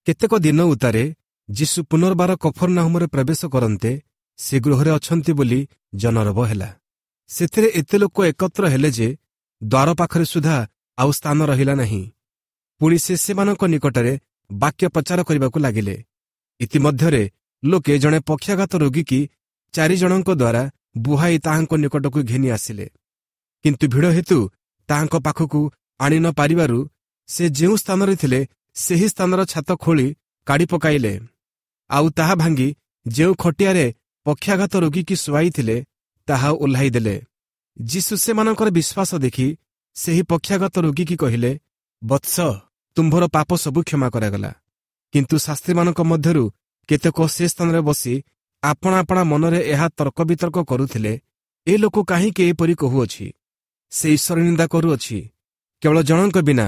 କେତେକ ଦିନ ଉତ୍ତାରେ ଯୀଶୁ ପୁନର୍ବାର କଫର୍ନାହୁମରେ ପ୍ରବେଶ କରନ୍ତେ ସେ ଗୃହରେ ଅଛନ୍ତି ବୋଲି ଜନରବ ହେଲା। ସେଥିରେ ଏତେ ଲୋକ ଏକତ୍ର ହେଲେ ଯେ ଦ୍ୱାର ପାଖରେ ସୁଦ୍ଧା ଆଉ ସ୍ଥାନ ରହିଲା ନାହିଁ। ପୁଣି ସେ ସେମାନଙ୍କ ନିକଟରେ ବାକ୍ୟ ପ୍ରଚାର କରିବାକୁ ଲାଗିଲେ। ଇତିମଧ୍ୟରେ ଲୋକେ ଜଣେ ପକ୍ଷାଘାତ ରୋଗୀକି ଚାରିଜଣଙ୍କ ଦ୍ୱାରା ବୁହାଇ ତାହାଙ୍କ ନିକଟକୁ ଘେନି ଆସିଲେ। କିନ୍ତୁ ଭିଡ଼ ହେତୁ ତାହାଙ୍କ ପାଖକୁ ଆଣି ନ ପାରିବାରୁ ସେ ଯେଉଁ ସ୍ଥାନରେ ଥିଲେ ସେହି ସ୍ଥାନର ଛାତ ଖୋଳି କାଢ଼ି ପକାଇଲେ। ଆଉ ତାହା ଭାଙ୍ଗି ଯେଉଁ ଖଟିଆରେ ପକ୍ଷାଘାତ ରୋଗୀକି ଶୁଆଇଥିଲେ ତାହା ଓହ୍ଲାଇ ଦେଲେ। ଯୀଶୁ ସେମାନଙ୍କର ବିଶ୍ୱାସ ଦେଖି ସେହି ପକ୍ଷାଘାତ ରୋଗୀକି କହିଲେ, ବତ୍ସ, ତୁମ୍ଭର ପାପ ସବୁ କ୍ଷମା କରାଗଲା। କିନ୍ତୁ ଶାସ୍ତ୍ରୀମାନଙ୍କ ମଧ୍ୟରୁ କେତେକ ସେ ସ୍ଥାନରେ ବସି ଆପଣା ଆପଣା ମନରେ ଏହା ତର୍କ ବିତର୍କ କରୁଥିଲେ, ଏ ଲୋକ କାହିଁକି ଏପରି କହୁଅଛି? ସେ ଈଶ୍ୱର ନିନ୍ଦା କରୁଅଛି। କେବଳ ଜଣଙ୍କ ବିନା,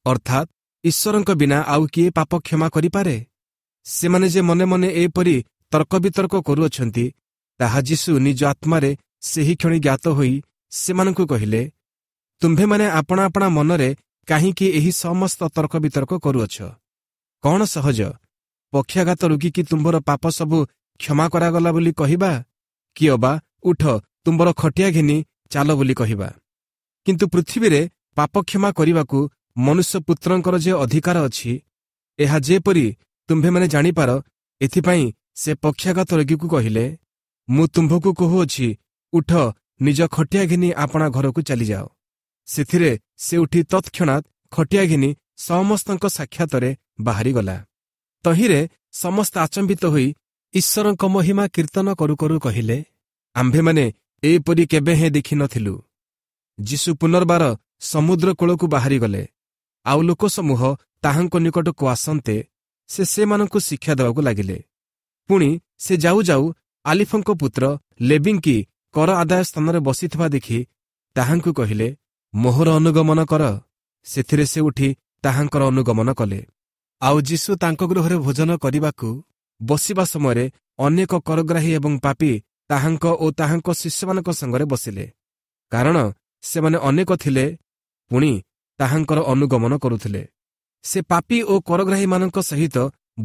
ଅର୍ଥାତ୍ ଈଶ୍ୱରଙ୍କ ବିନା ଆଉ କିଏ ପାପ କ୍ଷମା କରିପାରେ? ସେମାନେ ଯେ ମନେ ମନେ ଏପରି ତର୍କ ବିତର୍କ କରୁଅଛନ୍ତି, ତାହା ଯୀଶୁ ନିଜ ଆତ୍ମାରେ ସେହି କ୍ଷଣି ଜ୍ଞାତ ହୋଇ ସେମାନଙ୍କୁ କହିଲେ, ତୁମ୍ଭେମାନେ ଆପଣା ଆପଣା ମନରେ କାହିଁକି ଏହି ସମସ୍ତ ତର୍କ ବିତର୍କ କରୁଅଛ? କ'ଣ ସହଜ, ପକ୍ଷାଘାତ ରୋଗୀକି ତୁମ୍ଭର ପାପ ସବୁ କ୍ଷମା କରାଗଲା ବୋଲି କହିବା, କି ଅବା ଉଠ, ତୁମ୍ଭର ଖଟିଆ ଘେନି ଚାଲ ବୋଲି କହିବା? କିନ୍ତୁ ପୃଥିବୀରେ ପାପ କ୍ଷମା କରିବାକୁ ମନୁଷ୍ୟ ପୁତ୍ରଙ୍କର ଯେ ଅଧିକାର ଅଛି, ଏହା ଯେପରି ତୁମ୍ଭେମାନେ ଜାଣିପାର, ଏଥିପାଇଁ ସେ ପକ୍ଷାଘାତ ରୋଗୀକୁ କହିଲେ, ମୁଁ ତୁମ୍ଭକୁ କହୁଅଛି, ଉଠ, ନିଜ ଖଟିଆ ଘେନି ଆପଣା ଘରକୁ ଚାଲିଯାଅ। ସେଥିରେ ସେ ଉଠି ତତ୍କ୍ଷଣାତ୍ ଖଟିଆ ଘେନି ସମସ୍ତଙ୍କ ସାକ୍ଷାତରେ ବାହାରିଗଲା। ତହିଁରେ ସମସ୍ତେ ଆଚମ୍ବିତ ହୋଇ ଈଶ୍ୱରଙ୍କ ମହିମା କୀର୍ତ୍ତନ କରୁ କରୁ କହିଲେ, ଆମ୍ଭେମାନେ ଏପରି କେବେ ହେଁ ଦେଖିନଥିଲୁ। ଯୀଶୁ ପୁନର୍ବାର ସମୁଦ୍ର କୂଳକୁ ବାହାରିଗଲେ, ଆଉ ଲୋକସମୂହ ତାହାଙ୍କ ନିକଟକୁ ଆସନ୍ତେ ସେ ସେମାନଙ୍କୁ ଶିକ୍ଷା ଦେବାକୁ ଲାଗିଲେ। ପୁଣି ସେ ଯାଉ ଯାଉ ଆଲିଫଙ୍କ ପୁତ୍ର ଲେବିଙ୍କି କର ଆଦାୟ ସ୍ଥାନରେ ବସିଥିବା ଦେଖି ତାହାଙ୍କୁ କହିଲେ, ମୋହର ଅନୁଗମନ କର। ସେଥିରେ ସେ ଉଠି ତାହାଙ୍କର ଅନୁଗମନ କଲେ। ଆଉ ଯୀଶୁ ତାଙ୍କ ଗୃହରେ ଭୋଜନ କରିବାକୁ ବସିବା ସମୟରେ ଅନେକ କରଗ୍ରାହୀ ଏବଂ ପାପୀ ତାହାଙ୍କ ଓ ତାହାଙ୍କ ଶିଷ୍ୟମାନଙ୍କ ସାଙ୍ଗରେ ବସିଲେ, କାରଣ ସେମାନେ ଅନେକ ଥିଲେ, ପୁଣି ତାହାଙ୍କର ଅନୁଗମନ କରୁଥିଲେ। ସେ ପାପୀ ଓ କରଗ୍ରାହୀମାନଙ୍କ ସହିତ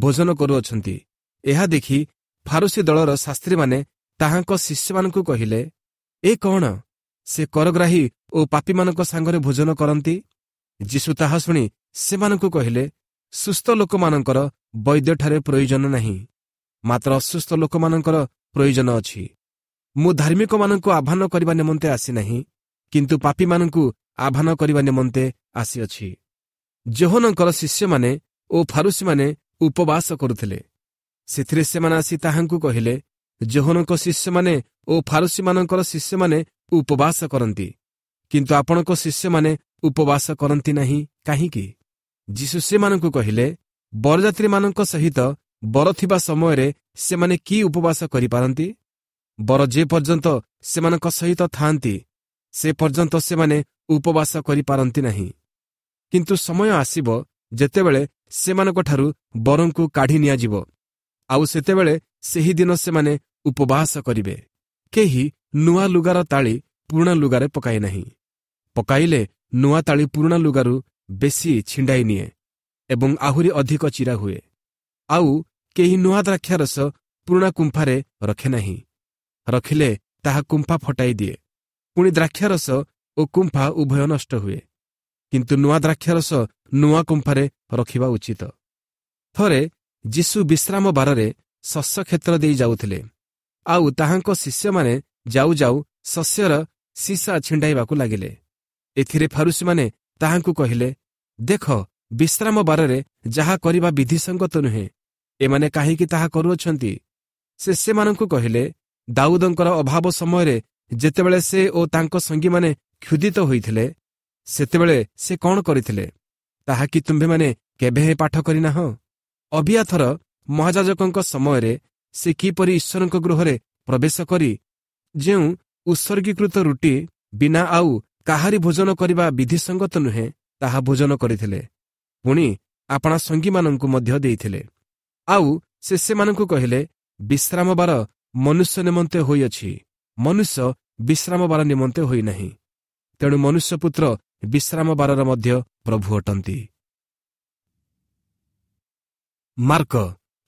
ଭୋଜନ କରୁଅଛନ୍ତି, ଏହା ଦେଖି ଫାରୁସୀ ଦଳର ଶାସ୍ତ୍ରୀମାନେ ତାହାଙ୍କ ଶିଷ୍ୟମାନଙ୍କୁ କହିଲେ, ଏ କ'ଣ, ସେ କରଗ୍ରାହୀ ଓ ପାପୀମାନଙ୍କ ସାଙ୍ଗରେ ଭୋଜନ କରନ୍ତି? ଯୀଶୁ ତାହା ଶୁଣି ସେମାନଙ୍କୁ କହିଲେ, ସୁସ୍ଥ ଲୋକମାନଙ୍କର ବୈଦ୍ୟଠାରେ ପ୍ରୟୋଜନ ନାହିଁ, ମାତ୍ର ଅସୁସ୍ଥ ଲୋକମାନଙ୍କର ପ୍ରୟୋଜନ ଅଛି। ମୁଁ ଧାର୍ମିକମାନଙ୍କୁ ଆହ୍ୱାନ କରିବା ନିମନ୍ତେ ଆସିନାହିଁ, କିନ୍ତୁ ପାପୀମାନଙ୍କୁ ଆହ୍ୱାନ କରିବା ନିମନ୍ତେ ଆସିଅଛି। ଯୋହନଙ୍କର ଶିଷ୍ୟମାନେ ଓ ଫାରୁସୀମାନେ ଉପବାସ କରୁଥିଲେ। ସେଥିରେ ସେମାନେ ଆସି ତାହାଙ୍କୁ କହିଲେ, ଯୋହନଙ୍କ ଶିଷ୍ୟମାନେ ଓ ଫାରୁସୀମାନଙ୍କର ଶିଷ୍ୟମାନେ ଉପବାସ କରନ୍ତି, କିନ୍ତୁ ଆପଣଙ୍କ ଶିଷ୍ୟମାନେ ଉପବାସ କରନ୍ତି ନାହିଁ କାହିଁକି? ଯୀଶୁ ସେମାନଙ୍କୁ କହିଲେ, ବରଯାତ୍ରୀମାନଙ୍କ ସହିତ ବର ଥିବା ସମୟରେ ସେମାନେ କି ଉପବାସ କରିପାରନ୍ତି? ବର ଯେ ପର୍ଯ୍ୟନ୍ତ ସେମାନଙ୍କ ସହିତ ଥାଆନ୍ତି, ସେ ପର୍ଯ୍ୟନ୍ତ ସେମାନେ ଉପବାସ କରିପାରନ୍ତି ନାହିଁ। କିନ୍ତୁ ସମୟ ଆସିବ ଯେତେବେଳେ ସେମାନଙ୍କଠାରୁ ବରଙ୍କୁ କାଢ଼ି ନିଆଯିବ, ଆଉ ସେତେବେଳେ ସେହି ଦିନ ସେମାନେ ଉପବାସ କରିବେ। କେହି ନୂଆ ଲୁଗାର ତାଳି ପୁରୁଣା ଲୁଗାରେ ପକାଏ ନାହିଁ। ପକାଇଲେ ନୂଆ ତାଳି ପୁରୁଣା ଲୁଗାରୁ ବେଶୀ ଛିଣ୍ଡାଇ ନିଏ ଏବଂ ଆହୁରି ଅଧିକ ଚିରା ହୁଏ। ଆଉ କେହି ନୂଆ ଦ୍ରାକ୍ଷାରସ ପୁରୁଣା କୁମ୍ଫାରେ ରଖେ ନାହିଁ, ରଖିଲେ ତାହା କୁମ୍ଫା ଫଟାଇ ଦିଏ, ପୁଣି ଦ୍ରାକ୍ଷାରସ ଓ କୁମ୍ଫା ଉଭୟ ନଷ୍ଟ ହୁଏ। କିନ୍ତୁ ନୂଆ ଦ୍ରାକ୍ଷାରସ ନୂଆ କୁମ୍ଫାରେ ରଖିବା ଉଚିତ। ଥରେ ଯୀଶୁ ବିଶ୍ରାମ ବାରରେ ଶସ୍ୟ କ୍ଷେତ୍ର ଦେଇ ଯାଉଥିଲେ, ଆଉ ତାହାଙ୍କ ଶିଷ୍ୟମାନେ ଯାଉ ଯାଉ ଶସ୍ୟର ସୀସା ଛିଣ୍ଡାଇବାକୁ ଲାଗିଲେ। ଏଥିରେ ଫାରୁସୀମାନେ ତାହାଙ୍କୁ କହିଲେ, ଦେଖ, ବିଶ୍ରାମ ବାରରେ ଯାହା କରିବା ବିଧିସଙ୍ଗତ ନୁହେଁ, ଏମାନେ କାହିଁକି ତାହା କରୁଅଛନ୍ତି? ସେ ସେମାନଙ୍କୁ କହିଲେ, ଦାଉଦଙ୍କର ଅଭାବ ସମୟରେ ଯେତେବେଳେ ସେ ଓ ତାଙ୍କ ସଙ୍ଗୀମାନେ କ୍ଷୁଧିତ ହୋଇଥିଲେ, ସେତେବେଳେ ସେ କ'ଣ କରିଥିଲେ, ତାହା କି ତୁମ୍ଭେମାନେ କେବେ ପାଠ କରିନାହଁ? ଅବିୟାଥର ମହାଯାଜକଙ୍କ ସମୟରେ ସେ କିପରି ଈଶ୍ୱରଙ୍କ ଗୃହରେ ପ୍ରବେଶ କରି ଯେଉଁ ଉତ୍ସର୍ଗୀକୃତ ରୁଟି ବିନା ଆଉ କାହାରି ଭୋଜନ କରିବା ବିଧିସଙ୍ଗତ ନୁହେଁ, ତାହା ଭୋଜନ କରିଥିଲେ, ପୁଣି ଆପଣା ସଙ୍ଗୀମାନଙ୍କୁ ମଧ୍ୟ ଦେଇଥିଲେ। ଆଉ ସେ ସେମାନଙ୍କୁ କହିଲେ, ବିଶ୍ରାମବାର ମନୁଷ୍ୟ ନିମନ୍ତେ ହୋଇଅଛି, ମନୁଷ୍ୟ ବିଶ୍ରାମବାର ନିମନ୍ତେ ହୋଇନାହିଁ। ତେଣୁ ମନୁଷ୍ୟପୁତ୍ର ବିଶ୍ରାମବାରର ମଧ୍ୟ ପ୍ରଭୁ ଅଟନ୍ତି। ମାର୍କ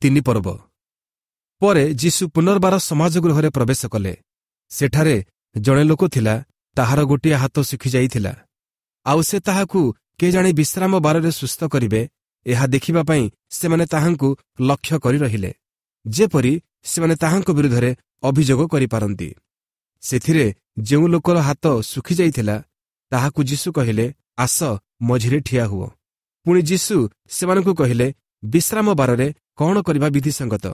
ତିନି ପର୍ବ। ପରେ ଯୀଶୁ ପୁନର୍ବାର ସମାଜ ଗୃହରେ ପ୍ରବେଶ କଲେ। ସେଠାରେ ଜଣେ ଲୋକ ଥିଲା, ତାହାର ଗୋଟିଏ ହାତ ଶୁଖିଯାଇଥିଲା। ଆଉ ସେ ତାହାକୁ କେଜାଣି ବିଶ୍ରାମ ବାରରେ ସୁସ୍ଥ କରିବେ, ଏହା ଦେଖିବା ପାଇଁ ସେମାନେ ତାହାଙ୍କୁ ଲକ୍ଷ୍ୟ କରି ରହିଲେ, ଯେପରି ସେମାନେ ତାହାଙ୍କ ବିରୁଦ୍ଧରେ ଅଭିଯୋଗ କରିପାରନ୍ତି। ସେଥିରେ ଯେଉଁ ଲୋକର ହାତ ଶୁଖିଯାଇଥିଲା, ତାହାକୁ ଯୀଶୁ କହିଲେ, ଆସ, ମଝିରେ ଠିଆ ହୁଅ। ପୁଣି ଯୀଶୁ ସେମାନଙ୍କୁ କହିଲେ, ବିଶ୍ରାମ ବାରରେ କ'ଣ କରିବା ବିଧିସଙ୍ଗତ?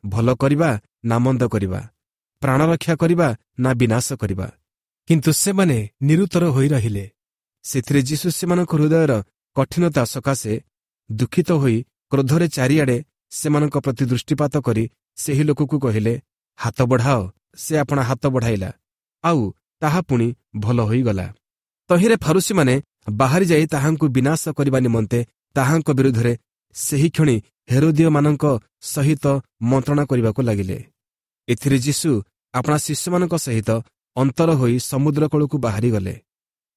ଭଲ କରିବା ନା ମନ୍ଦ କରିବା? ପ୍ରାଣ ରକ୍ଷା କରିବା ନା ବିନାଶ କରିବା? କିନ୍ତୁ ସେମାନେ ନିରୁତ୍ତର ହୋଇ ରହିଲେ। ସେଥିରେ ଯୀଶୁ ସେମାନଙ୍କ ହୃଦୟର କଠିନତା ସକାଶେ ଦୁଃଖିତ ହୋଇ କ୍ରୋଧରେ ଚାରିଆଡ଼େ ସେମାନଙ୍କ ପ୍ରତି ଦୃଷ୍ଟିପାତ କରି ସେହି ଲୋକକୁ କହିଲେ, ହାତ ବଢ଼ାଅ। ସେ ଆପଣା ହାତ ବଢ଼ାଇଲା, ଆଉ ତାହା ପୁଣି ଭଲ ହୋଇଗଲା। ତହିଁରେ ଫାରୁସୀମାନେ ବାହାରି ଯାଇ ତାହାଙ୍କୁ ବିନାଶ କରିବା ନିମନ୍ତେ ତାହାଙ୍କ ବିରୁଦ୍ଧରେ ସେହିକ୍ଷଣି ହେରୋଦୀୟମାନଙ୍କ ସହିତ ମନ୍ତ୍ରଣା କରିବାକୁ ଲାଗିଲେ। ଏଥିରେ ଯୀଶୁ ଆପଣା ଶିଷ୍ୟମାନଙ୍କ ସହିତ ଅନ୍ତର ହୋଇ ସମୁଦ୍ର କୂଳକୁ ବାହାରିଗଲେ।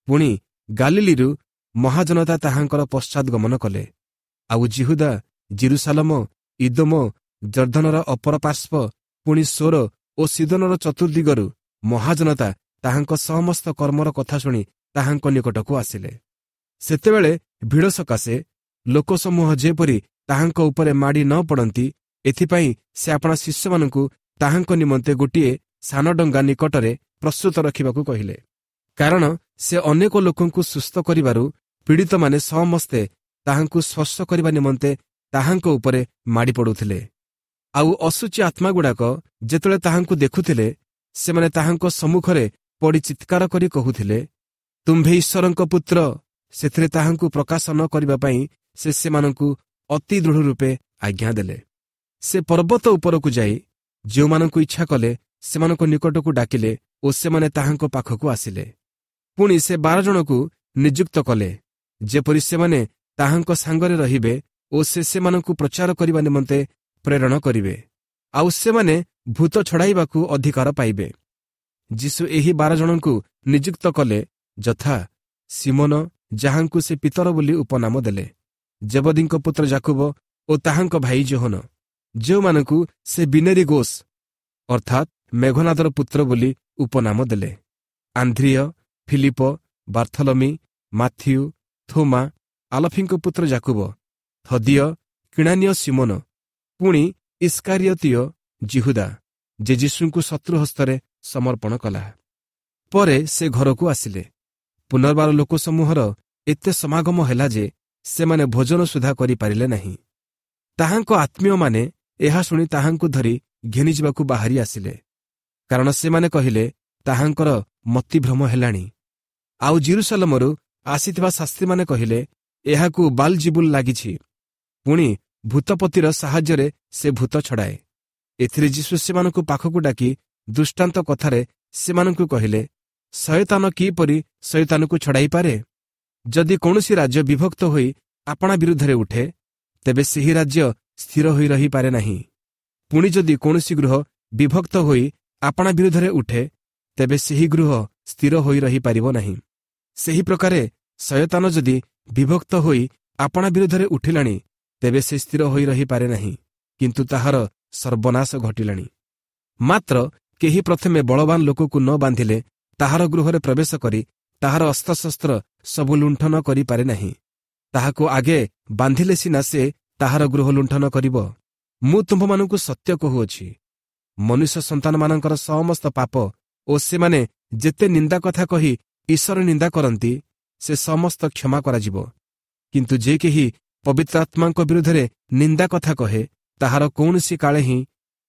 ପୁଣି ଗାଲିଲିରୁ ମହାଜନତା ତାହାଙ୍କର ପଶ୍ଚାଦଗମନ କଲେ। ଆଉ ଜିହୁଦା, ଜିରୁସାଲମ, ଇଦୋମ, ଜର୍ଦ୍ଦନର ଅପର ପାର୍ଶ୍ୱ, ପୁଣି ସୋର ଓ ସିଦୋନର ଚତୁର୍ଦ୍ଦିଗରୁ ମହାଜନତା ତାହାଙ୍କ ସମସ୍ତ କର୍ମର କଥା ଶୁଣି ତାହାଙ୍କ ନିକଟକୁ ଆସିଲେ। ସେତେବେଳେ ଭିଡ଼ ସକାଶେ ଲୋକସମୂହ ଯେପରି ତାହାଙ୍କ ଉପରେ ମାଡ଼ି ନ ପଡ଼ନ୍ତି, ଏଥିପାଇଁ ସେ ଆପଣା ଶିଷ୍ୟମାନଙ୍କୁ ତାହାଙ୍କ ନିମନ୍ତେ ଗୋଟିଏ ସାନ ଡଙ୍ଗା ନିକଟରେ ପ୍ରସ୍ତୁତ ରଖିବାକୁ କହିଲେ। କାରଣ ସେ ଅନେକ ଲୋକଙ୍କୁ ସୁସ୍ଥ କରିବାରୁ ପୀଡ଼ିତମାନେ ସମସ୍ତେ ତାହାଙ୍କୁ ସ୍ପର୍ଶ କରିବା ନିମନ୍ତେ ତାହାଙ୍କ ଉପରେ ମାଡ଼ି ପଡ଼ୁଥିଲେ। ଆଉ ଅଶୁଚି ଆତ୍ମାଗୁଡ଼ାକ ଯେତେବେଳେ ତାହାଙ୍କୁ ଦେଖୁଥିଲେ, ସେମାନେ ତାହାଙ୍କ ସମ୍ମୁଖରେ ପଡ଼ି ଚିତ୍କାର କରି କହୁଥିଲେ, ତୁମ୍ଭେ ଈଶ୍ୱରଙ୍କ ପୁତ୍ର। ସେଥିରେ ତାହାଙ୍କୁ ପ୍ରକାଶ ନ କରିବା ପାଇଁ ସେ ସେମାନଙ୍କୁ ଅତି ଦୃଢ଼ ରୂପେ ଆଜ୍ଞା ଦେଲେ। ସେ ପର୍ବତ ଉପରକୁ ଯାଇ ଯେଉଁମାନଙ୍କୁ ଇଚ୍ଛା କଲେ ସେମାନଙ୍କ ନିକଟକୁ ଡାକିଲେ ଓ ସେମାନେ ତାହାଙ୍କ ପାଖକୁ ଆସିଲେ। ପୁଣି ସେ ବାର ଜଣକୁ ନିଯୁକ୍ତ କଲେ, ଯେପରି ସେମାନେ ତାହାଙ୍କ ସାଙ୍ଗରେ ରହିବେ ଓ ସେ ସେମାନଙ୍କୁ ପ୍ରଚାର କରିବା ନିମନ୍ତେ ପ୍ରେରଣ କରିବେ, ଆଉ ସେମାନେ ଭୂତ ଛଡ଼ାଇବାକୁ ଅଧିକାର ପାଇବେ। ଯୀଶୁ ଏହି ବାର ଜଣଙ୍କୁ ନିଯୁକ୍ତ କଲେ, ଯଥା ସିମୋନ, ଯାହାଙ୍କୁ ସେ ପିତର ବୋଲି ଉପନାମ ଦେଲେ, ଜେବଦୀଙ୍କ ପୁତ୍ର ଜାକୁବ ଓ ତାହାଙ୍କ ଭାଇ ଯୋହନ, ଯେଉଁମାନଙ୍କୁ ସେ ବିନେରୀ ଗୋସ୍ ଅର୍ଥାତ୍ ମେଘନାଦର ପୁତ୍ର ବୋଲି ଉପନାମ ଦେଲେ, ଆନ୍ଧ୍ରିୟ, ଫିଲିପ, ବାର୍ଥଲମି, ମାଥିଉ, ଥୋମା, ଆଲଫିଙ୍କ ପୁତ୍ର ଜାକୁବ, ଥଦିୟ, କିଣାନୀୟ ସିମୋନ, ପୁଣି ଇସ୍କାରିୟତୀୟ ଜିହୁଦା, ଯେ ଯୀଶୁଙ୍କୁ ଶତ୍ରୁ ହସ୍ତରେ ସମର୍ପଣ କଲା। ପରେ ସେ ଘରକୁ ଆସିଲେ। ପୁନର୍ବାର ଲୋକସମୂହର ଏତେ ସମାଗମ ହେଲା ଯେ ସେମାନେ ଭୋଜନ ସୁଦ୍ଧା କରିପାରିଲେ ନାହିଁ। ତାହାଙ୍କ ଆତ୍ମୀୟମାନେ ଏହା ଶୁଣି ତାହାଙ୍କୁ ଧରି ଘେନିଯିବାକୁ ବାହାରି ଆସିଲେ, କାରଣ ସେମାନେ କହିଲେ, ତାହାଙ୍କର ମତିଭ୍ରମ ହେଲାଣି। ଆଉ ଜିରୁସାଲମରୁ ଆସିଥିବା ଶାସ୍ତ୍ରୀମାନେ କହିଲେ, ଏହାକୁ ବାଲଜିବୁଲ ଲାଗିଛି, ପୁଣି ଭୂତପତିର ସାହାଯ୍ୟରେ ସେ ଭୂତ ଛଡ଼ାଏ। ଏଥିରେ ଯୀଶୁ ସେମାନଙ୍କୁ ପାଖକୁ ଡାକି ଦୃଷ୍ଟାନ୍ତ କଥାରେ ସେମାନଙ୍କୁ କହିଲେ, ଶୟତାନ କିପରି ଶୟତାନକୁ ଛଡ଼ାଇପାରେ? ଯଦି କୌଣସି ରାଜ୍ୟ ବିଭକ୍ତ ହୋଇ ଆପଣା ବିରୁଦ୍ଧରେ ଉଠେ, ତେବେ ସେହି ରାଜ୍ୟ ସ୍ଥିର ହୋଇ ରହିପାରେ ନାହିଁ। ପୁଣି ଯଦି କୌଣସି ଗୃହ ବିଭକ୍ତ ହୋଇ ଆପଣା ବିରୁଦ୍ଧରେ ଉଠେ, ତେବେ ସେହି ଗୃହ ସ୍ଥିର ହୋଇ ରହିପାରିବ ନାହିଁ। ସେହି ପ୍ରକାରେ ଶୟତାନ ଯଦି ବିଭକ୍ତ ହୋଇ ଆପଣା ବିରୁଦ୍ଧରେ ଉଠିଲାଣି, ତେବେ ସେ ସ୍ଥିର ହୋଇ ରହିପାରେ ନାହିଁ, କିନ୍ତୁ ତାହାର ସର୍ବନାଶ ଘଟିଲାଣି। ମାତ୍ର କେହି ପ୍ରଥମେ ବଳବାନ ଲୋକକୁ ନ ବାନ୍ଧିଲେ ତାହାର ଗୃହରେ ପ୍ରବେଶ କରି ତାହାର ଅସ୍ତ୍ରଶସ୍ତ୍ର ସବୁ ଲୁଣ୍ଠନ କରିପାରେ ନାହିଁ। ତାହାକୁ ଆଗେ ବାନ୍ଧିଲେ ସିନା ସେ ତାହାର ଗୃହ ଲୁଣ୍ଠନ କରିବ। ମୁଁ ତୁମ୍ଭମାନଙ୍କୁ ସତ୍ୟ କହୁଅଛି, ମନୁଷ୍ୟ ସନ୍ତାନମାନଙ୍କର ସମସ୍ତ ପାପ ଓ ସେମାନେ ଯେତେ ନିନ୍ଦା କଥା କହି ଈଶ୍ୱର ନିନ୍ଦା କରନ୍ତି, ସେ ସମସ୍ତ କ୍ଷମା କରାଯିବ। କିନ୍ତୁ ଯେ କେହି ପବିତ୍ର ଆତ୍ମାଙ୍କ ବିରୁଦ୍ଧରେ ନିନ୍ଦା କଥା କହେ, ତାହାର କୌଣସି କାଳେ ହିଁ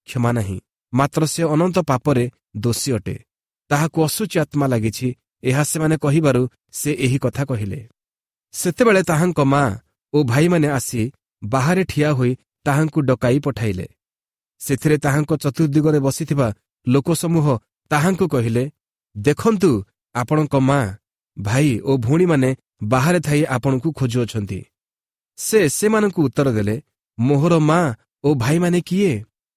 କ୍ଷମା ନାହିଁ, ମାତ୍ର ସେ ଅନନ୍ତ ପାପରେ ଦୋଷୀ ଅଟେ। ତାହାକୁ ଅଶୁଚି ଆତ୍ମା ଲାଗିଛି, ଏହା ସେମାନେ କହିବାରୁ ସେ ଏହି କଥା କହିଲେ। ସେତେବେଳେ ତାହାଙ୍କ ମା ଓ ଭାଇମାନେ ଆସି ବାହାରେ ଠିଆ ହୋଇ ତାହାଙ୍କୁ ଡକାଇ ପଠାଇଲେ। ସେଥିରେ ତାହାଙ୍କ ଚତୁର୍ଦ୍ଦିଗରେ ବସିଥିବା ଲୋକସମୂହ ତାହାଙ୍କୁ କହିଲେ, ଦେଖନ୍ତୁ, ଆପଣଙ୍କ ମା, ଭାଇ ଓ ଭଉଣୀମାନେ ବାହାରେ ଥାଇ ଆପଣଙ୍କୁ ଖୋଜୁଅଛନ୍ତି। ସେ ସେମାନଙ୍କୁ ଉତ୍ତର ଦେଲେ, ମୋହର ମା ଓ ଭାଇମାନେ କିଏ?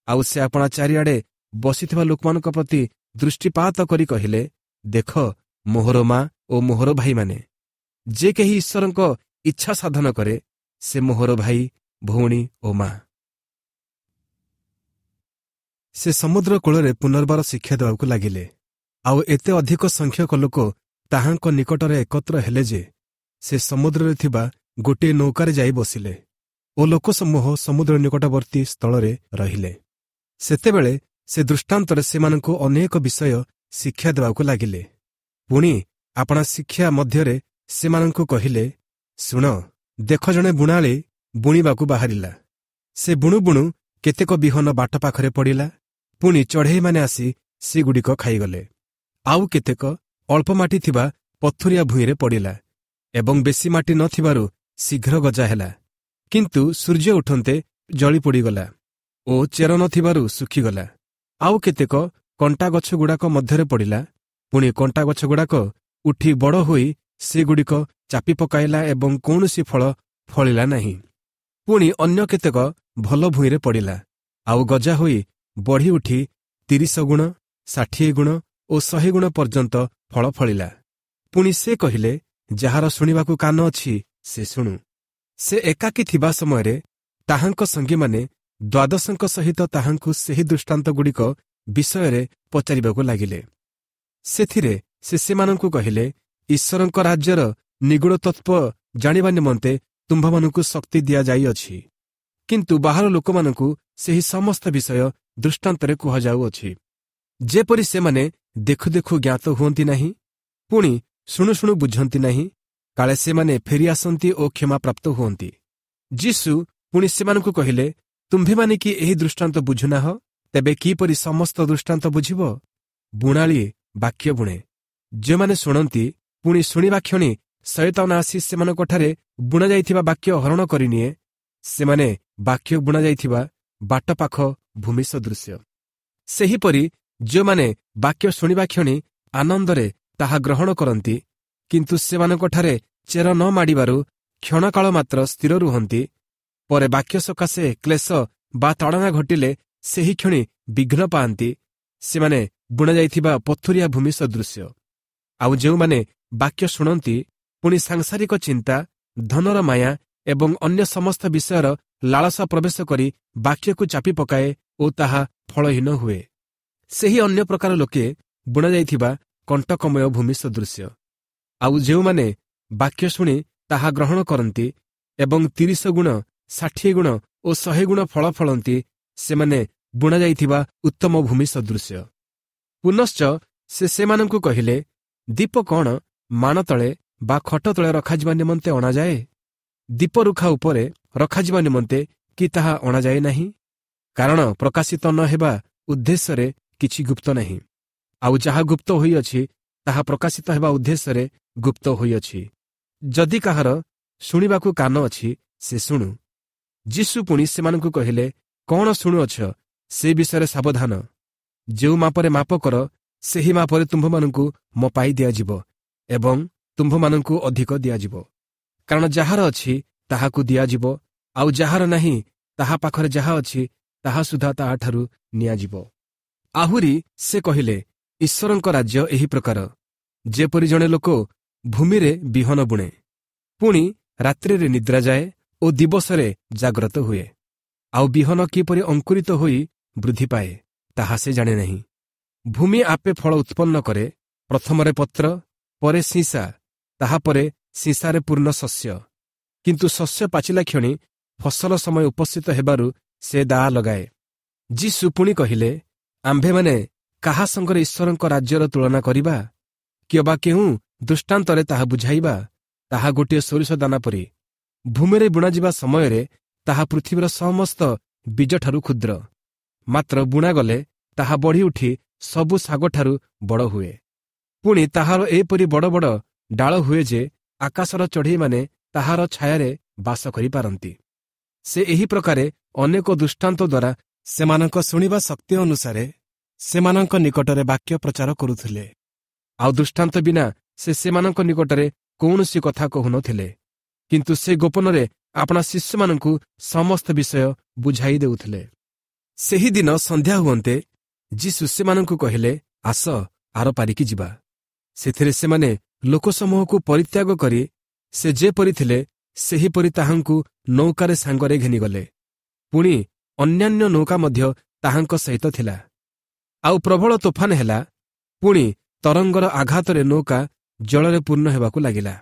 ଆଉ ସେ ଆପଣା ଚାରିଆଡ଼େ ବସିଥିବା ଲୋକମାନଙ୍କ ପ୍ରତି ଦୃଷ୍ଟିପାତ କରି କହିଲେ, ଦେଖ, ମୋହର ମା ଓ ମୋହର ଭାଇମାନେ। ଯେ କେହି ଈଶ୍ୱରଙ୍କ ଇଚ୍ଛା ସାଧନ କରେ, ସେ ମୋହର ଭାଇ, ଭଉଣୀ ଓ ମା। ସେ ସମୁଦ୍ର କୂଳରେ ପୁନର୍ବାର ଶିକ୍ଷା ଦେବାକୁ ଲାଗିଲେ। ଆଉ ଏତେ ଅଧିକ ସଂଖ୍ୟକ ଲୋକ ତାହାଙ୍କ ନିକଟରେ ଏକତ୍ର ହେଲେ ଯେ ସେ ସମୁଦ୍ରରେ ଥିବା ଗୋଟିଏ ନୌକାରେ ଯାଇ ବସିଲେ ଓ ଲୋକସମୂହ ସମୁଦ୍ର ନିକଟବର୍ତ୍ତୀ ସ୍ଥଳରେ ରହିଲେ। ସେତେବେଳେ ସେ ଦୃଷ୍ଟାନ୍ତରେ ସେମାନଙ୍କୁ ଅନେକ ବିଷୟ ଶିକ୍ଷା ଦେବାକୁ ଲାଗିଲେ। ପୁଣି ଆପଣା ଶିକ୍ଷା ମଧ୍ୟରେ ସେମାନଙ୍କୁ କହିଲେ, ଶୁଣ, ଦେଖ, ଜଣେ ବୁଣାଳି ବୁଣିବାକୁ ବାହାରିଲା। ସେ ବୁଣୁ ବୁଣୁ କେତେକ ବିହନ ବାଟ ପାଖରେ ପଡ଼ିଲା, ପୁଣି ଚଢ଼େଇମାନେ ଆସି ସେଗୁଡ଼ିକ ଖାଇଗଲେ। ଆଉ କେତେକ ଅଳ୍ପ ମାଟି ଥିବା ପଥୁରିଆ ଭୂଇଁରେ ପଡ଼ିଲା ଏବଂ ବେଶୀ ମାଟି ନଥିବାରୁ ଶୀଘ୍ର ଗଜା ହେଲା, କିନ୍ତୁ ସୂର୍ଯ୍ୟ ଉଠନ୍ତେ ଜଳି ପୋଡ଼ିଗଲା ଓ ଚେର ନଥିବାରୁ ଶୁଖିଗଲା। ଆଉ କେତେକ କଣ୍ଟା ଗଛଗୁଡ଼ାକ ମଧ୍ୟରେ ପଡ଼ିଲା, ପୁଣି କଣ୍ଟା ଗଛଗୁଡ଼ାକ ଉଠି ବଡ଼ ହୋଇ ସେଗୁଡ଼ିକ ଚାପି ପକାଇଲା ଏବଂ କୌଣସି ଫଳ ଫଳିଲା ନାହିଁ। ପୁଣି ଅନ୍ୟ କେତେକ ଭଲ ଭୂଇଁରେ ପଡ଼ିଲା, ଆଉ ଗଜା ହୋଇ ବଢ଼ି ଉଠି ତିରିଶ ଗୁଣ, ଷାଠିଏ ଗୁଣ ଓ ଶହେ ଗୁଣ ପର୍ଯ୍ୟନ୍ତ ଫଳ ଫଳିଲା। ପୁଣି ସେ କହିଲେ, ଯାହାର ଶୁଣିବାକୁ କାନ ଅଛି ସେ ଶୁଣୁ। ସେ ଏକାକୀ ଥିବା ସମୟରେ ତାହାଙ୍କ ସଙ୍ଗୀମାନେ ଦ୍ୱାଦଶଙ୍କ ସହିତ ତାହାଙ୍କୁ ସେହି ଦୃଷ୍ଟାନ୍ତଗୁଡ଼ିକ ବିଷୟରେ ପଚାରିବାକୁ ଲାଗିଲେ। ସେଥିରେ ସେ ସେମାନଙ୍କୁ କହିଲେ, ଈଶ୍ୱରଙ୍କ ରାଜ୍ୟର ନିଗୂଢ଼ ତତ୍ତ୍ୱ ଜାଣିବା ନିମନ୍ତେ ତୁମ୍ଭମାନଙ୍କୁ ଶକ୍ତି ଦିଆଯାଇଅଛି, କିନ୍ତୁ ବାହାର ଲୋକମାନଙ୍କୁ ସେହି ସମସ୍ତ ବିଷୟ ଦୃଷ୍ଟାନ୍ତରେ କୁହାଯାଉଅଛି, ଯେପରି ସେମାନେ ଦେଖୁ ଦେଖୁ ଜ୍ଞାତ ହୁଅନ୍ତି ନାହିଁ, ପୁଣି ଶୁଣୁ ଶୁଣୁ ବୁଝନ୍ତି ନାହିଁ, କାଳେ ସେମାନେ ଫେରିଆସନ୍ତି ଓ କ୍ଷମାପ୍ରାପ୍ତ ହୁଅନ୍ତି। ଯୀଶୁ ପୁଣି ସେମାନଙ୍କୁ କହିଲେ, ତୁମ୍ଭେମାନେ କି ଏହି ଦୃଷ୍ଟାନ୍ତ ବୁଝୁନାହ? ତେବେ କିପରି ସମସ୍ତ ଦୃଷ୍ଟାନ୍ତ ବୁଝିବ? ବୁଣାଳି ବାକ୍ୟ ବୁଣେ। ଯେଉଁମାନେ ଶୁଣନ୍ତି, ପୁଣି ଶୁଣିବା କ୍ଷଣି ଶୟତାନ ଆସି ସେମାନଙ୍କଠାରେ ବୁଣାଯାଇଥିବା ବାକ୍ୟ ହରଣ କରିନିଏ, ସେମାନେ ବାକ୍ୟ ବୁଣାଯାଇଥିବା ବାଟ ପାଖ ଭୂମି ସଦୃଶ୍ୟ। ସେହିପରି ଯେଉଁମାନେ ବାକ୍ୟ ଶୁଣିବା କ୍ଷଣି ଆନନ୍ଦରେ ତାହା ଗ୍ରହଣ କରନ୍ତି, କିନ୍ତୁ ସେମାନଙ୍କଠାରେ ଚେର ନ ମାଡ଼ିବାରୁ କ୍ଷଣକାଳ ମାତ୍ର ସ୍ଥିର ରୁହନ୍ତି, ପରେ ବାକ୍ୟ ସକାଶେ କ୍ଲେଶ ବା ତାଡ଼ନା ଘଟିଲେ ସେହି କ୍ଷଣି ବିଘ୍ନ ପାଆନ୍ତି, ସେମାନେ ବୁଣାଯାଇଥିବା ପଥୁରିଆ ଭୂମି ସଦୃଶ୍ୟ। ଆଉ ଯେଉଁମାନେ ବାକ୍ୟ ଶୁଣନ୍ତି, ପୁଣି ସାଂସାରିକ ଚିନ୍ତା, ଧନର ମାୟା ଏବଂ ଅନ୍ୟ ସମସ୍ତ ବିଷୟର ଲାଳସା ପ୍ରବେଶ କରି ବାକ୍ୟକୁ ଚାପି ପକାଏ ଓ ତାହା ଫଳହୀନ ହୁଏ, ସେହି ଅନ୍ୟ ପ୍ରକାର ଲୋକେ ବୁଣାଯାଇଥିବା କଣ୍ଟକମୟ ଭୂମି ସଦୃଶ୍ୟ। ଆଉ ଯେଉଁମାନେ ବାକ୍ୟ ଶୁଣି ତାହା ଗ୍ରହଣ କରନ୍ତି ଏବଂ ତିରିଶ ଗୁଣ, ଷାଠିଏ ଗୁଣ ଓ ଶହେ ଗୁଣ ଫଳ ଫଳନ୍ତି, ସେମାନେ ବୁଣାଯାଇଥିବା ଉତ୍ତମ ଭୂମି ସଦୃଶ୍ୟ। ପୁନଶ୍ଚ ସେ ସେମାନଙ୍କୁ କହିଲେ, ଦୀପ କ'ଣ ମାଣ ତଳେ ବା ଖଟ ତଳେ ରଖାଯିବା ନିମନ୍ତେ ଅଣାଯାଏ? ଦୀପ ରୁଖା ଉପରେ ରଖାଯିବା ନିମନ୍ତେ କି ତାହା ଅଣାଯାଏ ନାହିଁ? କାରଣ ପ୍ରକାଶିତ ନ ହେବା ଉଦ୍ଦେଶ୍ୟରେ କିଛି ଗୁପ୍ତ ନାହିଁ, ଆଉ ଯାହା ଗୁପ୍ତ ହୋଇଅଛି ତାହା ପ୍ରକାଶିତ ହେବା ଉଦ୍ଦେଶ୍ୟରେ ଗୁପ୍ତ ହୋଇଅଛି। ଯଦି କାହାର ଶୁଣିବାକୁ କାନ ଅଛି ସେ ଶୁଣୁ। ଯୀଶୁ ପୁଣି ସେମାନଙ୍କୁ କହିଲେ, କ'ଣ ଶୁଣୁଅଛ ସେ ବିଷୟରେ ସାବଧାନ। ଯେଉଁ ମାପରେ ମାପ କର, ସେହି ମାପରେ ତୁମ୍ଭମାନଙ୍କୁ ମପାଇ ଦିଆଯିବ ଏବଂ ତୁମ୍ଭମାନଙ୍କୁ ଅଧିକ ଦିଆଯିବ। କାରଣ ଯାହାର ଅଛି ତାହାକୁ ଦିଆଯିବ, ଆଉ ଯାହାର ନାହିଁ ତାହା ପାଖରେ ଯାହା ଅଛି ତାହା ସୁଦ୍ଧା ତାହାଠାରୁ ନିଆଯିବ। ଆହୁରି ସେ କହିଲେ, ଈଶ୍ୱରଙ୍କ ରାଜ୍ୟ ଏହି ପ୍ରକାର, ଯେପରି ଜଣେ ଲୋକ ଭୂମିରେ ବିହନ ବୁଣେ, ପୁଣି ରାତ୍ରିରେ ନିଦ୍ରା ଯାଏ ଓ ଦିବସରେ ଜାଗ୍ରତ ହୁଏ, ଆଉ ବିହନ କିପରି ଅଙ୍କୁରିତ ହୋଇ ବୃଦ୍ଧି ପାଏ ତାହା ସେ ଜାଣେ ନାହିଁ। ଭୂମି ଆପେ ଫଳ ଉତ୍ପନ୍ନ କରେ, ପ୍ରଥମରେ ପତ୍ର, ପରେ ଶୀଷା, ତାହାପରେ ଶୀଷାରେ ପୂର୍ଣ୍ଣ ଶସ୍ୟ। କିନ୍ତୁ ଶସ୍ୟ ପାଚିଲା କ୍ଷଣି ଫସଲ ସମୟ ଉପସ୍ଥିତ ହେବାରୁ ସେ ଦାଆ ଲଗାଏ। ଯୀଶୁ ପୁଣି କହିଲେ, ଆମ୍ଭେମାନେ କାହା ସଙ୍ଗରେ ଈଶ୍ୱରଙ୍କ ରାଜ୍ୟର ତୁଳନା କରିବା, କିମ୍ବା କେଉଁ ଦୃଷ୍ଟାନ୍ତରେ ତାହା ବୁଝାଇବା? ତାହା ଗୋଟିଏ ସୋରିଷ ଦାନା ପରି। ଭୂମିରେ ବୁଣାଯିବା ସମୟରେ ତାହା ପୃଥିବୀର ସମସ୍ତ ବୀଜଠାରୁ କ୍ଷୁଦ୍ର, ମାତ୍ର ବୁଣାଗଲେ ତାହା ବଢ଼ି ଉଠି ସବୁ ଶାଗଠାରୁ ବଡ଼ ହୁଏ। ପୁଣି ତାହାର ଏପରି ବଡ଼ ବଡ଼ ଡାଳ ହୁଏ ଯେ ଆକାଶର ଚଢ଼େଇମାନେ ତାହାର ଛାୟାରେ ବାସ କରିପାରନ୍ତି। ସେ ଏହି ପ୍ରକାରେ ଅନେକ ଦୃଷ୍ଟାନ୍ତ ଦ୍ୱାରା ସେମାନଙ୍କ ଶୁଣିବା ଶକ୍ତି ଅନୁସାରେ ସେମାନଙ୍କ ନିକଟରେ ବାକ୍ୟ ପ୍ରଚାର କରୁଥିଲେ। ଆଉ ଦୃଷ୍ଟାନ୍ତ ବିନା ସେ ସେମାନଙ୍କ ନିକଟରେ କୌଣସି କଥା କହୁନଥିଲେ, କିନ୍ତୁ ସେ ଗୋପନରେ ଆପଣା ଶିଷ୍ୟମାନଙ୍କୁ ସମସ୍ତ ବିଷୟ ବୁଝାଇ ଦେଉଥିଲେ। ସେହିଦିନ ସନ୍ଧ୍ୟା ହୁଅନ୍ତେ ଯୀଶୁ ସେମାନଙ୍କୁ କହିଲେ, ଆସ ଆର ପାରିକି ଯିବା। ସେଥିରେ ସେମାନେ ଲୋକସମୂହକୁ ପରିତ୍ୟାଗ କରି ସେ ଯେପରି ଥିଲେ ସେହିପରି ତାହାଙ୍କୁ ନୌକାରେ ସାଙ୍ଗରେ ଘେନିଗଲେ। ପୁଣି ଅନ୍ୟାନ୍ୟ ନୌକା ମଧ୍ୟ ତାହାଙ୍କ ସହିତ ଥିଲା। ଆଉ ପ୍ରବଳ ତୋଫାନ ହେଲା, ପୁଣି ତରଙ୍ଗର ଆଘାତରେ ନୌକା ଜଳରେ ପୂର୍ଣ୍ଣ ହେବାକୁ ଲାଗିଲା।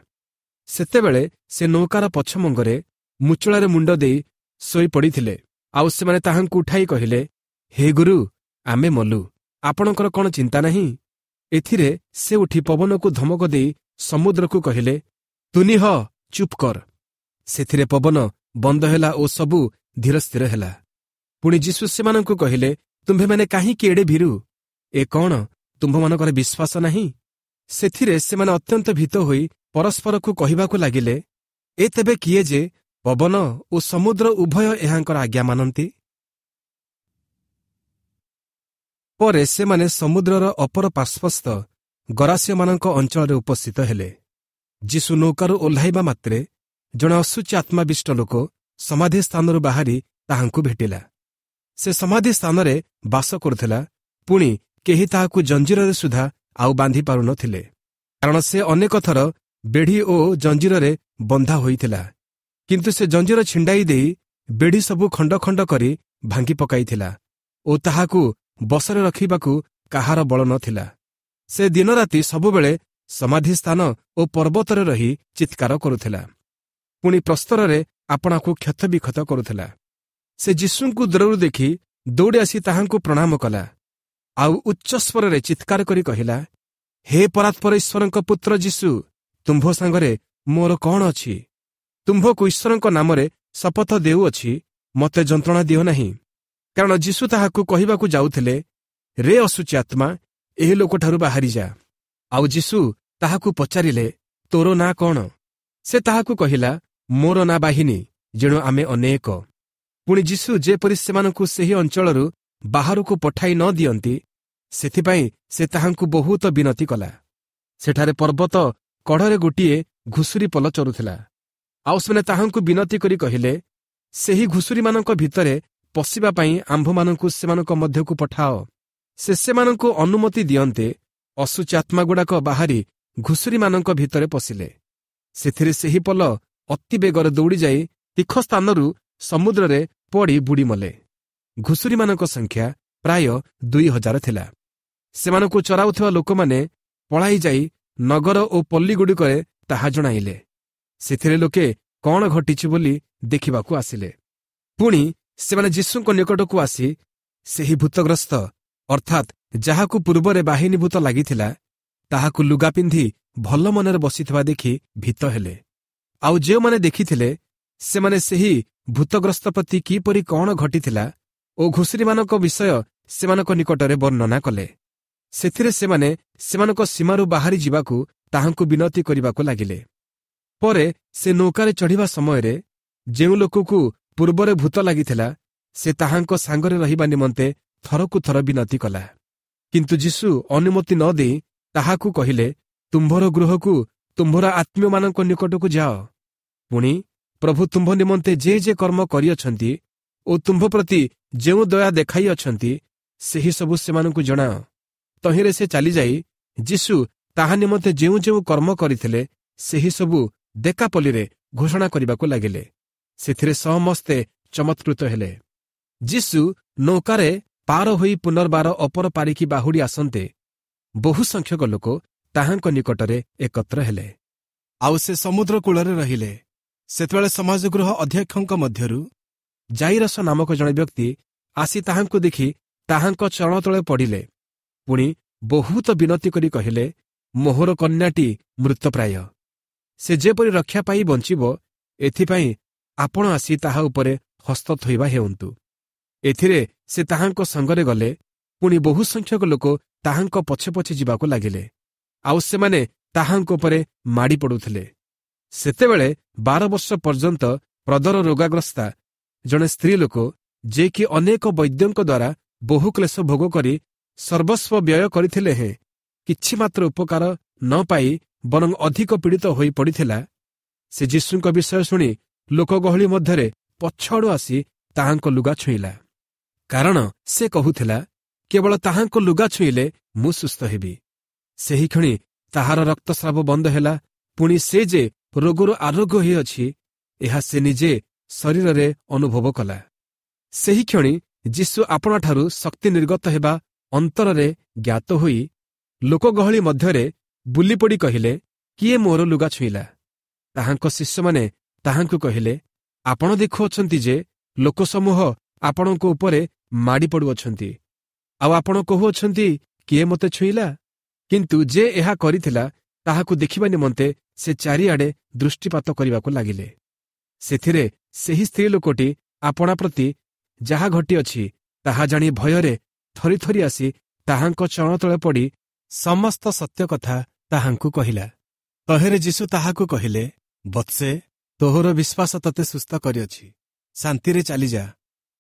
ସେତେବେଳେ ସେ ନୌକାର ପଛମଙ୍ଗରେ ମୁଚୁଳାରେ ମୁଣ୍ଡ ଦେଇ ଶୋଇପଡ଼ିଥିଲେ। ଆଉ ସେମାନେ ତାହାଙ୍କୁ ଉଠାଇ କହିଲେ, ହେ ଗୁରୁ, ଆମେ ମଲୁ, ଆପଣଙ୍କର କ'ଣ ଚିନ୍ତା ନାହିଁ? ଏଥିରେ ସେ ଉଠି ପବନକୁ ଧମକ ଦେଇ ସମୁଦ୍ରକୁ କହିଲେ, ତୁନି ହ, ଚୁପ୍ କର। ସେଥିରେ ପବନ ବନ୍ଦ ହେଲା ଓ ସବୁ ଧୀର ସ୍ଥିର ହେଲା। ପୁଣି ଯୀଶୁ ସେମାନଙ୍କୁ କହିଲେ, ତୁମ୍ଭେମାନେ କାହିଁକି ଏଡ଼େ ଭୀରୁ? ଏ କ'ଣ ତୁମ୍ଭମାନଙ୍କର ବିଶ୍ୱାସ ନାହିଁ? ସେଥିରେ ସେମାନେ ଅତ୍ୟନ୍ତ ଭୀତ ହୋଇ ପରସ୍ପରକୁ କହିବାକୁ ଲାଗିଲେ, ଏ ତେବେ କିଏ ଯେ ପବନ ଓ ସମୁଦ୍ର ଉଭୟ ଏହାଙ୍କର ଆଜ୍ଞା ମାନନ୍ତି? ପରେ ସେମାନେ ସମୁଦ୍ରର ଅପର ପାର୍ଶ୍ୱସ୍ଥ ଗରାସୀୟମାନଙ୍କ ଅଞ୍ଚଳରେ ଉପସ୍ଥିତ ହେଲେ। ଯୀଶୁ ନୌକାରୁ ଓହ୍ଲାଇବା ମାତ୍ରେ ଜଣେ ଅଶୁଚି ଆତ୍ମାବିଷ୍ଟ ଲୋକ ସମାଧି ସ୍ଥାନରୁ ବାହାରି ତାହାଙ୍କୁ ଭେଟିଲା। ସେ ସମାଧି ସ୍ଥାନରେ ବାସ କରୁଥିଲା, ପୁଣି କେହି ତାହାକୁ ଜଞ୍ଜିରରେ ସୁଦ୍ଧା ଆଉ ବାନ୍ଧି ପାରୁନଥିଲେ, କାରଣ ସେ ଅନେକ ଥର ବେଢ଼ି ଓ ଜଞ୍ଜିରରେ ବନ୍ଧା ହୋଇଥିଲା କିନ୍ତୁ ସେ ଜଞ୍ଜିର ଛିଣ୍ଡାଇ ଦେଇ ବେଢ଼ି ସବୁ ଖଣ୍ଡ ଖଣ୍ଡ କରି ଭାଙ୍ଗି ପକାଇଥିଲା ଓ ତାହାକୁ ବଶରେ ରଖିବାକୁ କାହାର ବଳ ନଥିଲା ସେ ଦିନରାତି ସବୁବେଳେ ସମାଧି ସ୍ଥାନ ଓ ପର୍ବତରେ ରହି ଚିତ୍କାର କରୁଥିଲା ପୁଣି ପ୍ରସ୍ତରରେ ଆପଣାକୁ କ୍ଷତବିକ୍ଷତ କରୁଥିଲା ସେ ଯୀଶୁଙ୍କୁ ଦୂରରୁ ଦେଖି ଦୌଡ଼ି ଆସି ତାହାଙ୍କୁ ପ୍ରଣାମ କଲା ଆଉ ଉଚ୍ଚସ୍ୱରରେ ଚିତ୍କାର କରି କହିଲା ହେ ପରାତ୍ପର ଈଶ୍ୱରଙ୍କ ପୁତ୍ର ଯୀଶୁ ତୁମ୍ଭ ସାଙ୍ଗରେ ମୋର କ'ଣ ଅଛି ତୁମ୍ଭକୁ ଈଶ୍ୱରଙ୍କ ନାମରେ ଶପଥ ଦେଉଅଛି ମୋତେ ଯନ୍ତ୍ରଣା ଦିଅ ନାହିଁ କାରଣ ଯୀଶୁ ତାହାକୁ କହିବାକୁ ଯାଉଥିଲେ ରେ ଅଶୁଚି ଆତ୍ମା ଏହି ଲୋକଠାରୁ ବାହାରିଯା ଆଉ ଯୀଶୁ ତାହାକୁ ପଚାରିଲେ ତୋର ନାଁ କ'ଣ ସେ ତାହାକୁ କହିଲା ମୋର ନାଁ ବାହିନୀ ଯେଣୁ ଆମେ ଅନେକ ପୁଣି ଯୀଶୁ ଯେପରି ସେମାନଙ୍କୁ ସେହି ଅଞ୍ଚଳରୁ ବାହାରକୁ ପଠାଇ ନ ଦିଅନ୍ତି ସେଥିପାଇଁ ସେ ତାହାଙ୍କୁ ବହୁତ ବିନତି କଲା ସେଠାରେ ପର୍ବତ କଢ଼ରେ ଗୋଟିଏ ଘୁଷୁରୀ ପଲ ଚରୁଥିଲା ଆଉ ସେମାନେ ତାହାଙ୍କୁ ବିନତି କରି କହିଲେ ସେହି ଘୁଷୁରୀମାନଙ୍କ ଭିତରେ ପଶିବା ପାଇଁ ଆମ୍ଭମାନଙ୍କୁ ସେମାନଙ୍କ ମଧ୍ୟକୁ ପଠାଅ ସେ ସେମାନଙ୍କୁ ଅନୁମତି ଦିଅନ୍ତେ ଅଶୁଚି ଆତ୍ମାଗୁଡ଼ାକ ବାହାରି ଘୁଷୁରୀମାନଙ୍କ ଭିତରେ ପଶିଲେ ସେଥିରେ ସେହି ପଲ ଅତି ବେଗରେ ଦୌଡ଼ିଯାଇ ତୀଖ ସ୍ଥାନରୁ ସମୁଦ୍ରରେ ପଡ଼ି ବୁଡ଼ି ମଲେ ଘୁଷୁରୀମାନଙ୍କ ସଂଖ୍ୟା ପ୍ରାୟ ଦୁଇ ହଜାର ଥିଲା ସେମାନଙ୍କୁ ଚରାଉଥିବା ଲୋକମାନେ ପଳାଇ ଯାଇ ନଗର ଓ ପଲ୍ଲୀଗୁଡ଼ିକରେ ତାହା ଜଣାଇଲେ ସେଥିରେ ଲୋକେ କ'ଣ ଘଟିଛି ବୋଲି ଦେଖିବାକୁ ଆସିଲେ ପୁଣି ସେମାନେ ଯୀଶୁଙ୍କ ନିକଟକୁ ଆସି ସେହି ଭୂତଗ୍ରସ୍ତ ଅର୍ଥାତ୍ ଯାହାକୁ ପୂର୍ବରେ ବାହିନୀ ଭୂତ ଲାଗିଥିଲା ତାହାକୁ ଲୁଗା ପିନ୍ଧି ଭଲ ମନରେ ବସିଥିବା ଦେଖି ଭୀତ ହେଲେ ଆଉ ଯେଉଁମାନେ ଦେଖିଥିଲେ ସେମାନେ ସେହି ଭୂତଗ୍ରସ୍ତ ପ୍ରତି କିପରି କ'ଣ ଘଟିଥିଲା ଓ ଘୁଷୁରୀମାନଙ୍କ ବିଷୟ ସେମାନଙ୍କ ନିକଟରେ ବର୍ଣ୍ଣନା କଲେ ସେଥିରେ ସେମାନେ ସେମାନଙ୍କ ସୀମାରୁ ବାହାରି ଯିବାକୁ ତାହାଙ୍କୁ ବିନତି କରିବାକୁ ଲାଗିଲେ ପରେ ସେ ନୌକାରେ ଚଢ଼ିବା ସମୟରେ ଯେଉଁ ଲୋକକୁ ପୂର୍ବରେ ଭୂତ ଲାଗିଥିଲା ସେ ତାହାଙ୍କ ସାଙ୍ଗରେ ରହିବା ନିମନ୍ତେ ଥରକୁ ଥର ବିନତି କଲା କିନ୍ତୁ ଯୀଶୁ ଅନୁମତି ନ ଦେଇ ତାହାକୁ କହିଲେ ତୁମ୍ଭର ଗୃହକୁ ତୁମ୍ଭର ଆତ୍ମୀୟମାନଙ୍କ ନିକଟକୁ ଯାଅ ପୁଣି ପ୍ରଭୁ ତୁମ୍ଭ ନିମନ୍ତେ ଯେ ଯେ କର୍ମ କରିଅଛନ୍ତି ଓ ତୁମ୍ଭ ପ୍ରତି ଯେଉଁ ଦୟା ଦେଖାଇଅଛନ୍ତି ସେହି ସବୁ ସେମାନଙ୍କୁ ଜଣାଅ ତହିଁରେ ସେ ଚାଲିଯାଇ ଯୀଶୁ ତାହା ନିମନ୍ତେ ଯେଉଁ ଯେଉଁ କର୍ମ କରିଥିଲେ ସେହି ସବୁ ଦେକାପଲ୍ଲୀରେ ଘୋଷଣା କରିବାକୁ ଲାଗିଲେ ସେଥିରେ ସମସ୍ତେ ଚମତ୍କୃତ ହେଲେ ଯୀଶୁ ନୌକାରେ ପାର ହୋଇ ପୁନର୍ବାର ଅପର ପାରିକି ବାହୁଡ଼ି ଆସନ୍ତେ ବହୁ ସଂଖ୍ୟକ ଲୋକ ତାହାଙ୍କ ନିକଟରେ ଏକତ୍ର ହେଲେ ଆଉ ସେ ସମୁଦ୍ର କୂଳରେ ରହିଲେ ସେତେବେଳେ ସମାଜଗୃହ ଅଧ୍ୟକ୍ଷଙ୍କ ମଧ୍ୟରୁ ଜାଇରସ ନାମକ ଜଣେ ବ୍ୟକ୍ତି ଆସି ତାହାଙ୍କୁ ଦେଖି ତାହାଙ୍କ ଚରଣ ତଳେ ପଡ଼ିଲେ ପୁଣି ବହୁତ ବିନତି କରି କହିଲେ ମୋହର କନ୍ୟାଟି ମୃତପ୍ରାୟ ସେ ଯେପରି ରକ୍ଷା ପାଇ ବଞ୍ଚିବ ଏଥିପାଇଁ ଆପଣ ଆସି ତାହା ଉପରେ ହସ୍ତ ଥୋଇବା ହେଉନ୍ତୁ ଏଥିରେ ସେ ତାହାଙ୍କ ସଙ୍ଗରେ ଗଲେ ପୁଣି ବହୁ ସଂଖ୍ୟକ ଲୋକ ତାହାଙ୍କ ପଛେ ପଛେ ଯିବାକୁ ଲାଗିଲେ ଆଉ ସେମାନେ ତାହାଙ୍କ ଉପରେ ମାଡ଼ି ପଡ଼ୁଥିଲେ ସେତେବେଳେ ବାର ବର୍ଷ ପର୍ଯ୍ୟନ୍ତ ପ୍ରଦର ରୋଗାଗ୍ରସ୍ତା ଜଣେ ସ୍ତ୍ରୀ ଲୋକ ଯେ କି ଅନେକ ବୈଦ୍ୟଙ୍କ ଦ୍ୱାରା ବହୁ କ୍ଲେଶ ଭୋଗ କରି ସର୍ବସ୍ୱ ବ୍ୟୟ କରିଥିଲେ ହେଁ କିଛି ମାତ୍ର ଉପକାର ନ ପାଇ ବରଂ ଅଧିକ ପୀଡ଼ିତ ହୋଇ ପଡ଼ିଥିଲା ସେ ଯୀଶୁଙ୍କ ବିଷୟ ଶୁଣି ଲୋକଗହଳି ମଧ୍ୟରେ ପଛଆଡ଼ୁ ଆସି ତାହାଙ୍କ ଲୁଗା ଛୁଇଁଲା କାରଣ ସେ କହୁଥିଲା କେବଳ ତାହାଙ୍କ ଲୁଗା ଛୁଇଁଲେ ମୁଁ ସୁସ୍ଥ ହେବି ସେହିକ୍ଷଣି ତାହାର ରକ୍ତସ୍ରାବ ବନ୍ଦ ହେଲା ପୁଣି ସେ ଯେ ରୋଗରୁ ଆରୋଗ୍ୟ ହୋଇଅଛି ଏହା ସେ ନିଜେ ଶରୀରରେ ଅନୁଭବ କଲା ସେହିକ୍ଷଣି ଯୀଶୁ ଆପଣାଠାରୁ ଶକ୍ତି ନିର୍ଗତ ହେବା ଅନ୍ତରରେ ଜ୍ଞାତ ହୋଇ ଲୋକଗହଳି ମଧ୍ୟରେ ବୁଲିପଡ଼ି କହିଲେ କିଏ ମୋର ଲୁଗା ଛୁଇଁଲା ତାହାଙ୍କ ଶିଷ୍ୟମାନେ ତାହାଙ୍କୁ କହିଲେ ଆପଣ ଦେଖୁଅଛନ୍ତି ଯେ ଲୋକସମୂହ ଆପଣଙ୍କ ଉପରେ ମାଡ଼ି ପଡ଼ୁଅଛନ୍ତି ଆଉ ଆପଣ କହୁଅଛନ୍ତି କିଏ ମୋତେ ଛୁଇଁଲା କିନ୍ତୁ ଯେ ଏହା କରିଥିଲା ତାହାକୁ ଦେଖିବା ନିମନ୍ତେ ସେ ଚାରିଆଡ଼େ ଦୃଷ୍ଟିପାତ କରିବାକୁ ଲାଗିଲେ ସେଥିରେ ସେହି ସ୍ତ୍ରୀ ଲୋକଟି ଆପଣା ପ୍ରତି ଯାହା ଘଟିଅଛି ତାହା ଜାଣି ଭୟରେ ଥରି ଥରି ଆସି ତାହାଙ୍କ ଚରଣ ତଳେ ପଡ଼ି ସମସ୍ତ ସତ୍ୟ କଥା ତାହାଙ୍କୁ କହିଲା ତହିଁରେ ଯୀଶୁ ତାହାକୁ କହିଲେ ବତ୍ସେ ତୋହର ବିଶ୍ୱାସ ତତେ ସୁସ୍ଥ କରିଅଛି ଶାନ୍ତିରେ ଚାଲିଯା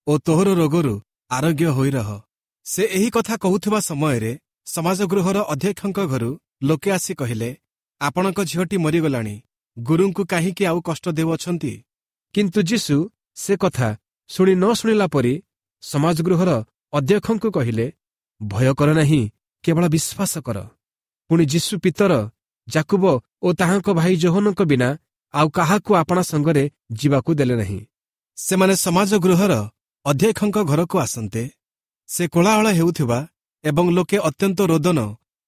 ଓ ତୋହର ରୋଗରୁ ଆରୋଗ୍ୟ ହୋଇ ରହ ସେ ଏହି କଥା କହୁଥିବା ସମୟରେ ସମାଜଗୃହର ଅଧ୍ୟକ୍ଷଙ୍କ ଘରୁ ଲୋକେ ଆସି କହିଲେ ଆପଣଙ୍କ ଝିଅଟି ମରିଗଲାଣି ଗୁରୁଙ୍କୁ କାହିଁକି ଆଉ କଷ୍ଟ ଦେଉଅଛନ୍ତି କିନ୍ତୁ ଯୀଶୁ ସେ କଥା ଶୁଣି ନ ଶୁଣିଲା ପରି ସମାଜଗୃହର ଅଧ୍ୟକ୍ଷଙ୍କୁ କହିଲେ ଭୟ କର ନାହିଁ କେବଳ ବିଶ୍ୱାସ କର ପୁଣି ଯୀଶୁ ପିତର ଯାକୁବ ଓ ତାହାଙ୍କ ଭାଇ ଯୋହନଙ୍କ ବିନା ଆଉ କାହାକୁ ଆପଣା ସଙ୍ଗରେ ଯିବାକୁ ଦେଲେ ନାହିଁ। ସେମାନେ ସମାଜ ଗୃହର ଅଧ୍ୟକ୍ଷଙ୍କ ଘରକୁ ଆସନ୍ତେ ସେ କୋଳାହଳ ହେଉଥିବା ଏବଂ ଲୋକେ ଅତ୍ୟନ୍ତ ରୋଦନ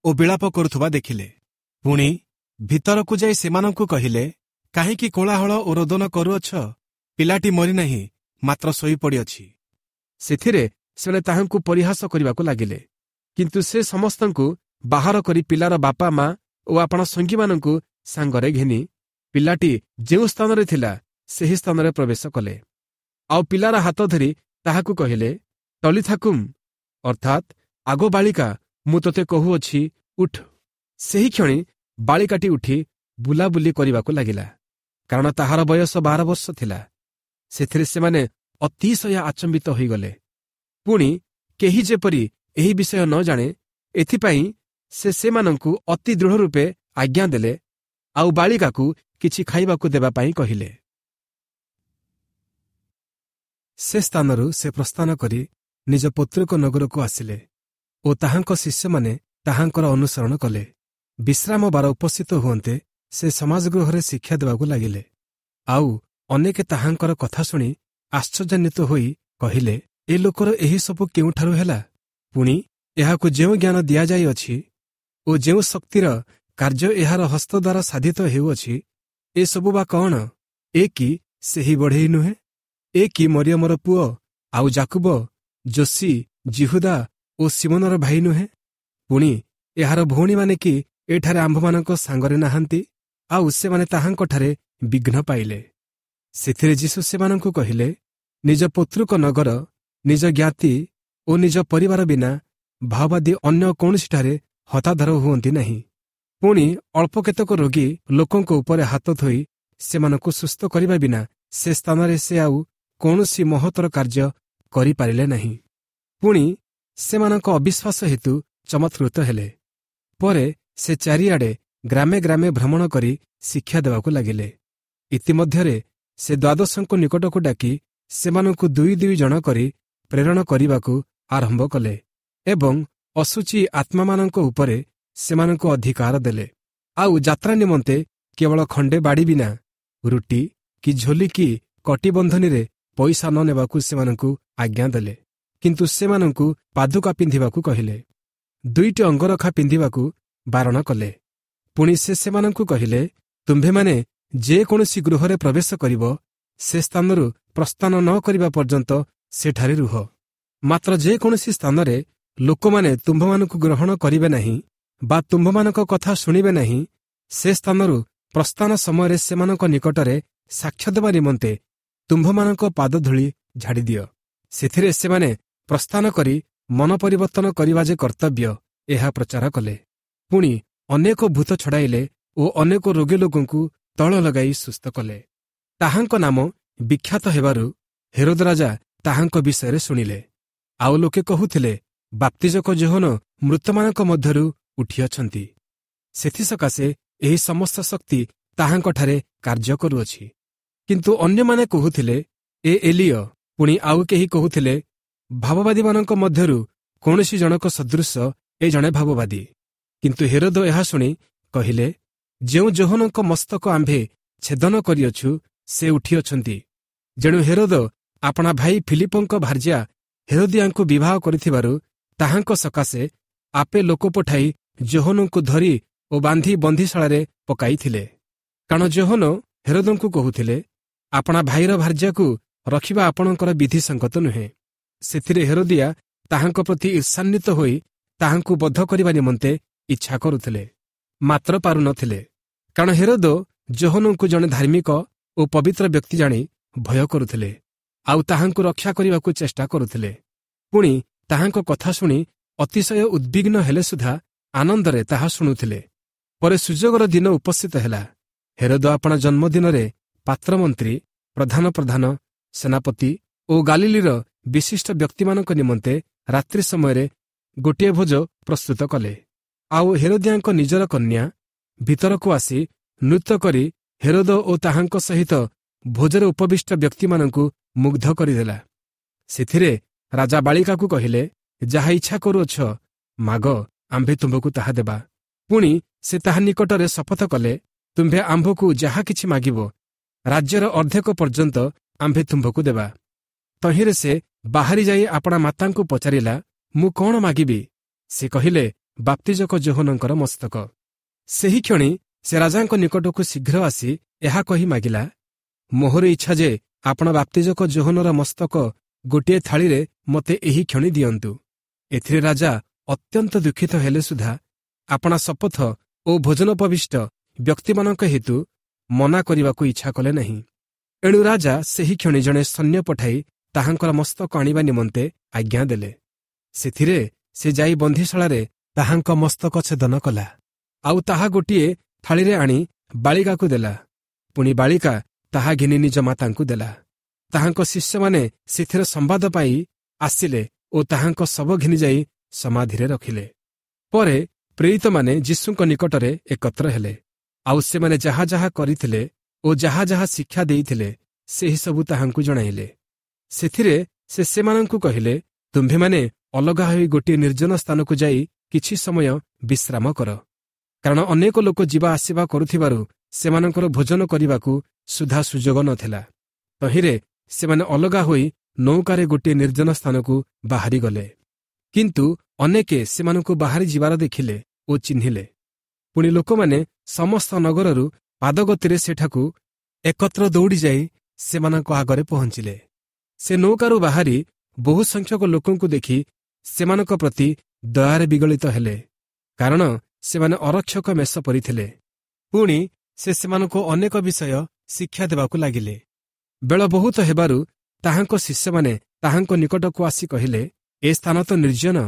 ଓ ବିଳାପ କରୁଥିବା ଦେଖିଲେ। ପୁଣି ଭିତରକୁ ଯାଇ ସେମାନଙ୍କୁ କହିଲେ, କାହିଁକି କୋଳାହଳ ଓ ରୋଦନ କରୁଅଛ? ପିଲାଟି ମରିନାହିଁ, ମାତ୍ର ଶୋଇପଡ଼ିଅଛି। ସେଥିରେ ସେମାନେ ତାହାଙ୍କୁ ପରିହାସ କରିବାକୁ ଲାଗିଲେ। କିନ୍ତୁ ସେ ସମସ୍ତଙ୍କୁ ବାହାର କରି ପିଲାର ବାପା ମା ଓ ଆପଣା ସଙ୍ଗୀମାନଙ୍କୁ ସାଙ୍ଗରେ ଘେନି ପିଲାଟି ଯେଉଁ ସ୍ଥାନରେ ଥିଲା ସେହି ସ୍ଥାନରେ ପ୍ରବେଶ କଲେ। ଆଉ ପିଲାର ହାତ ଧରି ତାହାକୁ କହିଲେ, ତଳିଥାକୁମ୍, ଅର୍ଥାତ୍ ଆଗୋ ବାଳିକା, ମୁଁ ତୋତେ କହୁଅଛି, ଉଠ। ସେହି କ୍ଷଣି ବାଳିକାଟି ଉଠି ବୁଲାବୁଲି କରିବାକୁ ଲାଗିଲା, କାରଣ ତାହାର ବୟସ ବାର ବର୍ଷ ଥିଲା। ସେଥିରେ ସେମାନେ ଅତିଶୟ ଆଚମ୍ବିତ ହୋଇଗଲେ। ପୁଣି କେହି ଯେପରି ଏହି ବିଷୟ ନ ଜାଣେ, ଏଥିପାଇଁ ସେ ସେମାନଙ୍କୁ ଅତି ଦୃଢ଼ ରୂପେ ଆଜ୍ଞା ଦେଲେ, ଆଉ ବାଳିକାକୁ କିଛି ଖାଇବାକୁ ଦେବା ପାଇଁ କହିଲେ। ସେ ସ୍ଥାନରୁ ସେ ପ୍ରସ୍ଥାନ କରି ନିଜ ପୈତୃକ ନଗରକୁ ଆସିଲେ ଓ ତାହାଙ୍କ ଶିଷ୍ୟମାନେ ତାହାଙ୍କର ଅନୁସରଣ କଲେ। ବିଶ୍ରାମ ବାର ଉପସ୍ଥିତ ହୁଅନ୍ତେ ସେ ସମାଜଗୃହରେ ଶିକ୍ଷା ଦେବାକୁ ଲାଗିଲେ। ଆଉ ଅନେକେ ତାହାଙ୍କର କଥା ଶୁଣି ଆଶ୍ଚର୍ଯ୍ୟାନ୍ୱିତ ହୋଇ କହିଲେ, ଏ ଲୋକର ଏହି ସବୁ କେଉଁଠାରୁ ହେଲା? ପୁଣି ଏହାକୁ ଯେଉଁ ଜ୍ଞାନ ଦିଆଯାଇଅଛି ଓ ଯେଉଁ ଶକ୍ତିର କାର୍ଯ୍ୟ ଏହାର ହସ୍ତ ଦ୍ୱାରା ସାଧିତ ହେଉଅଛି, ଏସବୁ ବା କଣ? ଏ କି ସେହି ବଢ଼େଇ ନୁହେଁ? ଏ କି ମରିୟମର ପୁଅ, ଆଉ ଜାକୁବ, ଯୋଶୀ, ଜିହୁଦା ଓ ସିମୋନର ଭାଇ ନୁହେଁ? ପୁଣି ଏହାର ଭଉଣୀମାନେ କି ଏଠାରେ ଆମ୍ଭମାନଙ୍କ ସାଙ୍ଗରେ ନାହାନ୍ତି? ଆଉ ସେମାନେ ତାହାଙ୍କଠାରେ ବିଘ୍ନ ପାଇଲେ। ସେଥିରେ ଯୀଶୁ ସେମାନଙ୍କୁ କହିଲେ, ନିଜ ପୈତୃକ ନଗର, ନିଜ ଜ୍ଞାତି ଓ ନିଜ ପରିବାର ବିନା ଭାଓବାଦୀ ଅନ୍ୟ କୌଣସିଠାରେ ହତାଦର ହୁଅନ୍ତି ନାହିଁ। ପୁଣି ଅଳ୍ପ କେତେକ ରୋଗୀ ଲୋକଙ୍କ ଉପରେ ହାତ ଥୋଇ ସେମାନଙ୍କୁ ସୁସ୍ଥ କରିବା ବିନା ସେ ସ୍ଥାନରେ ସେ ଆଉ କୌଣସି ମହତ୍ତର କାର୍ଯ୍ୟ କରିପାରିଲେ ନାହିଁ। ପୁଣି ସେମାନଙ୍କ ଅବିଶ୍ୱାସ ହେତୁ ଚମତ୍କୃତ ହେଲେ। ପରେ ସେ ଚାରିଆଡ଼େ ଗ୍ରାମେ ଗ୍ରାମେ ଭ୍ରମଣ କରି ଶିକ୍ଷା ଦେବାକୁ ଲାଗିଲେ। ଇତିମଧ୍ୟରେ ସେ ଦ୍ୱାଦଶଙ୍କ ନିକଟକୁ ଡାକି ସେମାନଙ୍କୁ ଦୁଇ ଦୁଇ ଜଣ କରି ପ୍ରେରଣ କରିବାକୁ ଆରମ୍ଭ କଲେ ଏବଂ ଅଶୁଚି ଆତ୍ମାମାନଙ୍କ ଉପରେ ସେମାନଙ୍କୁ ଅଧିକାର ଦେଲେ। ଆଉ ଯାତ୍ରା ନିମନ୍ତେ କେବଳ ଖଣ୍ଡେ ବାଡ଼ି ବିନା ରୁଟି କି ଝୋଲି କି କଟିବନ୍ଧନୀରେ ପଇସା ନ ନେବାକୁ ସେମାନଙ୍କୁ ଆଜ୍ଞା ଦେଲେ। କିନ୍ତୁ ସେମାନଙ୍କୁ ପାଦୁକା ପିନ୍ଧିବାକୁ କହିଲେ, ଦୁଇଟି ଅଙ୍ଗରଖା ପିନ୍ଧିବାକୁ ବାରଣ କଲେ। ପୁଣି ସେ ସେମାନଙ୍କୁ କହିଲେ, ତୁମ୍ଭେମାନେ ଯେକୌଣସି ଗୃହରେ ପ୍ରବେଶ କରିବ, ସେ ସ୍ଥାନରୁ ପ୍ରସ୍ଥାନ ନ କରିବା ପର୍ଯ୍ୟନ୍ତ ସେଠାରେ ରୁହ। ମାତ୍ର ଯେକୌଣସି ସ୍ଥାନରେ ଲୋକମାନେ ତୁମ୍ଭମାନଙ୍କୁ ଗ୍ରହଣ କରିବେ ନାହିଁ ବା ତୁମ୍ଭମାନଙ୍କ କଥା ଶୁଣିବେ ନାହିଁ, ସେ ସ୍ଥାନରୁ ପ୍ରସ୍ଥାନ ସମୟରେ ସେମାନଙ୍କ ନିକଟରେ ସାକ୍ଷ୍ୟ ଦେବା ନିମନ୍ତେ ତୁମ୍ଭମାନଙ୍କ ପାଦଧୂଳି ଝାଡ଼ିଦିଅ। ସେଥିରେ ସେମାନେ ପ୍ରସ୍ଥାନ କରି ମନ ପରିବର୍ତ୍ତନ କରିବା ଯେ କର୍ତ୍ତବ୍ୟ, ଏହା ପ୍ରଚାର କଲେ। ପୁଣି ଅନେକ ଭୂତ ଛଡ଼ାଇଲେ ଓ ଅନେକ ରୋଗୀ ଲୋକଙ୍କୁ ତଳ ଲଗାଇ ସୁସ୍ଥ କଲେ। ତାହାଙ୍କ ନାମ ବିଖ୍ୟାତ ହେବାରୁ ହେରୋଦ ରାଜା ତାହାଙ୍କ ବିଷୟରେ ଶୁଣିଲେ। ଆଉ ଲୋକେ କହୁଥିଲେ, ବାପ୍ତିଜକ ଯୋହନ ମୃତମାନଙ୍କ ମଧ୍ୟରୁ ଉଠିଅଛନ୍ତି, ସେଥିସକାଶେ ଏହି ସମସ୍ତ ଶକ୍ତି ତାହାଙ୍କଠାରେ କାର୍ଯ୍ୟ କରୁଅଛି। କିନ୍ତୁ ଅନ୍ୟମାନେ କହୁଥିଲେ, ଏ ଏଲିୟ। ପୁଣି ଆଉ କେହି କହୁଥିଲେ, ଭାବବାଦୀମାନଙ୍କ ମଧ୍ୟରୁ କୌଣସି ଜଣକ ସଦୃଶ ଏ ଜଣେ ଭାବବାଦୀ। କିନ୍ତୁ ହେରୋଦ ଏହା ଶୁଣି କହିଲେ, ଯେଉଁ ଯୋହନଙ୍କ ମସ୍ତକ ଆମ୍ଭେ ଛେଦନ କରିଅଛୁ, ସେ ଉଠିଅଛନ୍ତି। ଯେଣୁ ହେରୋଦ ଆପଣା ଭାଇ ଫିଲିପଙ୍କ ଭାର୍ଯ୍ୟା ହେରୋଦିଆଙ୍କୁ ବିବାହ କରିଥିବାରୁ ତାହାଙ୍କ ସକାଶେ ଆପେ ଲୋକ ପଠାଇ ଯୋହନଙ୍କୁ ଧରି ଓ ବାନ୍ଧି ବନ୍ଦିଶାଳାରେ ପକାଇଥିଲେ। କାରଣ ଯୋହନ ହେରୋଦଙ୍କୁ କହୁଥିଲେ, ଆପଣା ଭାଇର ଭାର୍ଯ୍ୟାକୁ ରଖିବା ଆପଣଙ୍କର ବିଧିସଙ୍ଗତ ନୁହେଁ। ସେଥିରେ ହେରୋଦିଆ ତାହାଙ୍କ ପ୍ରତି ଈର୍ଷାନ୍ୱିତ ହୋଇ ତାହାଙ୍କୁ ବଧ କରିବା ନିମନ୍ତେ ଇଚ୍ଛା କରୁଥିଲେ, ମାତ୍ର ପାରୁନଥିଲେ। କାରଣ ହେରୋଦ ଯୋହନଙ୍କୁ ଜଣେ ଧାର୍ମିକ ଓ ପବିତ୍ର ବ୍ୟକ୍ତି ଜାଣି ଭୟ କରୁଥିଲେ, ଆଉ ତାହାଙ୍କୁ ରକ୍ଷା କରିବାକୁ ଚେଷ୍ଟା କରୁଥିଲେ। ପୁଣି ତାହାଙ୍କ କଥା ଶୁଣି ଅତିଶୟ ଉଦ୍ବିଗ୍ନ ହେଲେ ସୁଦ୍ଧା ଆନନ୍ଦରେ ତାହା ଶୁଣୁଥିଲେ। ପରେ ସୁଯୋଗର ଦିନ ଉପସ୍ଥିତ ହେଲା। ହେରୋଦ ଆପଣା ଜନ୍ମଦିନରେ ପାତ୍ରମନ୍ତ୍ରୀ, ପ୍ରଧାନ ପ୍ରଧାନ, ସେନାପତି ଓ ଗାଲିଲିର ବିଶିଷ୍ଟ ବ୍ୟକ୍ତିମାନଙ୍କ ନିମନ୍ତେ ରାତ୍ରି ସମୟରେ ଗୋଟିଏ ଭୋଜ ପ୍ରସ୍ତୁତ କଲେ। ଆଉ ହେରୋଦିଆଙ୍କ ନିଜର କନ୍ୟା ଭିତରକୁ ଆସି ନୃତ୍ୟ କରି ହେରୋଦ ଓ ତାହାଙ୍କ ସହିତ ଭୋଜରେ ଉପବିଷ୍ଟ ବ୍ୟକ୍ତିମାନଙ୍କୁ ମୁଗ୍ଧ କରିଦେଲା। ସେଥିରେ ରାଜା ବାଳିକାକୁ କହିଲେ, ଯାହା ଇଚ୍ଛା କରୁଅଛ ମାଗ, ଆମ୍ଭେ ତୁମ୍ଭକୁ ତାହା ଦେବା। ପୁଣି ସେ ତାହା ନିକଟରେ ଶପଥ କଲେ, ତୁମ୍ଭେ ଆମ୍ଭକୁ ଯାହା କିଛି ମାଗିବ, ରାଜ୍ୟର ଅର୍ଦ୍ଧେକ ପର୍ଯ୍ୟନ୍ତ ଆମ୍ଭେ ତୁମ୍ଭକୁ ଦେବା। ତହିଁରେ ସେ ବାହାରି ଯାଇ ଆପଣା ମାତାଙ୍କୁ ପଚାରିଲା, ମୁଁ କ'ଣ ମାଗିବି? ସେ କହିଲେ, ବାପ୍ତିଜକ ଯୋହନଙ୍କର ମସ୍ତକ। ସେହିକ୍ଷଣି ସେ ରାଜାଙ୍କ ନିକଟକୁ ଶୀଘ୍ର ଆସି ଏହା କହି ମାଗିଲା, ମୋହର ଇଚ୍ଛା ଯେ ଆପଣ ବାପ୍ତିଜକ ଯୋହନର ମସ୍ତକ ଗୋଟିଏ ଥାଳିରେ ମୋତେ ଏହି କ୍ଷଣି ଦିଅନ୍ତୁ। ଏଥିରେ ରାଜା ଅତ୍ୟନ୍ତ ଦୁଃଖିତ ହେଲେ ସୁଦ୍ଧା ଆପଣା ଶପଥ ଓ ଭୋଜନୋପବିଷ୍ଟ ବ୍ୟକ୍ତିମାନଙ୍କ ହେତୁ ମନା କରିବାକୁ ଇଚ୍ଛା କଲେ ନାହିଁ। ଏଣୁ ରାଜା ସେହି କ୍ଷଣି ଜଣେ ସୈନ୍ୟ ପଠାଇ ତାହାଙ୍କର ମସ୍ତକ ଆଣିବା ନିମନ୍ତେ ଆଜ୍ଞା ଦେଲେ। ସେଥିରେ ସେ ଯାଇ ବନ୍ଦିଶାଳାରେ ତାହାଙ୍କ ମସ୍ତକ ଛେଦନ କଲା, ଆଉ ତାହା ଗୋଟିଏ ଥାଳିରେ ଆଣି ବାଳିକାକୁ ଦେଲା। ପୁଣି ବାଳିକା ତାହା ଘେନି ନିଜ ମାତାଙ୍କୁ ଦେଲା। ତାହାଙ୍କ ଶିଷ୍ୟମାନେ ସେଥିର ସମ୍ବାଦ ପାଇ ଆସିଲେ ଓ ତାହାଙ୍କ ଶବ ଘେନିଯାଇ ସମାଧିରେ ରଖିଲେ। ପରେ ପ୍ରେରିତମାନେ ଯୀଶୁଙ୍କ ନିକଟରେ ଏକତ୍ର ହେଲେ, ଆଉ ସେମାନେ ଯାହା ଯାହା କରିଥିଲେ ଓ ଯାହା ଯାହା ଶିକ୍ଷା ଦେଇଥିଲେ ସେହିସବୁ ତାହାଙ୍କୁ ଜଣାଇଲେ। ସେଥିରେ ସେ ସେମାନଙ୍କୁ କହିଲେ, ତୁମ୍ଭେମାନେ ଅଲଗା ହୋଇ ଗୋଟିଏ ନିର୍ଜନ ସ୍ଥାନକୁ ଯାଇ କିଛି ସମୟ ବିଶ୍ରାମ କର, କାରଣ ଅନେକ ଲୋକ ଯିବା ଆସିବା କରୁଥିବାରୁ ସେମାନଙ୍କର ଭୋଜନ କରିବାକୁ ସୁଦ୍ଧା ସୁଯୋଗ ନଥିଲା। ତହିଁରେ ସେମାନେ ଅଲଗା ହୋଇ ନୌକାରେ ଗୋଟିଏ ନିର୍ଜନ ସ୍ଥାନକୁ ବାହାରିଗଲେ। କିନ୍ତୁ ଅନେକେ ସେମାନଙ୍କୁ ବାହାରି ଯିବାର ଦେଖିଲେ ଓ ଚିହ୍ନିଲେ। ପୁଣି ଲୋକମାନେ ସମସ୍ତ ନଗରରୁ ପାଦଗତିରେ ସେଠାକୁ ଏକତ୍ର ଦୌଡ଼ିଯାଇ ସେମାନଙ୍କ ଆଗରେ ପହଞ୍ଚିଲେ। ସେ ନୌକାରୁ ବାହାରି ବହୁ ସଂଖ୍ୟକ ଲୋକଙ୍କୁ ଦେଖି ସେମାନଙ୍କ ପ୍ରତି ଦୟାରେ ବିଗଳିତ ହେଲେ, କାରଣ ସେମାନେ ଅରକ୍ଷକ ମେଷ ପରି ଥିଲେ। ପୁଣି ସେ ସେମାନଙ୍କୁ ଅନେକ ବିଷୟ ଶିକ୍ଷା ଦେବାକୁ ଲାଗିଲେ। ବେଳ ବହୁତ ହେବାରୁ ତାହାଙ୍କ ଶିଷ୍ୟମାନେ ତାହାଙ୍କ ନିକଟକୁ ଆସି କହିଲେ, ଏ ସ୍ଥାନ ତ ନିର୍ଜନ,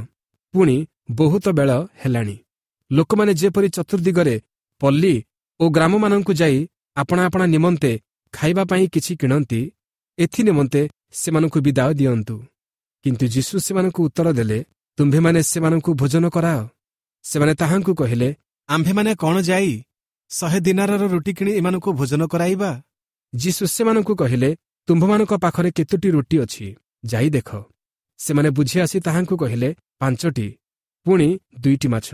ପୁଣି ବହୁତ ବେଳ ହେଲାଣି। ଲୋକମାନେ ଯେପରି ଚତୁର୍ଦିଗରେ ପଲ୍ଲୀ ଓ ଗ୍ରାମମାନଙ୍କୁ ଯାଇ ଆପଣା ଆପଣା ନିମନ୍ତେ ଖାଇବା ପାଇଁ କିଛି କିଣନ୍ତି, ଏଥି ନିମନ୍ତେ ସେମାନଙ୍କୁ ବିଦାୟ ଦିଅନ୍ତୁ। କିନ୍ତୁ ଯୀଶୁ ସେମାନଙ୍କୁ ଉତ୍ତର ଦେଲେ, ତୁମ୍ଭେମାନେ ସେମାନଙ୍କୁ ଭୋଜନ କରାଅ। ସେମାନେ ତାହାଙ୍କୁ କହିଲେ, ଆମ୍ଭେମାନେ କ'ଣ ଯାଇ ଶହେ ଦିନାରର ରୁଟି କିଣି ଏମାନଙ୍କୁ ଭୋଜନ କରାଇବା? ଯୀଶୁ ସେମାନଙ୍କୁ କହିଲେ, ତୁମ୍ଭମାନଙ୍କ ପାଖରେ କେତୋଟି ରୁଟି ଅଛି, ଯାଇ ଦେଖ। ସେମାନେ ବୁଝି ଆସି ତାହାଙ୍କୁ କହିଲେ, ପାଞ୍ଚଟି, ପୁଣି ଦୁଇଟି ମାଛ।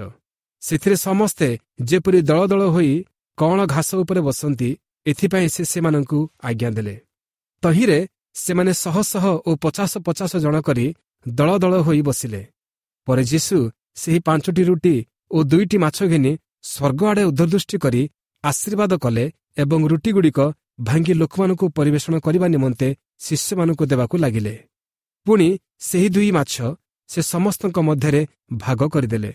ସେଥିରେ ସମସ୍ତେ ଯେପରି ଦଳ ଦଳ ହୋଇ କଅଁଳ ଘାସ ଉପରେ ବସନ୍ତି, ଏଥିପାଇଁ ସେ ସେମାନଙ୍କୁ ଆଜ୍ଞା ଦେଲେ। ତହିଁରେ ସେମାନେ ଶହ ଶହ ଓ ପଚାଶ ପଚାଶ ଜଣ କରି ଦଳ ଦଳ ହୋଇ ବସିଲେ। ପରେ ଯୀଶୁ ସେହି ପାଞ୍ଚଟି ରୁଟି ଓ ଦୁଇଟି ମାଛ ଘେନି ସ୍ୱର୍ଗ ଆଡ଼େ ଉଦ୍ଧଦୃଷ୍ଟି କରି ଆଶୀର୍ବାଦ କଲେ ଏବଂ ରୁଟିଗୁଡ଼ିକ ଭାଙ୍ଗି ଲୋକମାନଙ୍କୁ ପରିବେଷଣ କରିବା ନିମନ୍ତେ ଶିଷ୍ୟମାନଙ୍କୁ ଦେବାକୁ ଲାଗିଲେ। ପୁଣି ସେହି ଦୁଇ ମାଛ ସେ ସମସ୍ତଙ୍କ ମଧ୍ୟରେ ଭାଗ କରିଦେଲେ।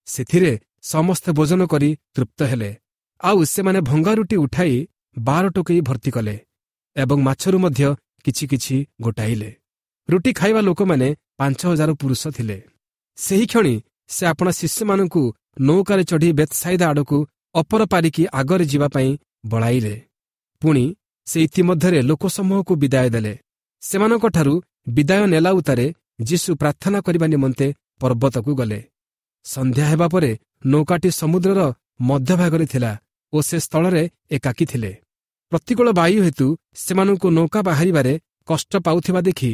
ସେଥିରେ ସମସ୍ତେ ଭୋଜନ କରି ତୃପ୍ତ ହେଲେ। ଆଉ ସେମାନେ ଭଙ୍ଗା ରୁଟି ଉଠାଇ ବାର ଟୋକେଇ ଭର୍ତ୍ତି କଲେ ଏବଂ ମାଛରୁ ମଧ୍ୟ କିଛି କିଛି ଗୋଟାଇଲେ। ରୁଟି ଖାଇବା ଲୋକମାନେ ପାଞ୍ଚ ହଜାର ପୁରୁଷ ଥିଲେ। ସେହିକ୍ଷଣି ସେ ଆପଣା ଶିଷ୍ୟମାନଙ୍କୁ ନୌକାରେ ଚଢ଼ି ବେତସାଇଦା ଆଡ଼କୁ ଅପର ପାରିକି ଆଗରେ ଯିବା ପାଇଁ ବଳାଇଲେ। ପୁଣି ସେ ଇତିମଧ୍ୟରେ ଲୋକସମୂହକୁ ବିଦାୟ ଦେଲେ। ସେମାନଙ୍କଠାରୁ ବିଦାୟ ନେଲା ଉତ୍ତାରେ ଯୀଶୁ ପ୍ରାର୍ଥନା କରିବା ନିମନ୍ତେ ପର୍ବତକୁ ଗଲେ। ସନ୍ଧ୍ୟା ହେବା ପରେ ନୌକାଟି ସମୁଦ୍ରର ମଧ୍ୟଭାଗରେ ଥିଲା ଓ ସେ ସ୍ଥଳରେ ଏକାକୀ ଥିଲେ। ପ୍ରତିକୂଳ ବାୟୁ ହେତୁ ସେମାନଙ୍କୁ ନୌକା ବାହାରିବାରେ କଷ୍ଟ ପାଉଥିବା ଦେଖି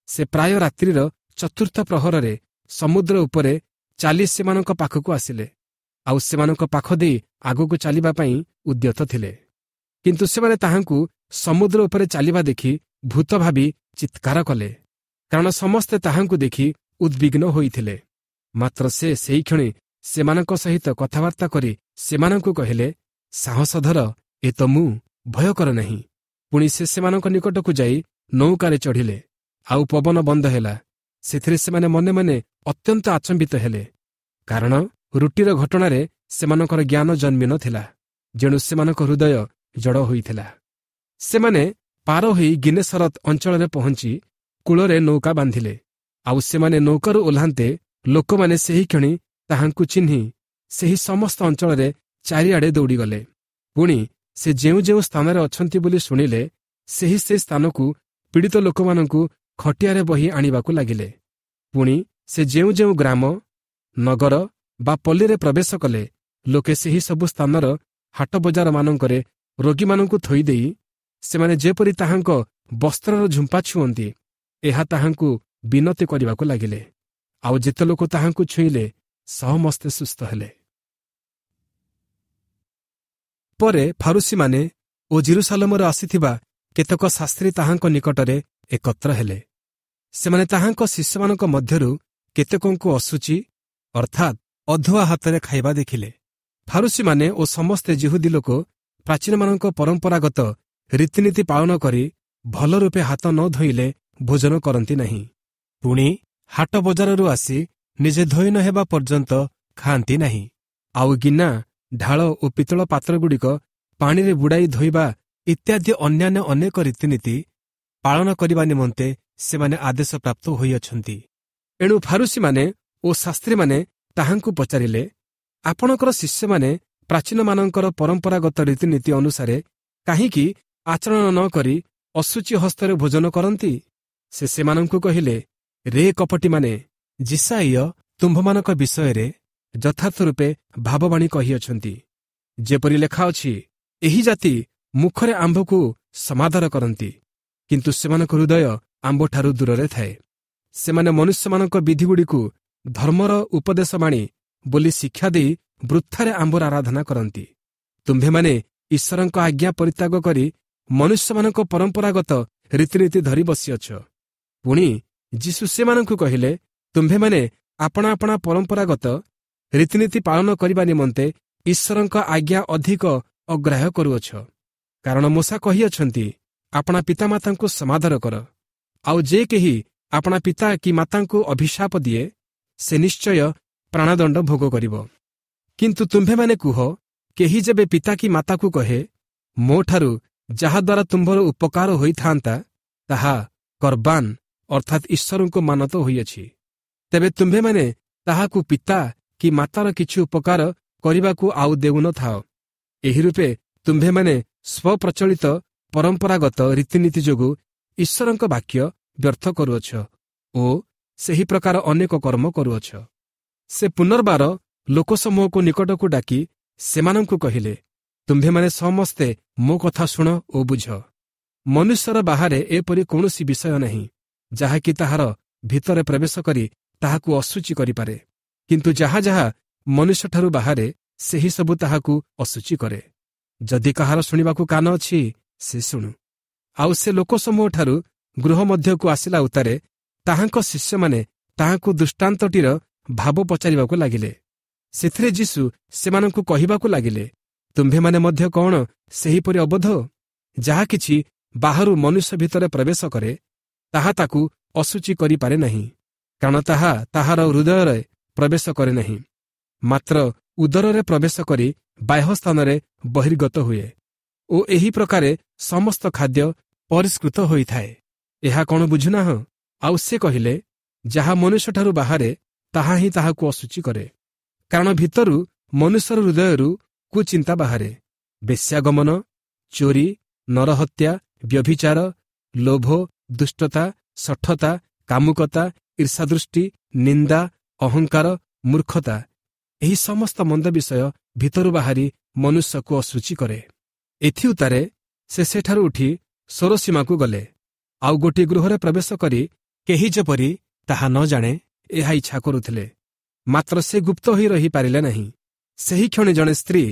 ସେ ପ୍ରାୟ ରାତ୍ରିର ଚତୁର୍ଥ ପ୍ରହରରେ ସମୁଦ୍ର ଉପରେ ଚାଲି ସେମାନଙ୍କ ପାଖକୁ ଆସିଲେ, ଆଉ ସେମାନଙ୍କ ପାଖ ଦେଇ ଆଗକୁ ଚାଲିବା ପାଇଁ ଉଦ୍ୟତ ଥିଲେ। କିନ୍ତୁ ସେମାନେ ତାହାଙ୍କୁ ସମୁଦ୍ର ଉପରେ ଚାଲିବା ଦେଖି ଭୂତ ଭାବି ଚିତ୍କାର କଲେ, କାରଣ ସମସ୍ତେ ତାହାଙ୍କୁ ଦେଖି ଉଦ୍ବିଗ୍ନ ହୋଇଥିଲେ। ମାତ୍ର ସେ ସେହିକ୍ଷଣି ସେମାନଙ୍କ ସହିତ କଥାବାର୍ତ୍ତା କରି ସେମାନଙ୍କୁ କହିଲେ, ସାହସ ଧର, ଏ ତ ମୁଁ, ଭୟ କର ନାହିଁ। ପୁଣି ସେ ସେମାନଙ୍କ ନିକଟକୁ ଯାଇ ନୌକାରେ ଚଢ଼ିଲେ, ଆଉ ପବନ ବନ୍ଦ ହେଲା। ସେଥିରେ ସେମାନେ ମନେ ମନେ ଅତ୍ୟନ୍ତ ଆଚମ୍ବିତ ହେଲେ, କାରଣ ରୁଟିର ଘଟଣାରେ ସେମାନଙ୍କର ଜ୍ଞାନ ଜନ୍ମି ନଥିଲା, ଯେଣୁ ସେମାନଙ୍କ ହୃଦୟ ଜଡ଼ ହୋଇଥିଲା। ସେମାନେ ପାର ହୋଇ ଗିନେସରତ ଅଞ୍ଚଳରେ ପହଞ୍ଚି କୂଳରେ ନୌକା ବାନ୍ଧିଲେ। ଆଉ ସେମାନେ ନୌକାରୁ ଓହ୍ଲାନ୍ତେ ଲୋକମାନେ ସେହିକ୍ଷଣି ତାହାଙ୍କୁ ଚିହ୍ନି ସେହି ସମସ୍ତ ଅଞ୍ଚଳରେ ଚାରିଆଡ଼େ ଦୌଡ଼ିଗଲେ। ପୁଣି ସେ ଯେଉଁ ଯେଉଁ ସ୍ଥାନରେ ଅଛନ୍ତି ବୋଲି ଶୁଣିଲେ, ସେହି ସେ ସ୍ଥାନକୁ ପୀଡ଼ିତ ଲୋକମାନଙ୍କୁ ଖଟିଆରେ ବହି ଆଣିବାକୁ ଲାଗିଲେ। ପୁଣି ସେ ଯେଉଁ ଯେଉଁ ଗ୍ରାମ, ନଗର ବା ପଲ୍ଲୀରେ ପ୍ରବେଶ କଲେ, ଲୋକେ ସେହି ସବୁ ସ୍ଥାନର ହାଟ ବଜାରମାନଙ୍କରେ ରୋଗୀମାନଙ୍କୁ ଥୋଇଦେଇ ସେମାନେ ଯେପରି ତାହାଙ୍କ ବସ୍ତ୍ରର ଝୁମ୍ପା ଛୁଅନ୍ତି, ଏହା ତାହାଙ୍କୁ ବିନତି କରିବାକୁ ଲାଗିଲେ। ଆଉ ଯେତେ ଲୋକ ତାହାଙ୍କୁ ଛୁଇଁଲେ ସମସ୍ତେ ସୁସ୍ଥ ହେଲେ। ପରେ ଫାରୁସୀମାନେ ଓ ଜିରୁସାଲମରୁ ଆସିଥିବା କେତେକ ଶାସ୍ତ୍ରୀ ତାହାଙ୍କ ନିକଟରେ ଏକତ୍ର ହେଲେ। ସେମାନେ ତାହାଙ୍କ ଶିଷ୍ୟମାନଙ୍କ ମଧ୍ୟରୁ କେତେକଙ୍କୁ ଅଶୁଚି ଅର୍ଥାତ୍ ଅଧୁଆ ହାତରେ ଖାଇବା ଦେଖିଲେ। ଫାରୁସୀମାନେ ଓ ସମସ୍ତେ ଯିହୁଦୀ ଲୋକ ପ୍ରାଚୀନମାନଙ୍କ ପରମ୍ପରାଗତ ରୀତିନୀତି ପାଳନ କରି ଭଲ ରୂପେ ହାତ ନ ଧୋଇଲେ ଭୋଜନ କରନ୍ତି ନାହିଁ। ପୁଣି ହାଟ ବଜାରରୁ ଆସି ନିଜେ ଧୋଇ ନ ହେବା ପର୍ଯ୍ୟନ୍ତ ଖାଆନ୍ତି ନାହିଁ। ଆଉ ଗିନା, ଢାଳ ଓ ପିତ୍ତଳ ପାତ୍ରଗୁଡ଼ିକ ପାଣିରେ ବୁଡ଼ାଇ ଧୋଇବା ଇତ୍ୟାଦି ଅନ୍ୟାନ୍ୟ ଅନେକ ରୀତିନୀତି ପାଳନ କରିବା ନିମନ୍ତେ ସେମାନେ ଆଦେଶ ପ୍ରାପ୍ତ ହୋଇଅଛନ୍ତି। ଏଣୁ ଫାରୁସୀମାନେ ଓ ଶାସ୍ତ୍ରୀମାନେ ତାହାଙ୍କୁ ପଚାରିଲେ, ଆପଣଙ୍କର ଶିଷ୍ୟମାନେ ପ୍ରାଚୀନମାନଙ୍କର ପରମ୍ପରାଗତ ରୀତିନୀତି ଅନୁସାରେ କାହିଁକି ଆଚରଣ ନ କରି ଅଶୁଚି ହସ୍ତରେ ଭୋଜନ କରନ୍ତି? ସେ ସେମାନଙ୍କୁ କହିଲେ, ରେ କପଟୀମାନେ, ଯିଶାଇୟ ତୁମ୍ଭମାନଙ୍କ ବିଷୟରେ ଯଥାର୍ଥ ରୂପେ ଭାବବାଣୀ କହିଅଛନ୍ତି, ଯେପରି ଲେଖା ଅଛି, ଏହି ଜାତି ମୁଖରେ ଆମ୍ଭକୁ ସମାଦର କରନ୍ତି, କିନ୍ତୁ ସେମାନଙ୍କ ହୃଦୟ ଆମ୍ଭଠାରୁ ଦୂରରେ ଥାଏ। ସେମାନେ ମନୁଷ୍ୟମାନଙ୍କ ବିଧିଗୁଡ଼ିକୁ ଧର୍ମର ଉପଦେଶବାଣୀ ବୋଲି ଶିକ୍ଷା ଦେଇ ବୃଥାରେ ଆମ୍ଭର ଆରାଧନା କରନ୍ତି। ତୁମ୍ଭେମାନେ ଈଶ୍ୱରଙ୍କ ଆଜ୍ଞା ପରିତ୍ୟାଗ କରି ମନୁଷ୍ୟମାନଙ୍କ ପରମ୍ପରାଗତ ରୀତିନୀତି ଧରି ବସିଅଛ। ପୁଣି ଯୀଶୁ ସେମାନଙ୍କୁ କହିଲେ, ତୁମ୍ଭେମାନେ ଆପଣା ଆପଣା ପରମ୍ପରାଗତ ରୀତିନୀତି ପାଳନ କରିବା ନିମନ୍ତେ ଈଶ୍ୱରଙ୍କ ଆଜ୍ଞା ଅଧିକ ଅଗ୍ରାହ୍ୟ କରୁଅଛ। କାରଣ ମୋଶା କହିଅଛନ୍ତି, ଆପଣା ପିତାମାତାଙ୍କୁ ସମାଦର କର, ଆଉ ଯେ କେହି ଆପଣା ପିତା କି ମାତାଙ୍କୁ ଅଭିଶାପ ଦିଏ, ସେ ନିଶ୍ଚୟ ପ୍ରାଣଦଣ୍ଡ ଭୋଗ କରିବ। କିନ୍ତୁ ତୁମ୍ଭେମାନେ କୁହ, କେହି ଯେବେ ପିତା କି ମାତାକୁ କହେ, ମୋଠାରୁ ଯାହାଦ୍ୱାରା ତୁମ୍ଭର ଉପକାର ହୋଇଥାନ୍ତା ତାହା କର୍ବାନ ଅର୍ଥାତ୍ ଈଶ୍ୱରଙ୍କୁ ମାନତ ହୋଇଅଛି, ତେବେ ତୁମ୍ଭେମାନେ ତାହାକୁ ପିତା କି ମାତାର କିଛି ଉପକାର କରିବାକୁ ଆଉ ଦେଉନଥାଅ। ଏହି ରୂପେ ତୁମ୍ଭେମାନେ ସ୍ୱପ୍ରଚଳିତ ପରମ୍ପରାଗତ ରୀତିନୀତି ଯୋଗୁଁ ଈଶ୍ୱରଙ୍କ ବାକ୍ୟ ବ୍ୟର୍ଥ କରୁଅଛ ଓ ସେହି ପ୍ରକାର ଅନେକ କର୍ମ କରୁଅଛ। ସେ ପୁନର୍ବାର ଲୋକସମୂହକୁ ନିକଟକୁ ଡାକି ସେମାନଙ୍କୁ କହିଲେ, ତୁମ୍ଭେମାନେ ସମସ୍ତେ ମୋ କଥା ଶୁଣ ଓ ବୁଝ। ମନୁଷ୍ୟର ବାହାରେ ଏପରି କୌଣସି ବିଷୟ ନାହିଁ, ଯାହାକି ତାହାର ଭିତରେ ପ୍ରବେଶ କରି ତାହାକୁ ଅଶୁଚି କରିପାରେ, କିନ୍ତୁ ଯାହା ଯାହା ମନୁଷ୍ୟଠାରୁ ବାହାରେ ସେହି ସବୁ ତାହାକୁ ଅଶୁଚି କରେ। ଯଦି କାହାର ଶୁଣିବାକୁ କାନ ଅଛି, ସେ ଶୁଣୁ। ଆଉ ସେ ଲୋକସମୂହଠାରୁ ଗୃହ ମଧ୍ୟକୁ ଆସିଲା ଉତ୍ତାରେ ତାହାଙ୍କ ଶିଷ୍ୟମାନେ ତାହାଙ୍କୁ ଦୃଷ୍ଟାନ୍ତଟିର ଭାବ ପଚାରିବାକୁ ଲାଗିଲେ। ସେଥିରେ ଯୀଶୁ ସେମାନଙ୍କୁ କହିବାକୁ ଲାଗିଲେ, ତୁମ୍ଭେମାନେ ମଧ୍ୟ କ'ଣ ସେହିପରି ଅବୋଧ? ଯାହା କିଛି ବାହାରୁ ମନୁଷ୍ୟ ଭିତରେ ପ୍ରବେଶ କରେ, ତାହା ତାକୁ ଅଶୁଚି କରିପାରେ ନାହିଁ, କାରଣ ତାହା ତାହାର ହୃଦୟରେ ପ୍ରବେଶ କରେ ନାହିଁ, ମାତ୍ର ଉଦରରେ ପ୍ରବେଶ କରି ବାହ୍ୟ ସ୍ଥାନରେ ବହିର୍ଗତ ହୁଏ ଓ ଏହି ପ୍ରକାରେ ସମସ୍ତ ଖାଦ୍ୟ ପରିଷ୍କୃତ ହୋଇଥାଏ। ଏହା କ'ଣ ବୁଝୁନାହଁ? ଆଉ ସେ କହିଲେ, ଯାହା ମନୁଷ୍ୟଠାରୁ ବାହାରେ ତାହା ହିଁ ତାହାକୁ ଅଶୁଚି କରେ। କାରଣ ଭିତରୁ ମନୁଷ୍ୟର ହୃଦୟରୁ କୁଚିନ୍ତା ବାହାରେ, ବେଶ୍ୟାଗମନ, ଚୋରି, ନରହତ୍ୟା, ବ୍ୟଭିଚାର, ଲୋଭ, ଦୁଷ୍ଟତା, ଶଠତା, କାମୁକତା, ଈର୍ଷାଦୃଷ୍ଟି, ନିନ୍ଦା, ଅହଙ୍କାର, ମୂର୍ଖତା। ଏହି ସମସ୍ତ ମନ୍ଦ ବିଷୟ ଭିତରୁ ବାହାରି ମନୁଷ୍ୟକୁ ଅଶୁଚି କରେ। ଏଥିଉତ୍ତାରେ ସେ ସେଠାରୁ ଉଠି ସୋରସୀମାକୁ ଗଲେ। ଆଉ ଗୋଟିଏ ଗୃହରେ ପ୍ରବେଶ କରି କେହି ଯେପରି ତାହା ନ ଜାଣେ ଏହା ଇଚ୍ଛା କରୁଥିଲେ, ମାତ୍ର ସେ ଗୁପ୍ତ ହୋଇ ରହିପାରିଲେ ନାହିଁ। ସେହି କ୍ଷଣି ଜଣେ ସ୍ତ୍ରୀ,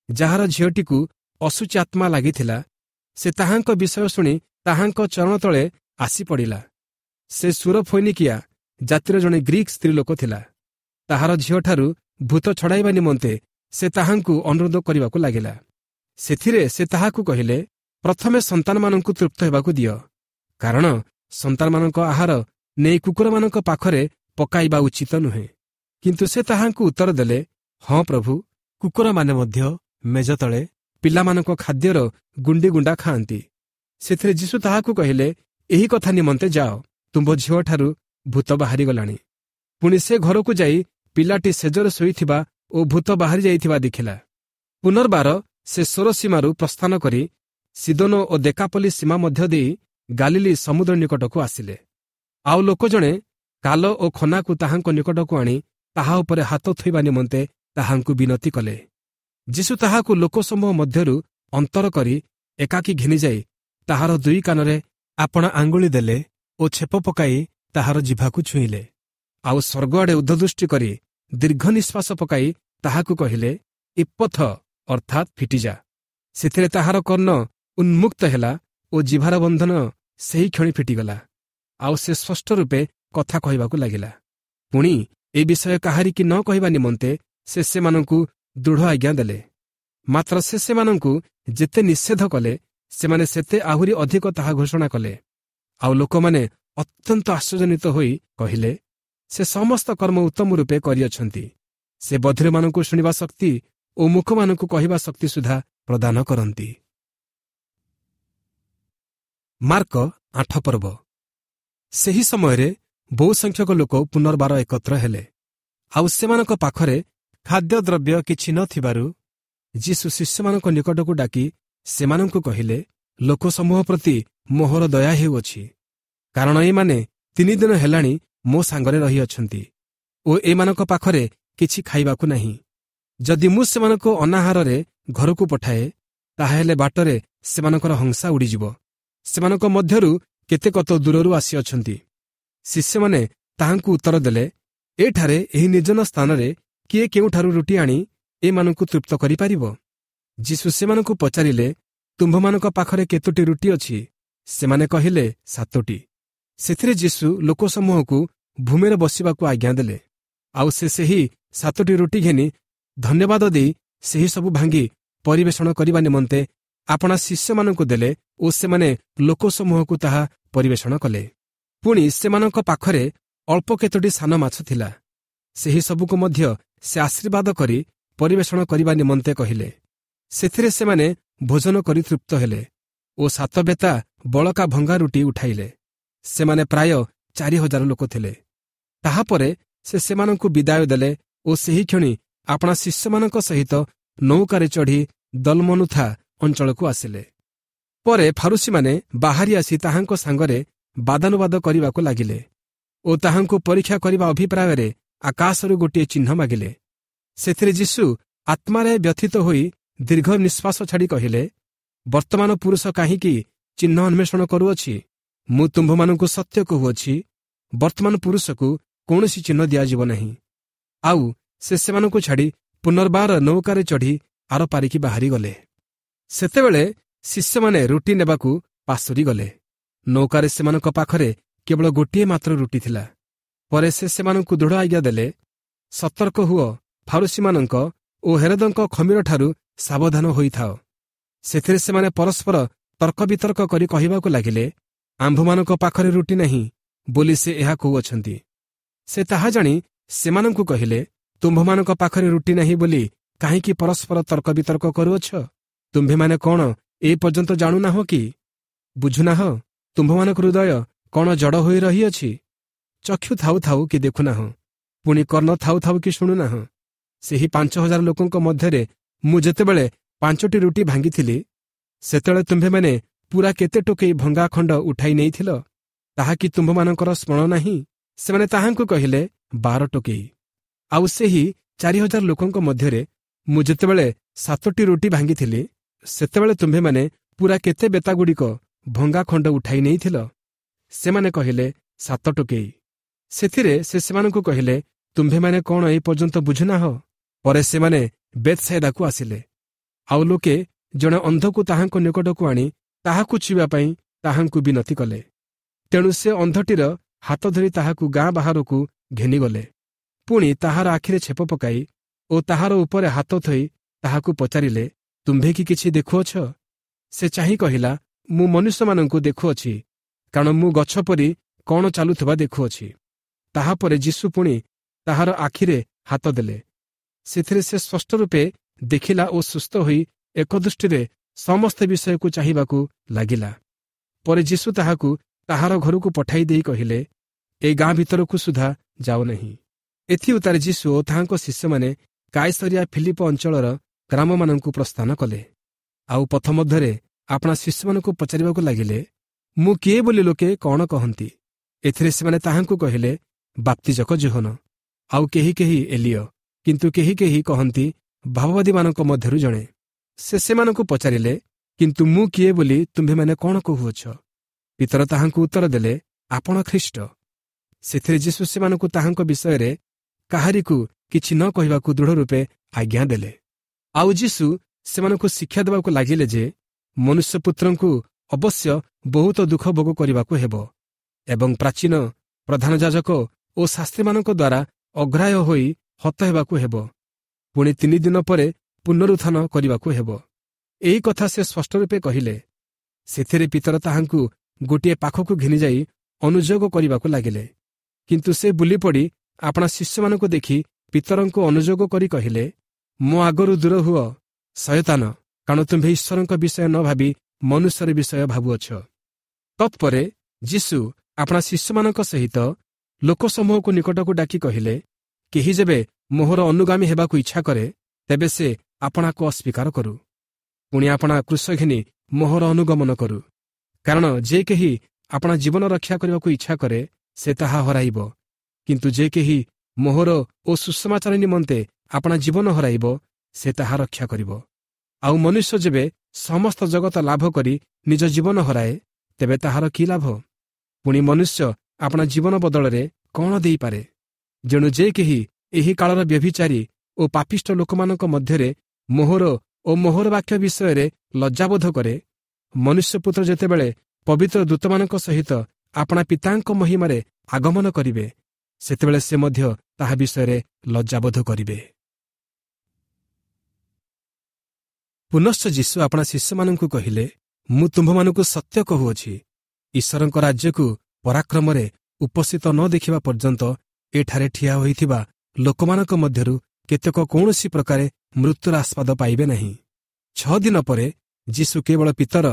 ଯାହାର ଝିଅଟିକୁ ଅଶୁଚି ଆତ୍ମା ଲାଗିଥିଲା, ସେ ତାହାଙ୍କ ବିଷୟ ଶୁଣି ତାହାଙ୍କ ଚରଣ ତଳେ ଆସି ପଡ଼ିଲା। ସେ ସୁରଫୈନିକିଆ ଜାତିର ଜଣେ ଗ୍ରୀକ୍ ସ୍ତ୍ରୀ ଲୋକ ଥିଲା। ତାହାର ଝିଅଠାରୁ ଭୂତ ଛଡ଼ାଇବା ନିମନ୍ତେ ସେ ତାହାଙ୍କୁ ଅନୁରୋଧ କରିବାକୁ ଲାଗିଲା। ସେଥିରେ ସେ ତାହାକୁ କହିଲେ, ପ୍ରଥମେ ସନ୍ତାନମାନଙ୍କୁ ତୃପ୍ତ ହେବାକୁ ଦିଅ, କାରଣ ସନ୍ତାନମାନଙ୍କ ଆହାର ନେଇ କୁକୁରମାନଙ୍କ ପାଖରେ ପକାଇବା ଉଚିତ ନୁହେଁ। କିନ୍ତୁ ସେ ତାହାଙ୍କୁ ଉତ୍ତର ଦେଲେ, ହଁ ପ୍ରଭୁ, କୁକୁରମାନେ ମଧ୍ୟ ମେଜ ତଳେ ପିଲାମାନଙ୍କ ଖାଦ୍ୟର ଗୁଣ୍ଡି ଗୁଣ୍ଡା ଖାଆନ୍ତି। ସେଥିରେ ଯୀଶୁ ତାହାକୁ କହିଲେ, ଏହି କଥା ନିମନ୍ତେ ଯାଅ, ତୁମ୍ଭ ଝିଅଠାରୁ ଭୂତ ବାହାରିଗଲାଣି। ପୁଣି ସେ ଘରକୁ ଯାଇ ପିଲାଟି ଶେଯରେ ଶୋଇଥିବା ଓ ଭୂତ ବାହାରି ଯାଇଥିବା ଦେଖିଲା। ପୁନର୍ବାର ସେ ସୋର ସୀମାରୁ ପ୍ରସ୍ଥାନ କରି ସିଦୋନ ଓ ଦେକାପଲି ସୀମା ମଧ୍ୟ ଦେଇ ଗାଲିଲି ସମୁଦ୍ର ନିକଟକୁ ଆସିଲେ। ଆଉ ଲୋକ ଜଣେ କାଲ ଓ ଖନାକୁ ତାହାଙ୍କ ନିକଟକୁ ଆଣି ତାହା ଉପରେ ହାତ ଥୋଇବା ନିମନ୍ତେ ତାହାଙ୍କୁ ବିନତି କଲେ। ଯୀଶୁ ତାହାକୁ ଲୋକସମୂହ ମଧ୍ୟରୁ ଅନ୍ତର କରି ଏକାକୀ ଘେନିଯାଇ ତାହାର ଦୁଇ କାନରେ ଆପଣା ଆଙ୍ଗୁଳି ଦେଲେ ଓ ଛେପ ପକାଇ ତାହାର ଜିଭାକୁ ଛୁଇଁଲେ। ଆଉ ସ୍ୱର୍ଗଆଡ଼େ ଉର୍ଦ୍ଧ୍ୱଦୃଷ୍ଟି କରି ଦୀର୍ଘ ନିଶ୍ୱାସ ପକାଇ ତାହାକୁ କହିଲେ, ଇପ୍ପଥ, ଅର୍ଥାତ୍ ଫିଟିଯା। ସେଥିରେ ତାହାର କର୍ଣ୍ଣ ଉନ୍ମୁକ୍ତ ହେଲା ଓ ଜିଭାର ବନ୍ଧନ ସେହି କ୍ଷଣି ଫିଟିଗଲା, ଆଉ ସେ ସ୍ପଷ୍ଟ ରୂପେ କଥା କହିବାକୁ ଲାଗିଲା। ପୁଣି ଏ ବିଷୟ କାହାରିକି ନ କହିବା ନିମନ୍ତେ ସେ ସେମାନଙ୍କୁ ଦୃଢ଼ ଆଜ୍ଞା ଦେଲେ। ମାତ୍ର ସେ ସେମାନଙ୍କୁ ଯେତେ ନିଷେଧ କଲେ, ସେମାନେ ସେତେ ଆହୁରି ଅଧିକ ତାହା ଘୋଷଣା କଲେ। ଆଉ ଲୋକମାନେ ଅତ୍ୟନ୍ତ ଆଶ୍ଚର୍ଯ୍ୟାନ୍ୱିତ ହୋଇ କହିଲେ, ସେ ସମସ୍ତ କର୍ମ ଉତ୍ତମ ରୂପେ କରିଅଛନ୍ତି। ସେ ବଧିରମାନଙ୍କୁ ଶୁଣିବା ଶକ୍ତି ଓ ମୂକମାନଙ୍କୁ କହିବା ଶକ୍ତି ସୁଦ୍ଧା ପ୍ରଦାନ କରନ୍ତି। ମାର୍କ ଆଠ ପର୍ବ। ସେହି ସମୟରେ ବହୁ ସଂଖ୍ୟକ ଲୋକ ପୁନର୍ବାର ଏକତ୍ର ହେଲେ, ଆଉ ସେମାନଙ୍କ ପାଖରେ ଖାଦ୍ୟଦ୍ରବ୍ୟ କିଛି ନଥିବାରୁ ଯୀଶୁ ଶିଷ୍ୟମାନଙ୍କ ନିକଟକୁ ଡାକି ସେମାନଙ୍କୁ କହିଲେ, ଲୋକସମୂହ ପ୍ରତି ମୋହର ଦୟା ହେଉଅଛି, କାରଣ ଏମାନେ ତିନି ଦିନ ହେଲାଣି ମୋ ସାଙ୍ଗରେ ରହିଅଛନ୍ତି ଓ ଏମାନଙ୍କ ପାଖରେ କିଛି ଖାଇବାକୁ ନାହିଁ। ଯଦି ମୁଁ ସେମାନଙ୍କୁ ଅନାହାରରେ ଘରକୁ ପଠାଏ, ତାହାହେଲେ ବାଟରେ ସେମାନଙ୍କର ହଂସା ଉଡ଼ିଯିବ। ସେମାନଙ୍କ ମଧ୍ୟରୁ କେତେକ ତ ଦୂରରୁ ଆସିଅଛନ୍ତି। ଶିଷ୍ୟମାନେ ତାହାଙ୍କୁ ଉତ୍ତର ଦେଲେ, ଏଠାରେ ଏହି ନିର୍ଜନ ସ୍ଥାନରେ କିଏ କେଉଁଠାରୁ ରୁଟି ଆଣି ଏମାନଙ୍କୁ ତୃପ୍ତ କରିପାରିବ? ଯୀଶୁ ସେମାନଙ୍କୁ ପଚାରିଲେ, ତୁମ୍ଭମାନଙ୍କ ପାଖରେ କେତୋଟି ରୁଟି ଅଛି? ସେମାନେ କହିଲେ, ସାତୋଟି। ସେଥିରେ ଯୀଶୁ ଲୋକସମୂହକୁ ଭୂମିରେ ବସିବାକୁ ଆଜ୍ଞା ଦେଲେ। ଆଉ ସେ ସେହି ସାତୋଟି ରୁଟି ଘେନି ଧନ୍ୟବାଦ ଦେଇ ସେହି ସବୁ ଭାଙ୍ଗି ପରିବେଷଣ କରିବା ନିମନ୍ତେ ଆପଣା ଶିଷ୍ୟମାନଙ୍କୁ ଦେଲେ ଓ ସେମାନେ ଲୋକସମୂହକୁ ତାହା ପରିବେଷଣ କଲେ। ପୁଣି ସେମାନଙ୍କ ପାଖରେ ଅଳ୍ପ କେତୋଟି ସାନ ମାଛ ଥିଲା। ସେହି ସବୁକୁ ମଧ୍ୟ ସେ ଆଶୀର୍ବାଦ କରି ପରିବେଷଣ କରିବା ନିମନ୍ତେ କହିଲେ। ସେଥିରେ ସେମାନେ ଭୋଜନ କରି ତୃପ୍ତ ହେଲେ ଓ ସାତ ବେତା ବଳକା ଭଙ୍ଗା ରୁଟି ଉଠାଇଲେ। ସେମାନେ ପ୍ରାୟ ଚାରି ହଜାର ଲୋକ ଥିଲେ। ତାହାପରେ ସେ ସେମାନଙ୍କୁ ବିଦାୟ ଦେଲେ ଓ ସେହି କ୍ଷଣି ଆପଣା ଶିଷ୍ୟମାନଙ୍କ ସହିତ ନୌକାରେ ଚଢ଼ି ଦଲମନୁଥା ଅଞ୍ଚଳକୁ ଆସିଲେ। ପରେ ଫାରୁସୀମାନେ ବାହାରି ଆସି ତାହାଙ୍କ ସାଙ୍ଗରେ ବାଦାନୁବାଦ କରିବାକୁ ଲାଗିଲେ ଓ ତାହାଙ୍କୁ ପରୀକ୍ଷା କରିବା ଅଭିପ୍ରାୟରେ ଆକାଶରୁ ଗୋଟିଏ ଚିହ୍ନ ମାଗିଲେ। ସେଥିରେ ଯୀଶୁ ଆତ୍ମାରେ ବ୍ୟଥିତ ହୋଇ ଦୀର୍ଘ ନିଶ୍ୱାସ ଛାଡ଼ି କହିଲେ, ବର୍ତ୍ତମାନ ପୁରୁଷ କାହିଁକି ଚିହ୍ନ ଅନ୍ୱେଷଣ କରୁଅଛି? ମୁଁ ତୁମ୍ଭମାନଙ୍କୁ ସତ୍ୟ କହୁଅଛି, ବର୍ତ୍ତମାନ ପୁରୁଷକୁ କୌଣସି ଚିହ୍ନ ଦିଆଯିବ ନାହିଁ। ଆଉ ସେ ସେମାନଙ୍କୁ ଛାଡ଼ି ପୁନର୍ବାର ନୌକାରେ ଚଢ଼ି ଆର ପାରିକି ବାହାରିଗଲେ। ସେତେବେଳେ ଶିଷ୍ୟମାନେ ରୁଟି ନେବାକୁ ପାଶୋରି ଗଲେ। ନୌକାରେ ସେମାନଙ୍କ ପାଖରେ କେବଳ ଗୋଟିଏ ମାତ୍ର ରୁଟି ଥିଲା। ପରେ ସେ ସେମାନଙ୍କୁ ଦୃଢ଼ ଆଜ୍ଞା ଦେଲେ, ସତର୍କ ହୁଅ, ଫାରୁସୀମାନଙ୍କ ଓ ହେରଦଙ୍କ ଖମୀରଠାରୁ ସାବଧାନ ହୋଇଥାଅ। ସେଥିରେ ସେମାନେ ପରସ୍ପର ତର୍କ ବିତର୍କ କରି କହିବାକୁ ଲାଗିଲେ, ଆମ୍ଭମାନଙ୍କ ପାଖରେ ରୁଟି ନାହିଁ ବୋଲି ସେ ଏହା କହୁଅଛନ୍ତି। ସେ ତାହା ଜାଣି ସେମାନଙ୍କୁ କହିଲେ, ତୁମ୍ଭମାନଙ୍କ ପାଖରେ ରୁଟି ନାହିଁ ବୋଲି କାହିଁକି ପରସ୍ପର ତର୍କ ବିତର୍କ କରୁଅଛ? ତୁମ୍ଭେମାନେ କ'ଣ ଏ ପର୍ଯ୍ୟନ୍ତ ଜାଣୁନାହଁ କି ବୁଝୁନାହଁ? ତୁମ୍ଭମାନଙ୍କ ହୃଦୟ କ'ଣ ଜଡ଼ ହୋଇ ରହିଅଛି? ଚକ୍ଷୁ ଥାଉ ଥାଉ କି ଦେଖୁନାହଁ? ପୁଣି କର୍ଣ୍ଣ ଥାଉ ଥାଉ କି ଶୁଣୁନାହଁ? ସେହି ପାଞ୍ଚ ହଜାର ଲୋକଙ୍କ ମଧ୍ୟରେ ମୁଁ ଯେତେବେଳେ ପାଞ୍ଚଟି ରୁଟି ଭାଙ୍ଗିଥିଲି, ସେତେବେଳେ ତୁମ୍ଭେମାନେ ପୁରା କେତେ ଟୋକେଇ ଭଙ୍ଗା ଖଣ୍ଡ ଉଠାଇ ନେଇଥିଲ? ତାହା କି ତୁମ୍ଭମାନଙ୍କର ସ୍ମରଣ ନାହିଁ? ସେମାନେ ତାହାଙ୍କୁ କହିଲେ, ବାର ଟୋକେଇ। ଆଉ ସେହି ଚାରି ହଜାର ଲୋକଙ୍କ ମଧ୍ୟରେ ମୁଁ ଯେତେବେଳେ ସାତଟି ରୁଟି ଭାଙ୍ଗିଥିଲି, ସେତେବେଳେ ତୁମ୍ଭେମାନେ ପୁରା କେତେ ବେତାଗୁଡ଼ିକ ଭଙ୍ଗା ଖଣ୍ଡ ଉଠାଇ ନେଇଥିଲ? ସେମାନେ କହିଲେ, ସାତ ଟୋକେଇ। ସେଥିରେ ସେ ସେମାନଙ୍କୁ କହିଲେ, ତୁମ୍ଭେମାନେ କ'ଣ ଏ ପର୍ଯ୍ୟନ୍ତ ବୁଝୁନାହଁ? ପରେ ସେମାନେ ବେତ୍ସାଇଦାକୁ ଆସିଲେ। ଆଉ ଲୋକେ ଜଣେ ଅନ୍ଧକୁ ତାହାଙ୍କ ନିକଟକୁ ଆଣି ତାହାକୁ ଛୁଇଁବା ପାଇଁ ତାହାଙ୍କୁ ବିନତି କଲେ। ତେଣୁ ସେ ଅନ୍ଧଟିର ହାତ ଧରି ତାହାକୁ ଗାଁ ବାହାରକୁ ଘେନିଗଲେ। ପୁଣି ତାହାର ଆଖିରେ ଛେପ ପକାଇ ଓ ତାହାର ଉପରେ ହାତ ଥୋଇ ତାହାକୁ ପଚାରିଲେ, ତୁମ୍ଭେ କି କିଛି ଦେଖୁଅଛ? ସେ ଚାହିଁ କହିଲା, ମୁଁ ମନୁଷ୍ୟମାନଙ୍କୁ ଦେଖୁଅଛି, କାରଣ ମୁଁ ଗଛ ପରି କ'ଣ ଚାଲୁଥିବା ଦେଖୁଅଛି। ତାହାପରେ ଯୀଶୁ ପୁଣି ତାହାର ଆଖିରେ ହାତ ଦେଲେ। ସେଥିରେ ସେ ସ୍ପଷ୍ଟ ରୂପେ ଦେଖିଲା ଓ ସୁସ୍ଥ ହୋଇ ଏକ ଦୃଷ୍ଟିରେ ସମସ୍ତ ବିଷୟକୁ ଚାହିଁବାକୁ ଲାଗିଲା। ପରେ ଯୀଶୁ ତାହାକୁ ତାହାର ଘରକୁ ପଠାଇ ଦେଇ କହିଲେ, ଏ ଗାଁ ଭିତରକୁ ସୁଦ୍ଧା ଯାଅ ନାହିଁ। ଏଥିଉତ୍ତାରେ ଯୀଶୁ ଓ ତାହାଙ୍କ ଶିଷ୍ୟମାନେ କାଇସରିଆ ଫିଲିପ ଅଞ୍ଚଳର ଗ୍ରାମମାନଙ୍କୁ ପ୍ରସ୍ଥାନ କଲେ। ଆଉ ପଥ ମଧ୍ୟରେ ଆପଣା ଶିଷ୍ୟମାନଙ୍କୁ ପଚାରିବାକୁ ଲାଗିଲେ, ମୁଁ କିଏ ବୋଲି ଲୋକେ କ'ଣ କହନ୍ତି? ଏଥିରେ ସେମାନେ ତାହାଙ୍କୁ କହିଲେ, ବାପ୍ତିଜକ ଯୋହନ, ଆଉ କେହି କେହି ଏଲିୟ, କିନ୍ତୁ କେହି କେହି କହନ୍ତି ଭାବବାଦୀମାନଙ୍କ ମଧ୍ୟରୁ ଜଣେ। ସେ ସେମାନଙ୍କୁ ପଚାରିଲେ, କିନ୍ତୁ ମୁଁ କିଏ ବୋଲି ତୁମ୍ଭେମାନେ କ'ଣ କହୁଅଛ? ପିତର ତାହାଙ୍କୁ ଉତ୍ତର ଦେଲେ, ଆପଣ ଖ୍ରୀଷ୍ଟ। ସେଥିରେ ଯୀଶୁ ସେମାନଙ୍କୁ ତାହାଙ୍କ ବିଷୟରେ କାହାରିକୁ କିଛି ନ କହିବାକୁ ଦୃଢ଼ ରୂପେ ଆଜ୍ଞା ଦେଲେ। ଆଉ ଯୀଶୁ ସେମାନଙ୍କୁ ଶିକ୍ଷା ଦେବାକୁ ଲାଗିଲେ ଯେ ମନୁଷ୍ୟପୁତ୍ରଙ୍କୁ ଅବଶ୍ୟ ବହୁତ ଦୁଃଖ ଭୋଗ କରିବାକୁ ହେବ ଏବଂ ପ୍ରାଚୀନ ପ୍ରଧାନ ଯାଜକ ଓ ଶାସ୍ତ୍ରୀମାନଙ୍କ ଦ୍ୱାରା ଅଗ୍ରାହ୍ୟ ହୋଇ ହତ ହେବାକୁ ହେବ, ପୁଣି ତିନି ଦିନ ପରେ ପୁନରୁତ୍ଥାନ କରିବାକୁ ହେବ। ଏହି କଥା ସେ ସ୍ପଷ୍ଟ ରୂପେ କହିଲେ। ସେଥିରେ ପିତର ତାହାଙ୍କୁ ଗୋଟିଏ ପାଖକୁ ଘେନିଯାଇ ଅନୁଯୋଗ କରିବାକୁ ଲାଗିଲେ। କିନ୍ତୁ ସେ ବୁଲିପଡ଼ି ଆପଣା ଶିଷ୍ୟମାନଙ୍କୁ ଦେଖି ପିତରଙ୍କୁ ଅନୁଯୋଗ କରି କହିଲେ, ମୋ ଆଗରୁ ଦୂର ହୁଅ ଶୟତାନ, କାରଣ ତୁମ୍ଭେ ଈଶ୍ୱରଙ୍କ ବିଷୟ ନ ଭାବି ମନୁଷ୍ୟର ବିଷୟ ଭାବୁଅଛ। ତତ୍ପରେ ଯୀଶୁ ଆପଣା ଶିଷ୍ୟମାନଙ୍କ ସହିତ ଲୋକସମୂହକୁ ନିକଟକୁ ଡାକି କହିଲେ, କେହି ଯେବେ ମୋହର ଅନୁଗାମୀ ହେବାକୁ ଇଚ୍ଛା କରେ, ତେବେ ସେ ଆପଣାକୁ ଅସ୍ୱୀକାର କରୁ, ପୁଣି ଆପଣା କ୍ରୁଶ ଘେନି ମୋହର ଅନୁଗମନ କରୁ। କାରଣ ଯେ କେହି ଆପଣା ଜୀବନ ରକ୍ଷା କରିବାକୁ ଇଚ୍ଛା କରେ, ସେ ତାହା ହରାଇବ, କିନ୍ତୁ ଯେ କେହି ମୋହର ଓ ସୁସମାଚାର ନିମନ୍ତେ ଆପଣା ଜୀବନ ହରାଇବ, ସେ ତାହା ରକ୍ଷା କରିବ। ଆଉ ମନୁଷ୍ୟ ଯେବେ ସମସ୍ତ ଜଗତ ଲାଭ କରି ନିଜ ଜୀବନ ହରାଏ, ତେବେ ତାହାର କି ଲାଭ? ପୁଣି ମନୁଷ୍ୟ ଆପଣା ଜୀବନ ବଦଳରେ କ'ଣ ଦେଇପାରେ? ଯେଣୁ ଯେ କେହି ଏହି କାଳର ବ୍ୟଭିଚାରୀ ଓ ପାପିଷ୍ଠ ଲୋକମାନଙ୍କ ମଧ୍ୟରେ ମୋହର ଓ ମୋହର ବାକ୍ୟ ବିଷୟରେ ଲଜ୍ଜାବୋଧ କରେ, ମନୁଷ୍ୟପୁତ୍ର ଯେତେବେଳେ ପବିତ୍ର ଦୂତମାନଙ୍କ ସହିତ ଆପଣା ପିତାଙ୍କ ମହିମାରେ ଆଗମନ କରିବେ, ସେତେବେଳେ ସେ ମଧ୍ୟ ତାହା ବିଷୟରେ ଲଜ୍ଜାବୋଧ କରିବେ। ପୁନଶ୍ଚ ଯୀଶୁ ଆପଣା ଶିଷ୍ୟମାନଙ୍କୁ କହିଲେ, ମୁଁ ତୁମ୍ଭମାନଙ୍କୁ ସତ୍ୟ କହୁଅଛି, ଈଶ୍ୱରଙ୍କ ରାଜ୍ୟକୁ ପରାକ୍ରମରେ ଉପସ୍ଥିତ ନ ଦେଖିବା ପର୍ଯ୍ୟନ୍ତ ଏଠାରେ ଠିଆ ହୋଇଥିବା ଲୋକମାନଙ୍କ ମଧ୍ୟରୁ କେତେକ କୌଣସି ପ୍ରକାରେ ମୃତ୍ୟୁର ଆସ୍ୱାଦ ପାଇବେ ନାହିଁ। ଛଅ ଦିନ ପରେ ଯୀଶୁ କେବଳ ପିତର,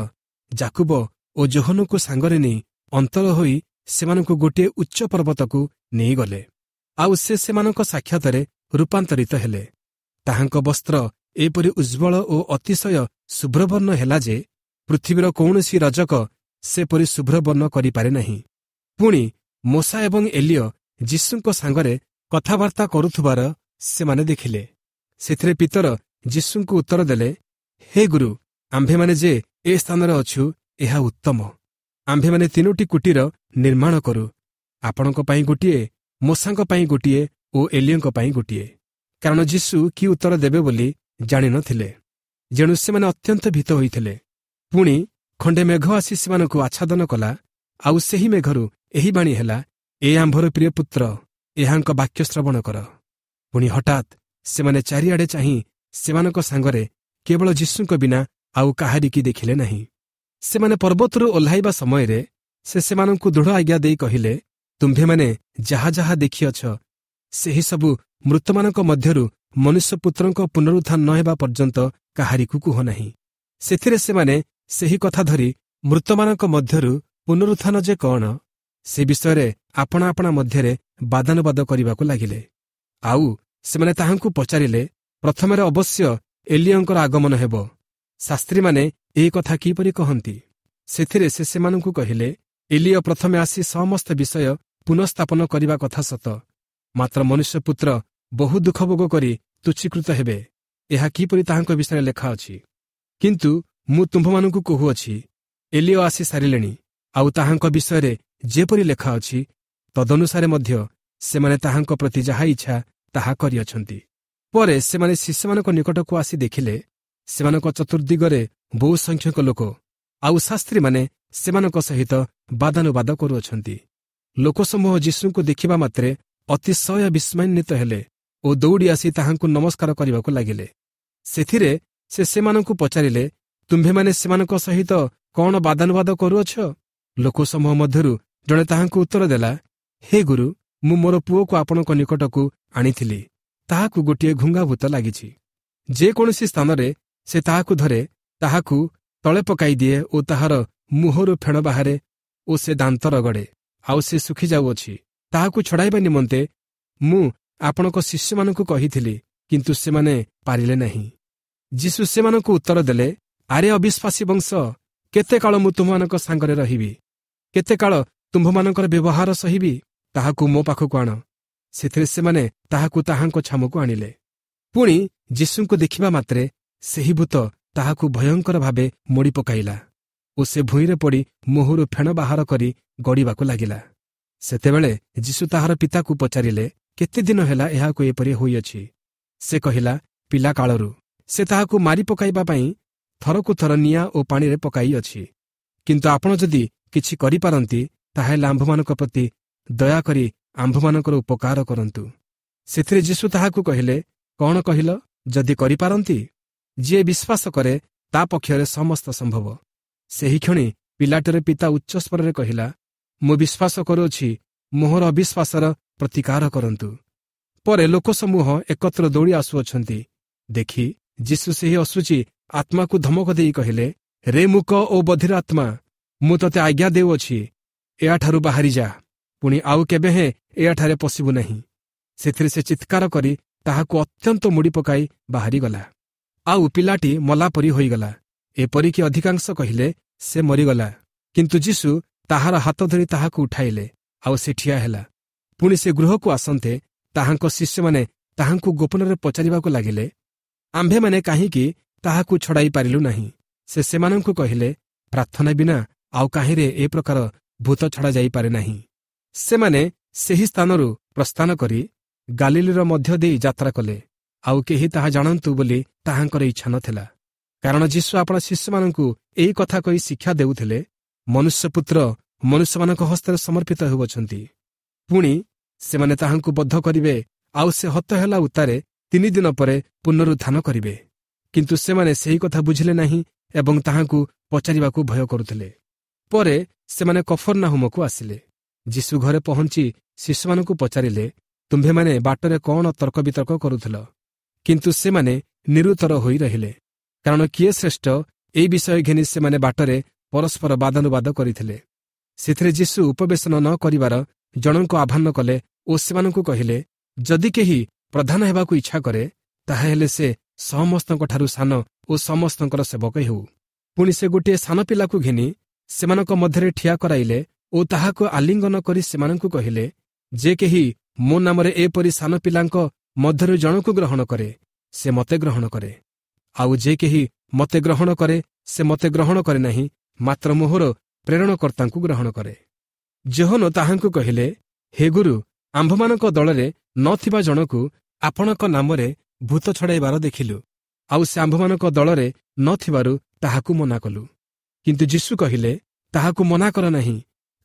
ଯାକୁବ ଓ ଯୋହନଙ୍କୁ ସାଙ୍ଗରେ ନେଇ ଅନ୍ତର ହୋଇ ସେମାନଙ୍କୁ ଗୋଟିଏ ଉଚ୍ଚ ପର୍ବତକୁ ନେଇଗଲେ। ଆଉ ସେ ସେମାନଙ୍କ ସାକ୍ଷାତରେ ରୂପାନ୍ତରିତ ହେଲେ। ତାହାଙ୍କ ବସ୍ତ୍ର ଏପରି ଉଜ୍ଜ୍ୱଳ ଓ ଅତିଶୟ ଶୁଭ୍ରବର୍ଣ୍ଣ ହେଲା ଯେ ପୃଥିବୀର କୌଣସି ରଜକ ସେପରି ଶୁଭ୍ରବର୍ଣ୍ଣ କରିପାରେ ନାହିଁ। ପୁଣି ମୋଶା ଏବଂ ଏଲିୟ ଯୀଶୁଙ୍କ ସାଙ୍ଗରେ କଥାବାର୍ତ୍ତା କରୁଥିବାର ସେମାନେ ଦେଖିଲେ। ସେଥିରେ ପିତର ଯୀଶୁଙ୍କୁ ଉତ୍ତର ଦେଲେ, ହେ ଗୁରୁ, ଆମ୍ଭେମାନେ ଯେ ଏ ସ୍ଥାନରେ ଅଛୁ ଏହା ଉତ୍ତମ। ଆମ୍ଭେମାନେ ତିନୋଟି କୁଟୀର ନିର୍ମାଣ କରୁ, ଆପଣଙ୍କ ପାଇଁ ଗୋଟିଏ, ମୋଶାଙ୍କ ପାଇଁ ଗୋଟିଏ ଓ ଏଲିୟଙ୍କ ପାଇଁ ଗୋଟିଏ। କାରଣ ଯୀଶୁ କି ଉତ୍ତର ଦେବେ ବୋଲି ଜାଣିନଥିଲେ। ଯେଣୁ ସେମାନେ ଅତ୍ୟନ୍ତ ଭୀତ ହୋଇଥିଲେ। ପୁଣି ଖଣ୍ଡେ ମେଘ ଆସି ସେମାନଙ୍କୁ ଆଚ୍ଛାଦନ କଲା, ଆଉ ସେହି ମେଘରୁ ଏହି ବାଣୀ ହେଲା, ଏ ଆମ୍ଭର ପ୍ରିୟ ପୁତ୍ର, ଏହାଙ୍କ ବାକ୍ୟ ଶ୍ରବଣ କର। ପୁଣି ହଠାତ୍ ସେମାନେ ଚାରିଆଡ଼େ ଚାହିଁ ସେମାନଙ୍କ ସାଙ୍ଗରେ କେବଳ ଯୀଶୁଙ୍କ ବିନା ଆଉ କାହାରିକି ଦେଖିଲେ ନାହିଁ। ସେମାନେ ପର୍ବତରୁ ଓହ୍ଲାଇବା ସମୟରେ ସେ ସେମାନଙ୍କୁ ଦୃଢ଼ ଆଜ୍ଞା ଦେଇ କହିଲେ, ତୁମ୍ଭେମାନେ ଯାହା ଯାହା ଦେଖିଅଛ ସେହିସବୁ ମୃତମାନଙ୍କ ମଧ୍ୟରୁ ମନୁଷ୍ୟପୁତ୍ରଙ୍କ ପୁନରୁତ୍ଥାନ ନ ହେବା ପର୍ଯ୍ୟନ୍ତ କାହାରିକୁ କୁହ ନାହିଁ। ସେଥିରେ ସେମାନେ ସେହି କଥା ଧରି ମୃତମାନଙ୍କ ମଧ୍ୟରୁ ପୁନରୁତ୍ଥାନ ଯେ କ'ଣ ସେ ବିଷୟରେ ଆପଣା ଆପଣା ମଧ୍ୟରେ ବାଦାନୁବାଦ କରିବାକୁ ଲାଗିଲେ। ଆଉ ସେମାନେ ତାହାଙ୍କୁ ପଚାରିଲେ, ପ୍ରଥମରେ ଅବଶ୍ୟ ଏଲିୟଙ୍କର ଆଗମନ ହେବ, ଶାସ୍ତ୍ରୀମାନେ ଏହି କଥା କିପରି କହନ୍ତି? ସେଥିରେ ସେ ସେମାନଙ୍କୁ କହିଲେ, ଏଲିୟ ପ୍ରଥମେ ଆସି ସମସ୍ତ ବିଷୟ ପୁନଃସ୍ଥାପନ କରିବା କଥା ସତ, ମାତ୍ର ମନୁଷ୍ୟପୁତ୍ର ବହୁ ଦୁଃଖ ଭୋଗ କରି ତୁଚ୍ଛୀକୃତ ହେବେ, ଏହା କିପରି ତାହାଙ୍କ ବିଷୟରେ ଲେଖା ଅଛି? କିନ୍ତୁ ମୁଁ ତୁମ୍ଭମାନଙ୍କୁ କହୁଅଛି, ଏଲିୟ ଆସି ସାରିଲେଣି, ଆଉ ତାହାଙ୍କ ବିଷୟରେ ଯେପରି ଲେଖା ଅଛି ତଦନୁସାରେ ମଧ୍ୟ ସେମାନେ ତାହାଙ୍କ ପ୍ରତି ଯାହା ଇଚ୍ଛା ତାହା କରିଅଛନ୍ତି। ପରେ ସେମାନେ ଶିଷ୍ୟମାନଙ୍କ ନିକଟକୁ ଆସି ଦେଖିଲେ, ସେମାନଙ୍କ ଚତୁର୍ଦ୍ଦିଗରେ ବହୁ ସଂଖ୍ୟକ ଲୋକ ଆଉ ଶାସ୍ତ୍ରୀମାନେ ସେମାନଙ୍କ ସହିତ ବାଦାନୁବାଦ କରୁଅଛନ୍ତି। ଲୋକସମୂହ ଯୀଶୁଙ୍କୁ ଦେଖିବା ମାତ୍ରେ ଅତିଶୟ ବିସ୍ମୟାନ୍ୱିତ ହେଲେ ଓ ଦୌଡ଼ି ଆସି ତାହାଙ୍କୁ ନମସ୍କାର କରିବାକୁ ଲାଗିଲେ। ସେଥିରେ ସେ ସେମାନଙ୍କୁ ପଚାରିଲେ, ତୁମ୍ଭେମାନେ ସେମାନଙ୍କ ସହିତ କ'ଣ ବାଦାନୁବାଦ କରୁଅଛ? ଲୋକସମୂହ ମଧ୍ୟରୁ ଜଣେ ତାହାଙ୍କୁ ଉତ୍ତର ଦେଲା, ହେ ଗୁରୁ, ମୁଁ ମୋର ପୁଅକୁ ଆପଣଙ୍କ ନିକଟକୁ ଆଣିଥିଲି, ତାହାକୁ ଗୋଟିଏ ଘୁଙ୍ଗାଭୂତ ଲାଗିଛି। ଯେକୌଣସି ସ୍ଥାନରେ ସେ ତାହାକୁ ଧରେ, ତାହାକୁ ତଳେ ପକାଇ ଦିଏ ଓ ତାହାର ମୁହଁରୁ ଫେଣ ବାହାରେ ଓ ସେ ଦାନ୍ତ ରଗଡ଼େ, ଆଉ ସେ ଶୁଖିଯାଉଅଛି। ତାହାକୁ ଛଡ଼ାଇବା ନିମନ୍ତେ ମୁଁ ଆପଣଙ୍କ ଶିଷ୍ୟମାନଙ୍କୁ କହିଥିଲି, କିନ୍ତୁ ସେମାନେ ପାରିଲେ ନାହିଁ। ଯୀଶୁ ସେମାନଙ୍କୁ ଉତ୍ତର ଦେଲେ, ଆରେ ଅବିଶ୍ୱାସୀ ବଂଶ, କେତେ କାଳ ମୁଁ ତୁମମାନଙ୍କ ସାଙ୍ଗରେ ରହିବି? କେତେ କାଳ ତୁମ୍ଭମାନଙ୍କର ବ୍ୟବହାର ସହିବି? ତାହାକୁ ମୋ ପାଖକୁ ଆଣ। ସେଥିରେ ସେମାନେ ତାହାକୁ ତାହାଙ୍କ ଛାମକୁ ଆଣିଲେ। ପୁଣି ଯୀଶୁଙ୍କୁ ଦେଖିବା ମାତ୍ରେ ସେହି ଭୂତ ତାହାକୁ ଭୟଙ୍କର ଭାବେ ମୋଡ଼ି ପକାଇଲା ଓ ସେ ଭୂଇଁରେ ପଡ଼ି ମୁହଁରୁ ଫେଣ ବାହାର କରି ଗଡ଼ିବାକୁ ଲାଗିଲା। ସେତେବେଳେ ଯୀଶୁ ତାହାର ପିତାକୁ ପଚାରିଲେ, କେତେ ଦିନ ହେଲା ଏହାକୁ ଏପରି ହୋଇଅଛି? ସେ କହିଲା, ପିଲା କାଳରୁ। ସେ ତାହାକୁ ମାରି ପକାଇବା ପାଇଁ ଥରକୁ ଥର ନିଆଁ ଓ ପାଣିରେ ପକାଇଅଛି। କିନ୍ତୁ ଆପଣ ଯଦି କିଛି କରିପାରନ୍ତି, ତାହାହେଲେ ଆମ୍ଭମାନଙ୍କ ପ୍ରତି ଦୟାକରି ଆମ୍ଭମାନଙ୍କର ଉପକାର କରନ୍ତୁ। ସେଥିରେ ଯୀଶୁ ତାହାକୁ କହିଲେ, କ'ଣ କହିଲ, ଯଦି କରିପାରନ୍ତି? ଯିଏ ବିଶ୍ୱାସ କରେ ତା ପକ୍ଷରେ ସମସ୍ତ ସମ୍ଭବ। ସେହିକ୍ଷଣି ପିଲାଟିର ପିତା ଉଚ୍ଚସ୍ୱରରେ କହିଲା, ମୁଁ ବିଶ୍ୱାସ କରୁଅଛି, ମୋହର ଅବିଶ୍ୱାସର ପ୍ରତିକାର କରନ୍ତୁ। ପରେ ଲୋକସମୂହ ଏକତ୍ର ଦୌଡ଼ି ଆସୁଅଛନ୍ତି ଦେଖି ଯୀଶୁ ସେହି ଅଶୁଚି ଆତ୍ମାକୁ ଧମକ ଦେଇ କହିଲେ, ରେ ମୂକ ଓ ବଧିର ଆତ୍ମା, ମୁଁ ତୋତେ ଆଜ୍ଞା ଦେଉଅଛି, ଏହାଠାରୁ ବାହାରି ଯା, ପୁଣି ଆଉ କେବେ ହେଁ ଏହାଠାରେ ପଶିବୁ ନାହିଁ। ସେଥିରେ ସେ ଚିତ୍କାର କରି ତାହାକୁ ଅତ୍ୟନ୍ତ ମୋଡ଼ି ପକାଇ ବାହାରିଗଲା। ଆଉ ପିଲାଟି ମଲା ପରି ହୋଇଗଲା, ଏପରିକି ଅଧିକାଂଶ କହିଲେ ସେ ମରିଗଲା। କିନ୍ତୁ ଯୀଶୁ ତାହାର ହାତ ଧରି ତାହାକୁ ଉଠାଇଲେ, ଆଉ ସେ ଠିଆ ହେଲା। ପୁଣି ସେ ଗୃହକୁ ଆସନ୍ତେ ତାହାଙ୍କ ଶିଷ୍ୟମାନେ ତାହାଙ୍କୁ ଗୋପନରେ ପଚାରିବାକୁ ଲାଗିଲେ, ଆମ୍ଭେମାନେ କାହିଁକି ତାହାକୁ ଛଡ଼ାଇ ପାରିଲୁ ନାହିଁ? ସେ ସେମାନଙ୍କୁ କହିଲେ, ପ୍ରାର୍ଥନା ବିନା ଆଉ କାହିଁରେ ଏ ପ୍ରକାର ଭୂତ ଛଡ଼ା ଯାଇପାରେ ନାହିଁ। ସେମାନେ ସେହି ସ୍ଥାନରୁ ପ୍ରସ୍ଥାନ କରି ଗାଲିଲିର ମଧ୍ୟ ଦେଇ ଯାତ୍ରା କଲେ। ଆଉ କେହି ତାହା ଜାଣନ୍ତୁ ବୋଲି ତାହାଙ୍କର ଇଚ୍ଛା ନଥିଲା। କାରଣ ଯୀଶୁ ଆପଣା ଶିଷ୍ୟମାନଙ୍କୁ ଏହି କଥା କହି ଶିକ୍ଷା ଦେଉଥିଲେ, ମନୁଷ୍ୟପୁତ୍ର ମନୁଷ୍ୟମାନଙ୍କ ହସ୍ତରେ ସମର୍ପିତ ହେଉଅଛନ୍ତି, ପୁଣି ସେମାନେ ତାହାଙ୍କୁ ବଦ୍ଧ କରିବେ, ଆଉ ସେ ହତ ହେଲା ଉତ୍ତାରେ ତିନି ଦିନ ପରେ ପୁନରୁତ୍ଥାନ କରିବେ। କିନ୍ତୁ ସେମାନେ ସେହି କଥା ବୁଝିଲେ ନାହିଁ ଏବଂ ତାହାଙ୍କୁ ପଚାରିବାକୁ ଭୟ କରୁଥିଲେ। ପରେ ସେମାନେ କଫର୍ନାହୁମକୁ ଆସିଲେ। ଯୀଶୁ ଘରେ ପହଞ୍ଚି ଶିଷ୍ୟମାନଙ୍କୁ ପଚାରିଲେ, ତୁମ୍ଭେମାନେ ବାଟରେ କ'ଣ ତର୍କ ବିତର୍କ କରୁଥିଲ? କିନ୍ତୁ ସେମାନେ ନିରୁତ୍ତର ହୋଇ ରହିଲେ, କାରଣ କିଏ ଶ୍ରେଷ୍ଠ ଏହି ବିଷୟ ଘେନି ସେମାନେ ବାଟରେ ପରସ୍ପର ବାଦାନୁବାଦ କରିଥିଲେ। ସେଥିରେ ଯୀଶୁ ଉପବେଶନ ନ କରିବାର ଜଣଙ୍କୁ ଆହ୍ୱାନ କଲେ ଓ ସେମାନଙ୍କୁ କହିଲେ, ଯଦି କେହି ପ୍ରଧାନ ହେବାକୁ ଇଚ୍ଛା କରେ, ତାହାହେଲେ ସେ ସମସ୍ତଙ୍କଠାରୁ ସାନ ଓ ସମସ୍ତଙ୍କର ସେବକ ହେଉ। ପୁଣି ସେ ଗୋଟିଏ ସାନ ପିଲାକୁ ଘେନି ସେମାନଙ୍କ ମଧ୍ୟରେ ଠିଆ କରାଇଲେ ଓ ତାହାକୁ ଆଲିଙ୍ଗନ କରି ସେମାନଙ୍କୁ କହିଲେ, ଯେ କେହି ମୋ ନାମରେ ଏପରି ସାନ ପିଲାଙ୍କ ମଧ୍ୟରୁ ଜଣକୁ ଗ୍ରହଣ କରେ, ସେ ମୋତେ ଗ୍ରହଣ କରେ। ଆଉ ଯେ କେହି ମୋତେ ଗ୍ରହଣ କରେ, ସେ ମୋତେ ଗ୍ରହଣ କରେ ନାହିଁ, ମାତ୍ର ମୋହର ପ୍ରେରଣକର୍ତ୍ତାଙ୍କୁ ଗ୍ରହଣ କରେ। ଯୋହନ ତାହାଙ୍କୁ କହିଲେ, ହେ ଗୁରୁ, ଆମ୍ଭମାନଙ୍କ ଦଳରେ ନଥିବା ଜଣକୁ ଆପଣଙ୍କ ନାମରେ ଭୂତ ଛଡ଼ାଇବାର ଦେଖିଲୁ, ଆଉ ସେ ଆମ୍ଭମାନଙ୍କ ଦଳରେ ନଥିବାରୁ ତାହାକୁ ମନା କଲୁ। କିନ୍ତୁ ଯୀଶୁ କହିଲେ, ତାହାକୁ ମନା କର ନାହିଁ,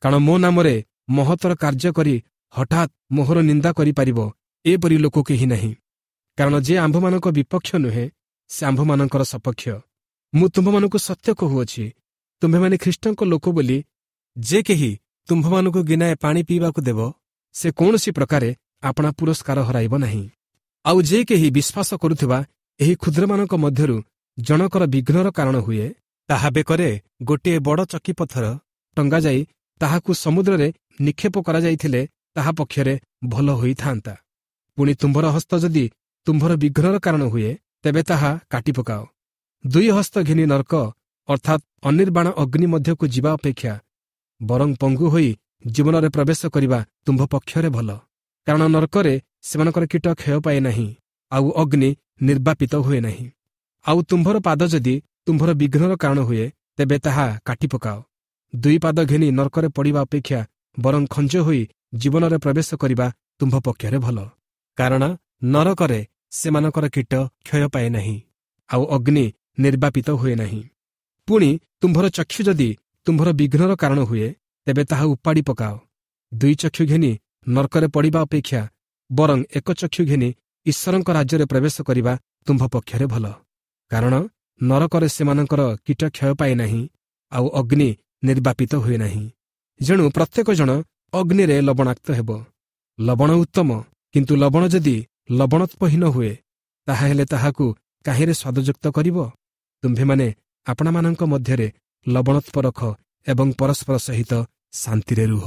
କାରଣ ମୋ ନାମରେ ମହତ୍ତର କାର୍ଯ୍ୟ କରି ହଠାତ୍ ମୋହର ନିନ୍ଦା କରିପାରିବ ଏପରି ଲୋକ କେହି ନାହିଁ। କାରଣ ଯେ ଆମ୍ଭମାନଙ୍କ ବିପକ୍ଷ ନୁହେଁ, ସେ ଆମ୍ଭମାନଙ୍କର ସପକ୍ଷ। ମୁଁ ତୁମ୍ଭମାନଙ୍କୁ ସତ୍ୟ କହୁଅଛି, ତୁମ୍ଭେମାନେ ଖ୍ରୀଷ୍ଟଙ୍କ ଲୋକ ବୋଲି ଯେ କେହି ତୁମ୍ଭମାନଙ୍କୁ ଗିନାଏ ପାଣି ପିଇବାକୁ ଦେବ, ସେ କୌଣସି ପ୍ରକାରେ ଆପଣା ପୁରସ୍କାର ହରାଇବ ନାହିଁ। ଆଉ ଯେ କେହି ବିଶ୍ୱାସ କରୁଥିବା ଏହି କ୍ଷୁଦ୍ରମାନଙ୍କ ମଧ୍ୟରୁ ଜଣକର ବିଘ୍ନର କାରଣ ହୁଏ, ତାହା ବେକରେ ଗୋଟିଏ ବଡ଼ ଚକି ପଥର ଟଙ୍ଗାଯାଇ ତାହାକୁ ସମୁଦ୍ରରେ ନିକ୍ଷେପ କରାଯାଇଥିଲେ ତାହା ପକ୍ଷରେ ଭଲ ହୋଇଥାନ୍ତା। ପୁଣି ତୁମ୍ଭର ହସ୍ତ ଯଦି ତୁମ୍ଭର ବିଘ୍ନର କାରଣ ହୁଏ, ତେବେ ତାହା କାଟି ପକାଅ। ଦୁଇ ହସ୍ତ ଘେନି ନର୍କ ଅର୍ଥାତ୍ ଅନିର୍ବାଣ ଅଗ୍ନି ମଧ୍ୟକୁ ଯିବା ଅପେକ୍ଷା ବରଂ ପଙ୍ଗୁ ହୋଇ ଜୀବନରେ ପ୍ରବେଶ କରିବା ତୁମ୍ଭ ପକ୍ଷରେ ଭଲ। କାରଣ ନର୍କରେ ସେମାନଙ୍କର କୀଟ କ୍ଷୟ ପାଏ ନାହିଁ, ଆଉ ଅଗ୍ନି ନିର୍ବାପିତ ହୁଏ ନାହିଁ। ଆଉ ତୁମ୍ଭର ପାଦ ଯଦି ତୁମ୍ଭର ବିଘ୍ନର କାରଣ ହୁଏ, ତେବେ ତାହା କାଟି ପକାଅ। ଦୁଇ ପାଦ ଘେନି ନର୍କରେ ପଡ଼ିବା ଅପେକ୍ଷା ବରଂ ଖଞ୍ଜ ହୋଇ ଜୀବନରେ ପ୍ରବେଶ କରିବା ତୁମ୍ଭ ପକ୍ଷରେ ଭଲ। କାରଣ ନରକରେ ସେମାନଙ୍କର କୀଟ କ୍ଷୟ ପାଏ ନାହିଁ, ଆଉ ଅଗ୍ନି ନିର୍ବାପିତ ହୁଏ ନାହିଁ। ପୁଣି ତୁମ୍ଭର ଚକ୍ଷୁ ଯଦି ତୁମ୍ଭର ବିଘ୍ନର କାରଣ ହୁଏ, ତେବେ ତାହା ଉପାଡ଼ି ପକାଅ। ଦୁଇ ଚକ୍ଷୁ ଘେନି ନର୍କରେ ପଡ଼ିବା ଅପେକ୍ଷା ବରଂ ଏକ ଚକ୍ଷୁ ଘେନି ଈଶ୍ୱରଙ୍କ ରାଜ୍ୟରେ ପ୍ରବେଶ କରିବା ତୁମ୍ଭ ପକ୍ଷରେ ଭଲ। କାରଣ ନରକରେ ସେମାନଙ୍କର କୀଟ କ୍ଷୟ ପାଏ ନାହିଁ, ଆଉ ଅଗ୍ନି ନିର୍ବାପିତ ହୁଏ ନାହିଁ। ଯେଣୁ ପ୍ରତ୍ୟେକ ଜଣ ଅଗ୍ନିରେ ଲବଣାକ୍ତ ହେବ। ଲବଣ ଉତ୍ତମ, କିନ୍ତୁ ଲବଣ ଯଦି ଲବଣତ୍ୱହୀନ ହୁଏ, ତାହାହେଲେ ତାହାକୁ କାହିଁରେ ସ୍ୱାଦଯୁକ୍ତ କରିବ? ତୁମ୍ଭେମାନେ ଆପଣାମାନଙ୍କ ମଧ୍ୟରେ ଲବଣତ୍ୱ ରଖ ଏବଂ ପରସ୍ପର ସହିତ ଶାନ୍ତିରେ ରୁହ।